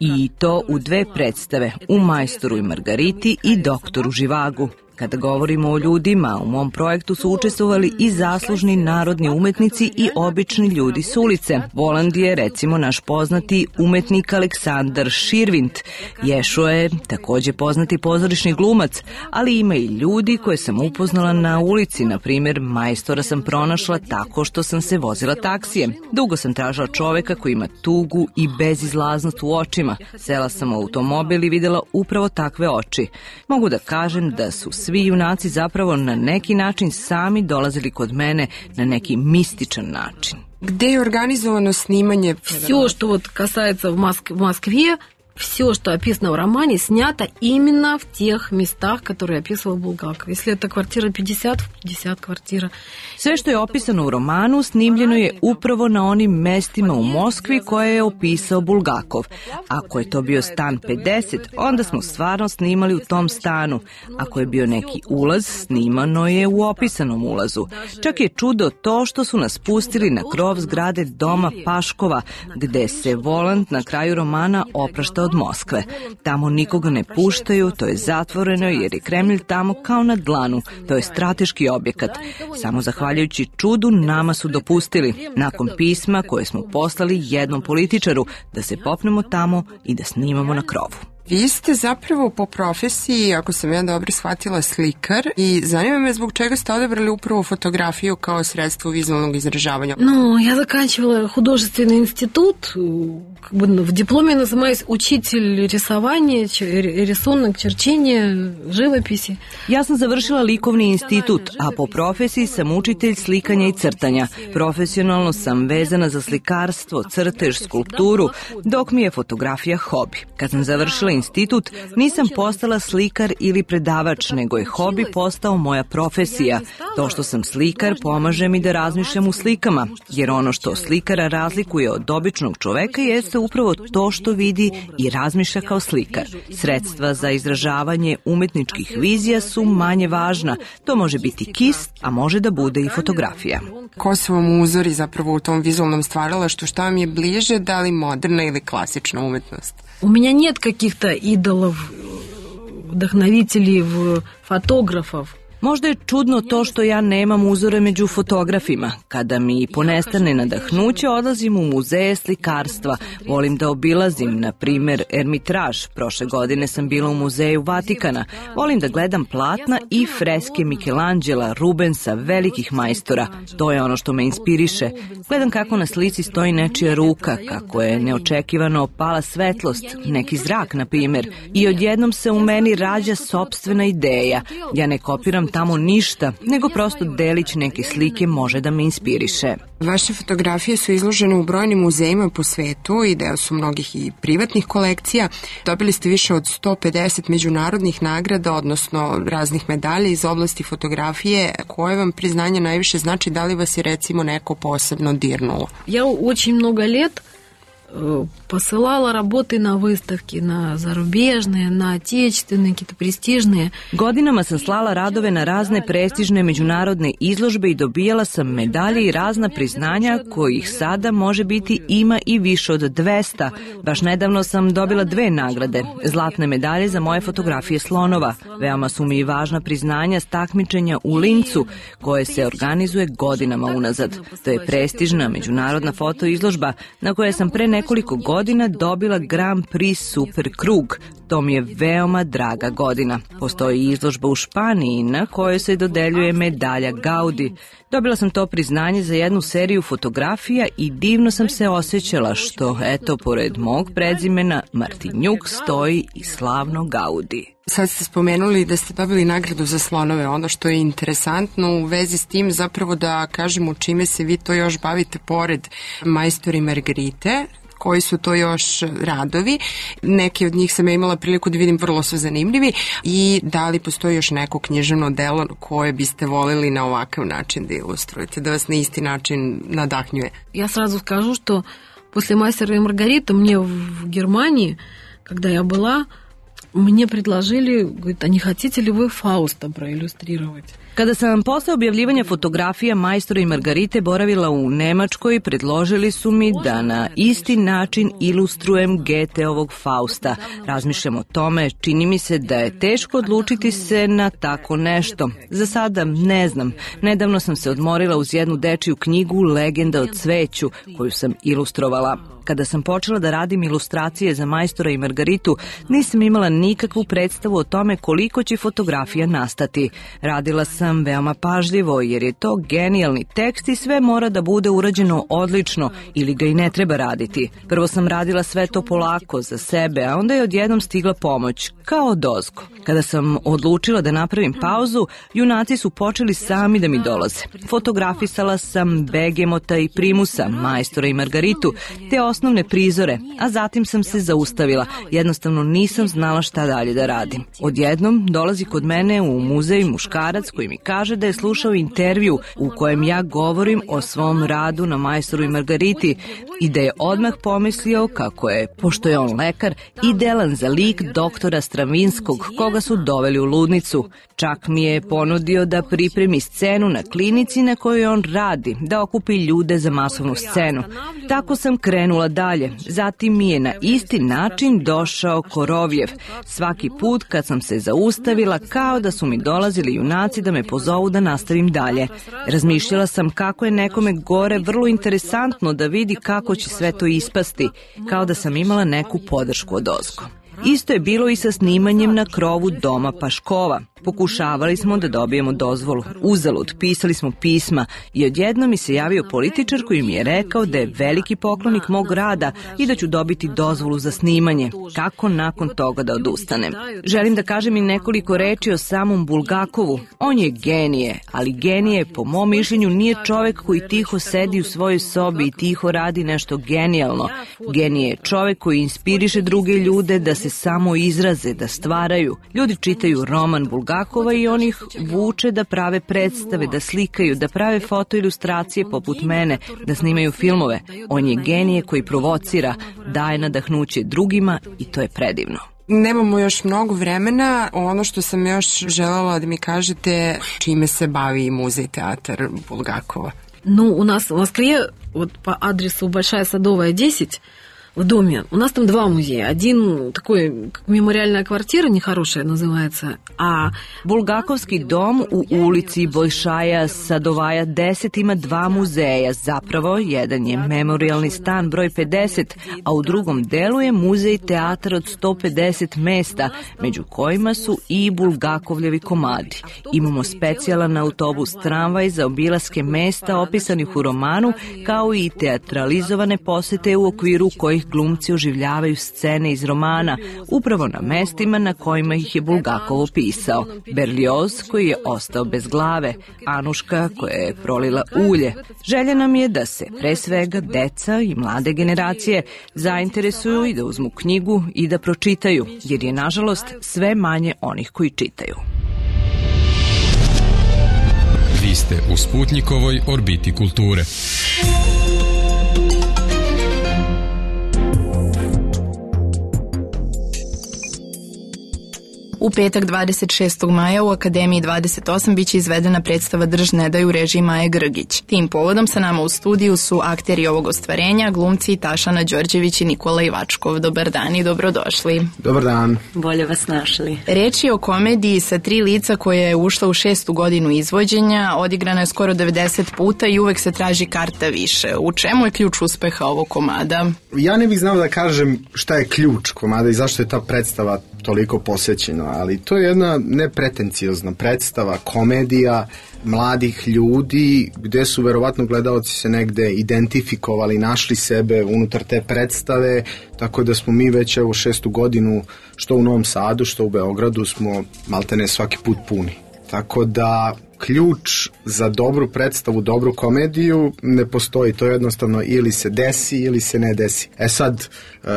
i to u 2 predstave, u Majstoru i Margariti i Doktoru Živagu. Kada govorimo o ljudima, u mom projektu su učestvovali i zaslužni narodni umetnici i obični ljudi s ulice. Voland je, recimo, naš poznati umetnik Aleksandar Širvint. Ješo je takođe poznati pozorišni glumac, ali ima i ljudi koje sam upoznala na ulici. Na primjer, majstora sam pronašla tako što sam se vozila taksijem. Dugo sam tražila čoveka koji ima tugu i bezizlaznost u očima. Sela sam u automobil i videla upravo takve oči. Mogu da kažem da su svi junaci zapravo na neki način sami dolazili kod mene na neki mističan način. Gde je organizovano snimanje? Все, что вот касается в Москве, все, что описано в романе, снято именно в тех местах, которые описывал Булгаков. Если это квартира 50, 50 квартира. Sve što je opisano u romanu snimljeno je upravo na onim mestima u Moskvi koje je opisao Bulgakov. Ako je to bio stan 50, onda smo stvarno snimali u tom stanu. Ako je bio neki ulaz, snimano je u opisanom ulazu. Čak je čudo to što su nas pustili na krov zgrade doma Paškova, gde se Voland na kraju romana oprašta od Moskve. Tamo nikoga ne puštaju, to je zatvoreno jer je Kremlj tamo kao na dlanu. To je strateški objekat. Samo zahvaljujući čudu nama su dopustili, nakon pisma koje smo poslali jednom političaru, da se popnemo tamo i da snimamo na krovu. Vi ste zapravo po profesiji, ako sam ja dobro shvatila, slikar i zanima me zbog čega ste odabrali upravo fotografiju kao sredstvo vizualnog izražavanja. Ну, я заканчивала художественный институт, как бы в дипломе называюсь учитель рисования, рисунок, черчения, живописи. Ja sam završila likovni institut, a po profesiji sam učitelj slikanja i crtanja. Profesionalno sam vezana za slikarstvo, crtež, skulpturu, dok mi je fotografija hobi. Kad sam završila institut, nisam postala slikar ili predavač, nego je hobi postao moja profesija. To što sam slikar pomaže mi da razmišljam u slikama, jer ono što slikara razlikuje od običnog čoveka jeste upravo to što vidi i razmišlja kao slikar. Sredstva za izražavanje umetničkih vizija su manje važna. To može biti kist, a može da bude i fotografija. Ko su vam uzori zapravo u tom vizualnom stvaralaštvu? Šta vam je bliže, da li moderna ili klasična umetnost? У меня нет каких-то идолов, вдохновителей, фотографов. Možda je čudno to što ja nemam uzore među fotografima. Kada mi ponestane nadahnuće, odlazim u muzeje slikarstva. Volim da obilazim, na primer, Ermitraž. Prošle godine sam bila u muzeju Vatikana. Volim da gledam platna i freske Michelangela, Rubensa, velikih majstora. To je ono što me inspiriše. Gledam kako na slici stoji nečija ruka, kako je neočekivano opala svetlost, neki zrak, na primer. I odjednom se u meni rađa sopstvena ideja. Ja ne kopiram tamo ništa, nego prosto delić neke slike može da me inspiriše. Vaše fotografije su izložene u brojnim muzejima po svetu i deo su mnogih i privatnih kolekcija. Dobili ste više od 150 međunarodnih nagrada, odnosno raznih medalja iz oblasti fotografije. Koje vam priznanje najviše znači? Da li vas je recimo neko posebno dirnulo? Ja очень много лет посылала работы на выставки, на зарубежные, на отечественные, какие-то престижные. Godinama sam slala radove na razne prestižne međunarodne izložbe i dobijala sam medalje i razna priznanja kojih sada može biti ima i više od 200. Baš nedavno sam dobila 2 nagrade, zlatne medalje za moje fotografije slonova. Veoma su mi važna priznanja s takmičenja u Lincu, koje se organizuje godinama unazad. To je prestižna međunarodna fotoizložba na kojoj sam pre nekoliko godina dobila Grand Prix Super Krug. To mi je veoma draga godina. Postoji izložba u Španiji na kojoj se dodeljuje medalja Gaudi. Dobila sam to priznanje za jednu seriju fotografija i divno sam se osjećala što, eto, pored mog prezimena Martinjuk stoji i slavno Gaudi. Sad ste spomenuli da ste dobili nagradu za slonove. Ono što je interesantno u vezi s tim zapravo da kažemo čime se vi to još bavite pored Majstora i Margarite. Koji su to još radovi. Neki od njih sam ja imala priliku da vidim, vrlo su zanimljivi. I da li postoji još neko književno delo koje biste volili na ovakav način da ilustrujete, da vas na isti način nadahnjuje? Я сразу скажу, что после «Мастера и Маргариты» мне в Германии, когда я была, мне предложили, говорит, а не хотите ли вы Фауста проиллюстрировать? Kada sam posle objavljivanja fotografija Majstora i Margarite boravila u Nemačkoj, predložili su mi da na isti način ilustrujem Goetheovog Fausta. Razmišljam o tome, čini mi se da je teško odlučiti se na tako nešto. Za sada ne znam. Nedavno sam se odmorila uz jednu dečiju knjigu Legenda o cveću, koju sam ilustrovala. Kada sam počela da radim ilustracije za Majstora i Margaritu, nisam imala nikakvu predstavu o tome koliko će fotografija nastati. Radila sam veoma pažljivo jer je to genijalni tekst i sve mora da bude urađeno odlično ili ga i ne treba raditi. Prvo sam radila sve to polako za sebe, a onda je odjednom stigla pomoć, kao odozgo. Kada sam odlučila da napravim pauzu, junaci su počeli sami da mi dolaze. Fotografisala sam Begemota i Primusa, Majstora i Margaritu, te osnovne prizore, a zatim sam se zaustavila. Jednostavno nisam znala šta dalje da radim. Odjednom dolazi kod mene u muzej muškarac koji mi kaže da je slušao intervju u kojem ja govorim o svom radu na Majstoru i Margariti i da je odmah pomislio kako je, pošto je on lekar, idealan za lik doktora Stravinskog, koga su doveli u ludnicu. Čak mi je ponudio da pripremi scenu na klinici na kojoj on radi, da okupi ljude za masovnu scenu. Tako sam krenula dalje. Zatim mi je na isti način došao Korovljev. Svaki put kad sam se zaustavila, kao da su mi dolazili junaci da me pozovu da nastavim dalje. Razmišljala sam kako je nekome gore vrlo interesantno da vidi kako će sve to ispasti, kao da sam imala neku podršku odozgo. Isto je bilo i sa snimanjem na krovu doma Paškova. Pokušavali smo da dobijemo dozvolu. Uzalud, pisali smo pisma i odjednom mi se javio političar koji mi je rekao da je veliki poklonik mog rada i da ću dobiti dozvolu za snimanje. Kako nakon toga da odustanem? Želim da kažem i nekoliko reči o samom Bulgakovu. On je genije, ali genije, po mom mišljenju, nije čovek koji tiho sedi u svojoj sobi i tiho radi nešto genijalno. Genije je čovek koji inspiriše druge ljude da se samo izraze, da stvaraju. Ljudi čitaju roman Bulgakova i on ih vuče da prave predstave, da slikaju, da prave fotoilustracije poput mene, da snimaju filmove. On je genije koji provocira, daje nadahnuće drugima i to je predivno. Nemamo još mnogo vremena. Ono što sam još želela da mi kažete, čime se bavi Muzej театр Булгакова? Ну, у нас в Москве, вот по адресу Большая Садовая, 10, в доме. У нас там два музея. Один такой, как мемориальная квартира, нехорошая называется, a Bulgakovski dom u ulici Bojšaja Sadovaja 10 ima dva muzeja. Zapravo, jedan je memorialni stan broj 50, a u drugom delu je muzej teatra od 150 mesta, među kojima su i Bulgakovljevi komadi. Imamo specijalan autobus tramvaj za obilaske mesta opisanih u romanu, kao i teatralizovane posete u okviru kojih glumci oživljavaju scene iz romana, upravo na mestima na kojima ih je Bulgakov opisao. Berlioz koji je ostao bez glave, Anuška koja je prolila ulje. Želja nam je da se pre svega deca i mlade generacije zainteresuju i da uzmu knjigu i da pročitaju, jer je nažalost sve manje onih koji čitaju. Vi ste u Sputnikovoj orbiti kulture. U petak 26. maja u Akademiji 28 biće izvedena predstava Drž ne daj u režiji Maje Grgić. Tim povodom sa nama u studiju su akteri ovog ostvarenja, glumci Tašana Đorđević i Nikola Ivačkov. Dobar dan i dobrodošli. Dobar dan. Bolje vas našli. Reč je o komediji sa 3 lica koja je ušla u 6. godinu izvođenja, odigrana je skoro 90 puta i uvek se traži karta više. U čemu je ključ uspeha ovog komada? Ja ne bih znao da kažem šta je ključ komada i zašto je ta predstava toliko posvećena, ali to je jedna nepretenciozna predstava, komedija mladih ljudi gde su verovatno gledaoci se negde identifikovali, našli sebe unutar te predstave, tako da smo mi već evo 6. godinu što u Novom Sadu, što u Beogradu smo maltene svaki put puni. Tako da ključ za dobru predstavu, dobru komediju ne postoji, to je jednostavno ili se desi ili se ne desi. Sad,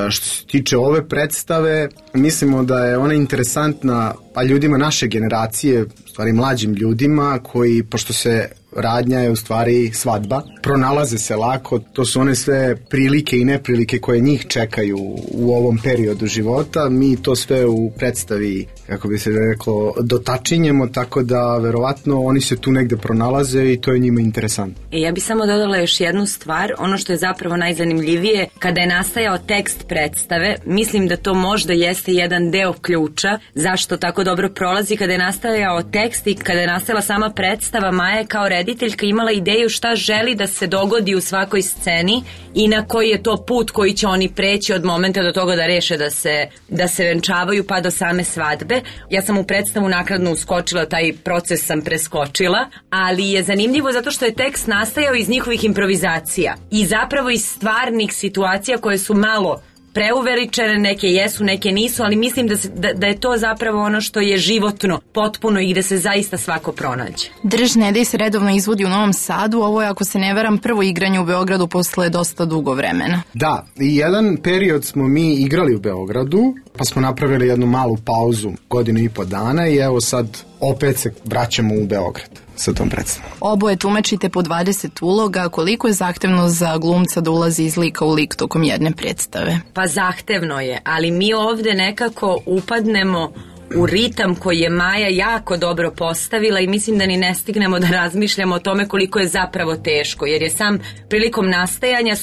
što se tiče ove predstave, mislimo da je ona interesantna pa ljudima naše generacije, u stvari mlađim ljudima koji, pošto se radnja je u stvari svadba, pronalaze se lako, to su one sve prilike i neprilike koje njih čekaju u ovom periodu života, mi to sve u predstavi, kako bi se reklo, dotačinjemo, tako da verovatno oni se tu negde pronalaze i to je njima interesantno. Ja bih samo dodala još jednu stvar, ono što je zapravo najzanimljivije, kada je nastajao tekst predstave, mislim da to možda jeste jedan deo ključa, zašto tako dobro prolazi, kada je nastajao tekst i kada je nastala sama predstava, Maja je kao rediteljka imala ideju šta želi da se dogodi u svakoj sceni i na koji je to put koji će oni preći od momenta do toga da reše da se venčavaju pa do same svadbe. Ja sam u predstavu naknadno uskočila, taj proces sam preskočila, ali je zanimljivo zato što je tekst nastajao iz njihovih improvizacija i zapravo iz stvarnih situacija koje su malo preuveličene, neke jesu, neke nisu, ali mislim da je to zapravo ono što je životno, potpuno i gde se zaista svako pronađe. Drž ne daj se redovno izvodi u Novom Sadu, ovo je, ako se ne varam, prvo igranje u Beogradu posle dosta dugo vremena. Da, i jedan period smo mi igrali u Beogradu, pa smo napravili jednu malu pauzu, 1.5 dana i evo sad opet se vraćamo u Beograd sa tom predstavom. Oboje tumačite po 20 uloga, koliko je zahtevno za glumca da ulazi iz lika u lik tokom jedne predstave? Pa zahtevno je, ali mi ovde nekako upadnemo u ritam koji je Maja jako dobro postavila i mislim da ni ne stignemo da razmišljamo o tome koliko je zapravo teško, jer je sam prilikom nastajanja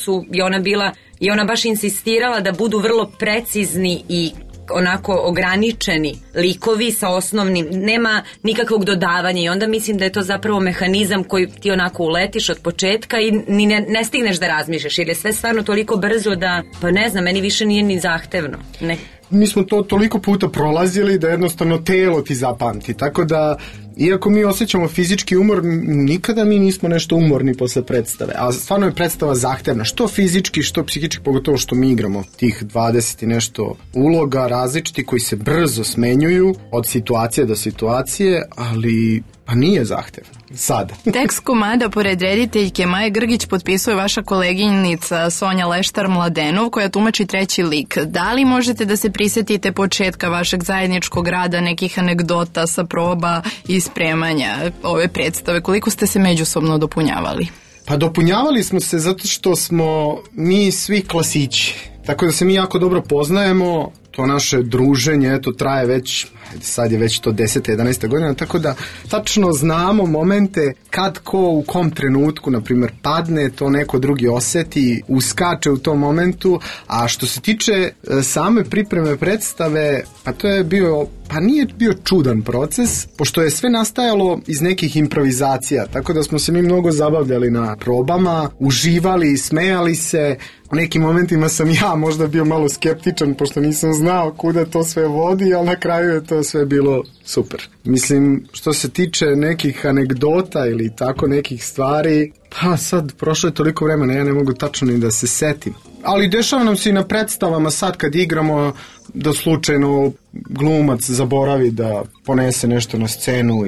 i ona baš insistirala da budu vrlo precizni i onako ograničeni likovi sa osnovnim, nema nikakvog dodavanja i onda mislim da je to zapravo mehanizam koji ti onako uletiš od početka i ni ne stigneš da razmišljaš, jer je sve stvarno toliko brzo da, pa ne znam, meni više nije ni zahtevno. Ne. Mi smo to toliko puta prolazili da jednostavno telo ti zapamti, tako da iako mi osjećamo fizički umor, nikada mi nismo nešto umorni posle predstave, a stvarno je predstava zahtevna, što fizički, što psihički, pogotovo što mi igramo tih 20 i nešto uloga različiti koji se brzo smenjuju od situacije do situacije, ali pa nije zahtevno. Sada. Tekst komada pored rediteljke Maje Grgić potpisuje vaša koleginica Sonja Leštar-Mladenov koja tumači treći lik. Da li možete da se prisetite početka vašeg zajedničkog rada, nekih anegdota sa proba i spremanja ove predstave? Koliko ste se međusobno dopunjavali? Pa dopunjavali smo se zato što smo mi svi klasići. Tako da se mi jako dobro poznajemo, to naše druženje, to traje već, sad je već to 10. 11. godina, tako da tačno znamo momente kad ko u kom trenutku, na primjer, padne, to neko drugi oseti, uskače u tom momentu, a što se tiče same pripreme predstave, pa to je bio, pa nije bio čudan proces, pošto je sve nastajalo iz nekih improvizacija, tako da smo se mi mnogo zabavljali na probama, uživali, smejali se. U nekim momentima sam ja možda bio malo skeptičan, pošto nisam znao kuda to sve vodi, ali na kraju je to sve bilo super. Mislim, što se tiče nekih anegdota ili tako nekih stvari, pa sad prošlo je toliko vremena, ja ne mogu tačno ni da se setim. Ali dešava nam se i na predstavama sad kad igramo da slučajno glumac zaboravi da ponese nešto na scenu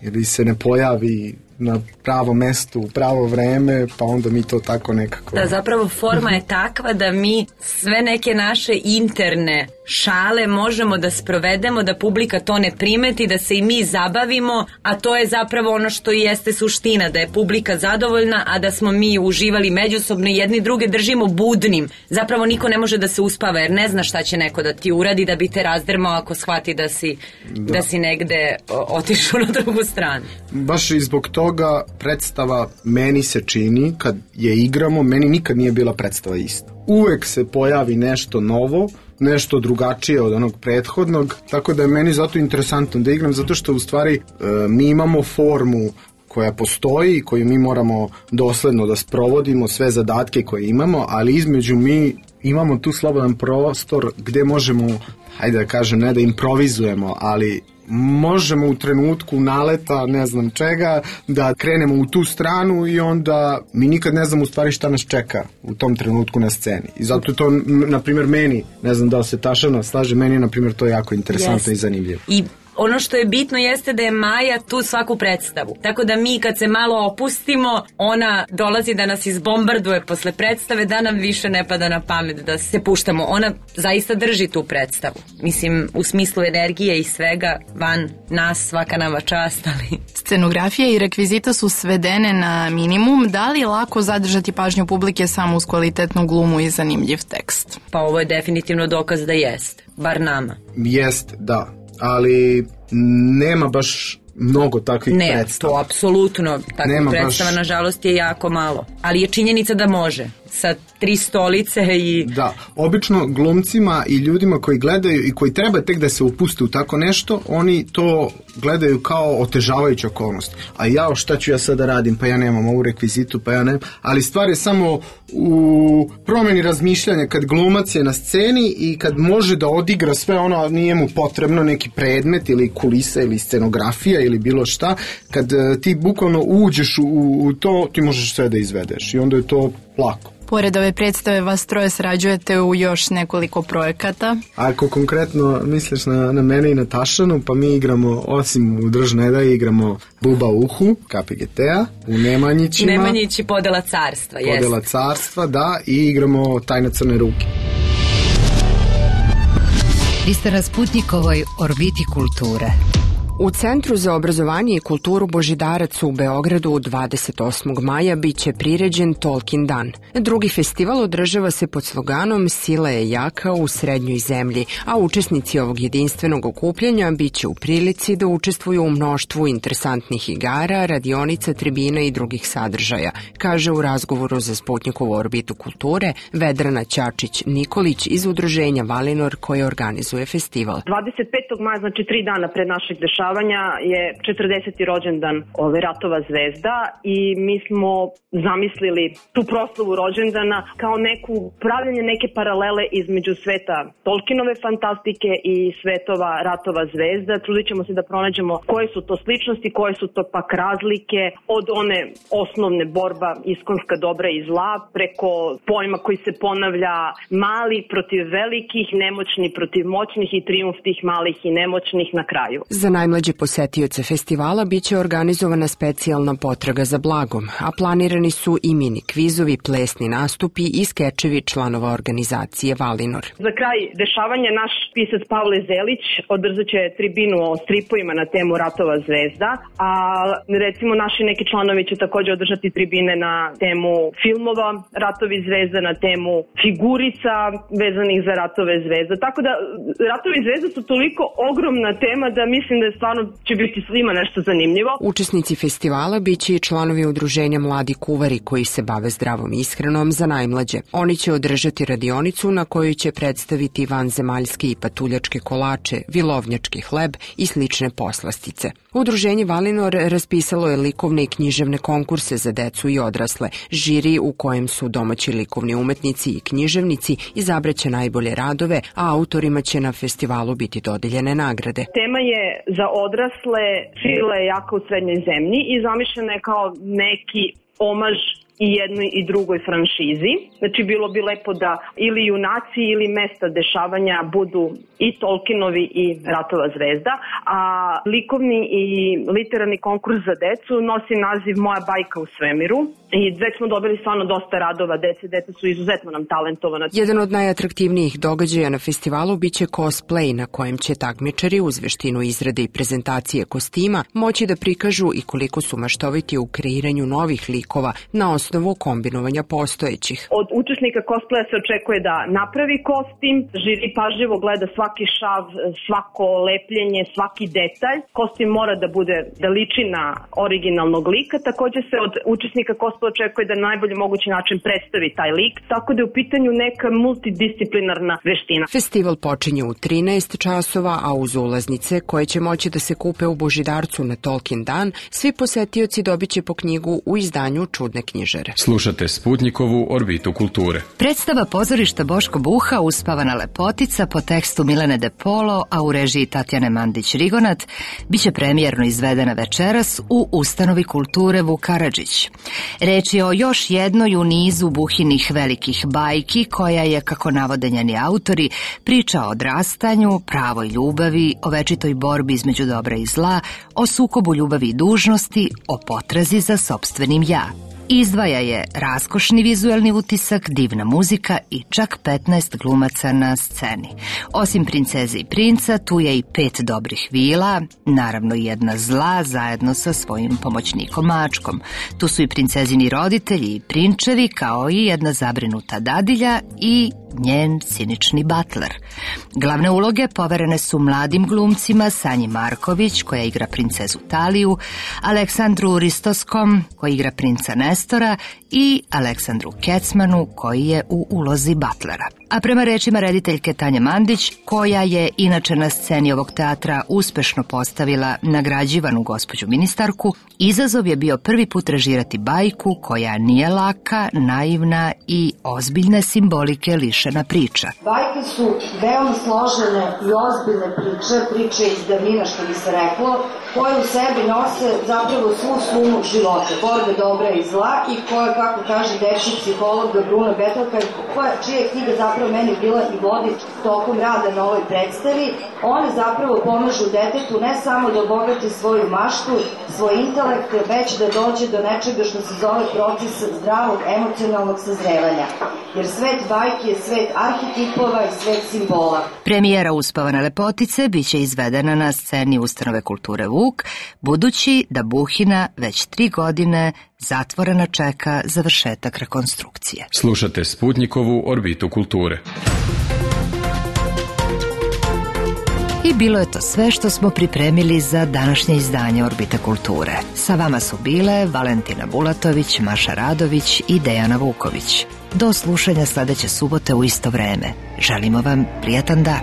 ili se ne pojavi na pravo mesto, u pravo vreme, pa onda mi to tako nekako... Da, zapravo forma je takva da mi sve neke naše interne šale možemo da sprovedemo, da publika to ne primeti, da se i mi zabavimo, a to je zapravo ono što i jeste suština, da je publika zadovoljna, a da smo mi uživali međusobno i jedni druge držimo budnim. Zapravo niko ne može da se uspava, jer ne zna šta će neko da ti uradi, da bi te razdrmao ako shvati da si negde otišao na drugu stranu. Baš i zbog toga predstava meni se čini, kad je igramo, meni nikad nije bila predstava ista. Uvek se pojavi nešto novo, nešto drugačije od onog prethodnog, tako da je meni zato interesantno da igram, zato što u stvari mi imamo formu koja postoji, koju mi moramo dosledno da sprovodimo, sve zadatke koje imamo, ali između mi imamo tu slobodan prostor gde možemo, hajde da kažem, ne da improvizujemo, ali možemo u trenutku naleta, ne znam čega, da krenemo u tu stranu i onda mi nikad ne znamo u stvari šta nas čeka u tom trenutku na sceni. I zato to, na primjer, meni, ne znam da li se Tašana slaže, meni je, na primjer, to jako interesantno i zanimljivo. I ono što je bitno jeste da je Maja tu svaku predstavu. Tako da mi kad se malo opustimo, ona dolazi da nas izbombarduje posle predstave, da nam više ne pada na pamet da se puštamo. Ona zaista drži tu predstavu. Mislim, u smislu energije i svega, van nas, svaka nama čast, ali... Scenografija i rekvizita su svedene na minimum. Da li je lako zadržati pažnju publike samo uz kvalitetnu glumu i zanimljiv tekst? Pa ovo je definitivno dokaz da jeste. Bar nama. Jest, da. Ali nema baš mnogo takvih predstava. Ne, to apsolutno. Takvih predstava, nažalost, je jako malo. Ali je činjenica da može. Sa 3 stolice i... Da, obično glumcima i ljudima koji gledaju i koji treba tek da se upuste u tako nešto, oni to gledaju kao otežavajuću okolnost. A ja, šta ću ja sad da radim? Pa ja nemam ovu rekvizitu, pa ja nemam... Ali stvar je samo u promeni razmišljanja kad glumac je na sceni i kad može da odigra sve ono, nije mu potrebno neki predmet ili kulisa ili scenografija ili bilo šta, kad ti bukvalno uđeš u to, ti možeš sve da izvedeš i onda je to lako. Pored ove predstave vas troje sarađujete u još nekoliko projekata. Ako konkretno misliš na mene i na Tašanu, pa mi igramo, osim u Držneda, igramo Buba uhu, KPGT-a, u Nemanjićima. Nemanjići Podela carstva, jeste. Podela carstva, da, i igramo Tajna crne ruke. Vi ste na Sputnikovoj orbiti kulture. U Centru za obrazovanje i kulturu Božidarac u Beogradu 28. maja biće priređen Tolkien dan. Drugi festival održava se pod sloganom Sila je jaka u srednjoj zemlji, a učesnici ovog jedinstvenog okupljanja biće u prilici da učestvuju u mnoštvu interesantnih igara, radionica, tribina i drugih sadržaja, kaže u razgovoru za Sputnikovu orbitu kulture Vedrana Ćačić-Nikolić iz udruženja Valinor koje organizuje festival. 25. maja, znači 3 dana pred našeg dešavanja, je 40. rođendan ove Ratova zvezda i mi smo zamislili tu proslavu rođendana kao neku pravljanje neke paralele između sveta Tolkienove fantastike i svetova Ratova zvezda. Trudit ćemo se da pronađemo koje su to sličnosti, koje su to pak razlike od one osnovne borba iskonska dobra i zla preko pojma koji se ponavlja mali protiv velikih, nemoćni protiv moćnih i trijumf tih malih i nemoćnih na kraju. Za najmlađe posetioce festivala biće organizovana specijalna potraga za blagom, a planirani su i mini kvizovi, plesni nastupi i skečevi članova organizacije Valinor. Za kraj dešavanja naš pisac Pavle Zelić održat će tribinu o stripovima na temu Ratova zvezda, a recimo naši neki članovi će također održati tribine na temu filmova Ratovi zvezda, na temu figurica vezanih za Ratove zvezda. Tako da Ratovi zvezda su toliko ogromna tema da mislim da stvarno će biti svima nešto zanimljivo. Učesnici festivala biće i članovi udruženja Mladi kuvari koji se bave zdravom ishranom za najmlađe. Oni će održati radionicu na kojoj će predstaviti vanzemaljske i patuljačke kolače, vilovnjački hleb i slične poslastice. Udruženje Valinor raspisalo je likovne i književne konkurse za decu i odrasle. Žiri u kojem su domaći likovni umetnici i književnici izabraće najbolje radove, a autorima će na festivalu biti dodeljene nagrade. Tema je za odrasle Sila je jaka u srednjoj zemlji i zamišljena je kao neki omaž i jednoj i drugoj franšizi. Znači, bilo bi lepo da ili junaci ili mesta dešavanja budu i Tolkienovi i Ratova zvezda, a likovni i literarni konkurs za decu nosi naziv Moja bajka u svemiru i već smo dobili stvarno dosta radova dece, deca su izuzetno nam talentovana. Jedan od najatraktivnijih događaja na festivalu biće cosplay na kojem će takmičari uz veštinu izrade i prezentacije kostima moći da prikažu i koliko su maštoviti u kreiranju novih likova na osnovu kombinovanja postojećih. Od učesnika cosplaya se očekuje da napravi kostim, žiri pažljivo gleda svaki šav, svako lepljenje, svaki detalj. Kostim mora da bude, da liči na originalnog lika, takođe se od učesnika cosplaya očekuje da na najbolji mogući način predstavi taj lik, tako da je u pitanju neka multidisciplinarna veština. Festival počinje u 13 časova, a uz ulaznice koje će moći da se kupe u Božidarcu na Tolkien dan, svi posetioci dobit će po knjigu u izdanju Čudne knjižare. Slušate Sputnikovu orbitu kulture. Predstava pozorišta Boško Buha Uspavana lepotica po tekstu Milene De Polo, a u režiji Tatjane Mandić-Rigonat, biće premijerno izvedena večeras u Ustanovi kulture Vuk Karadžić. Reč je o još jednoj u nizu Buhinih velikih bajki koja je, kako navode njeni autori, priča o odrastanju, pravoj ljubavi, o večitoj borbi između dobra i zla, o sukobu ljubavi i dužnosti, o potrazi za sopstvenim ja. Izdvaja je raskošni vizuelni utisak, divna muzika i čak 15 glumaca na sceni. Osim princeze i princa, tu je i 5 dobrih vila, naravno jedna zla zajedno sa svojim pomoćnikom mačkom. Tu su i princezini roditelji i prinčevi, kao i jedna zabrinuta dadilja i njen cinični butler. Glavne uloge poverene su mladim glumcima Sanji Marković, koja igra princezu Taliju, Aleksandru Ristoskom, koji igra princa Nestora, i Aleksandru Kecmanu, koji je u ulozi butlera. A prema rečima rediteljke Tanje Mandić, koja je inače na sceni ovog teatra uspešno postavila nagrađivanu gospođu ministarku, izazov je bio prvi put režirati bajku koja nije laka, naivna i ozbiljne simbolike lišena priča. Bajke su veoma složene i ozbiljne priče iz davnina, što bi se reklo, koje u sebi nose zapravo svu sumu života, borbe dobra i zla, i koje, kako kaže dečji psiholog Bruna Betelka, čija je knjiga zapravo meni bila i vodič tokom rada na ovoj predstavi. One zapravo pomažu detetu ne samo da obogati svoju maštu, svoj intelekt, već da dođe do nečega što se zove proces zdravog emocionalnog sazrevanja. Jer svet bajki je svet arhetipova i svet simbola. Premijera Uspavane lepotice biće izvedena na sceni Ustanove kulture Vuk, budući da Buhina već 3 godine zatvorena čeka završetak rekonstrukcije. Slušate Sputnikovu orbitu kulture. I bilo je to sve što smo pripremili za današnje izdanje Orbite kulture. Sa vama su bile Valentina Bulatović, Maša Radović i Dejana Vuković. Do slušanja sledeće subote u isto vreme. Želimo vam prijatan dan.